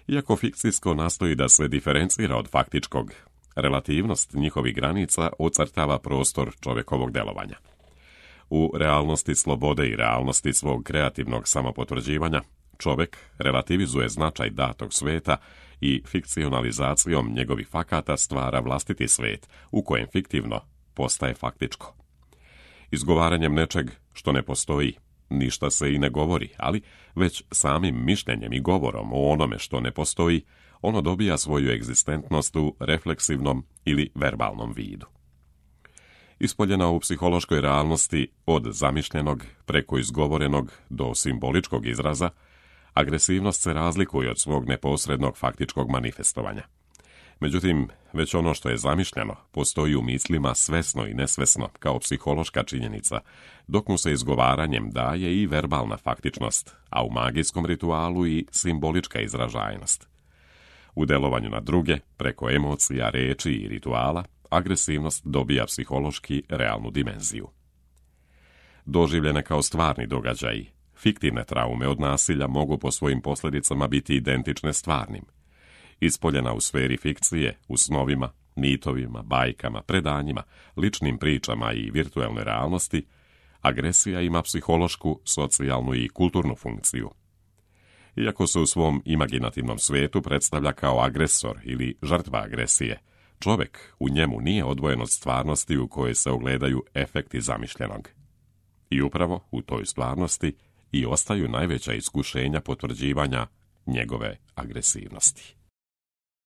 Iako fikcijsko nastoji da se diferencira od faktičkog, relativnost njihovih granica ocrtava prostor čovjekovog delovanja. U realnosti slobode i realnosti svog kreativnog samopotvrđivanja, čovjek relativizuje značaj datog sveta i fikcionalizacijom njegovih fakata stvara vlastiti svet, u kojem fiktivno postaje faktičko. Izgovaranjem nečeg što ne postoji, ništa se i ne govori, ali već samim mišljenjem i govorom o onome što ne postoji, ono dobija svoju egzistentnost u refleksivnom ili verbalnom vidu. Ispoljena u psihološkoj realnosti od zamišljenog preko izgovorenog do simboličkog izraza, agresivnost se razlikuje od svog neposrednog faktičkog manifestovanja. Međutim, već ono što je zamišljeno postoji u mislima svesno i nesvesno kao psihološka činjenica, dok mu se izgovaranjem daje i verbalna faktičnost, a u magijskom ritualu i simbolička izražajnost. U delovanju na druge, preko emocija, reči i rituala, agresivnost dobija psihološki realnu dimenziju. Doživljene kao stvarni događaji, fiktivne traume od nasilja mogu po svojim posljedicama biti identične stvarnim. Ispoljena u sferi fikcije, u snovima, mitovima, bajkama, predanjima, ličnim pričama i virtualnoj realnosti, agresija ima psihološku, socijalnu i kulturnu funkciju. Iako se u svom imaginativnom svijetu predstavlja kao agresor ili žrtva agresije, čovjek u njemu nije odvojen od stvarnosti u kojoj se ogledaju efekti zamišljenog. I upravo u toj stvarnosti i ostaju najveća iskušenja potvrđivanja njegove agresivnosti.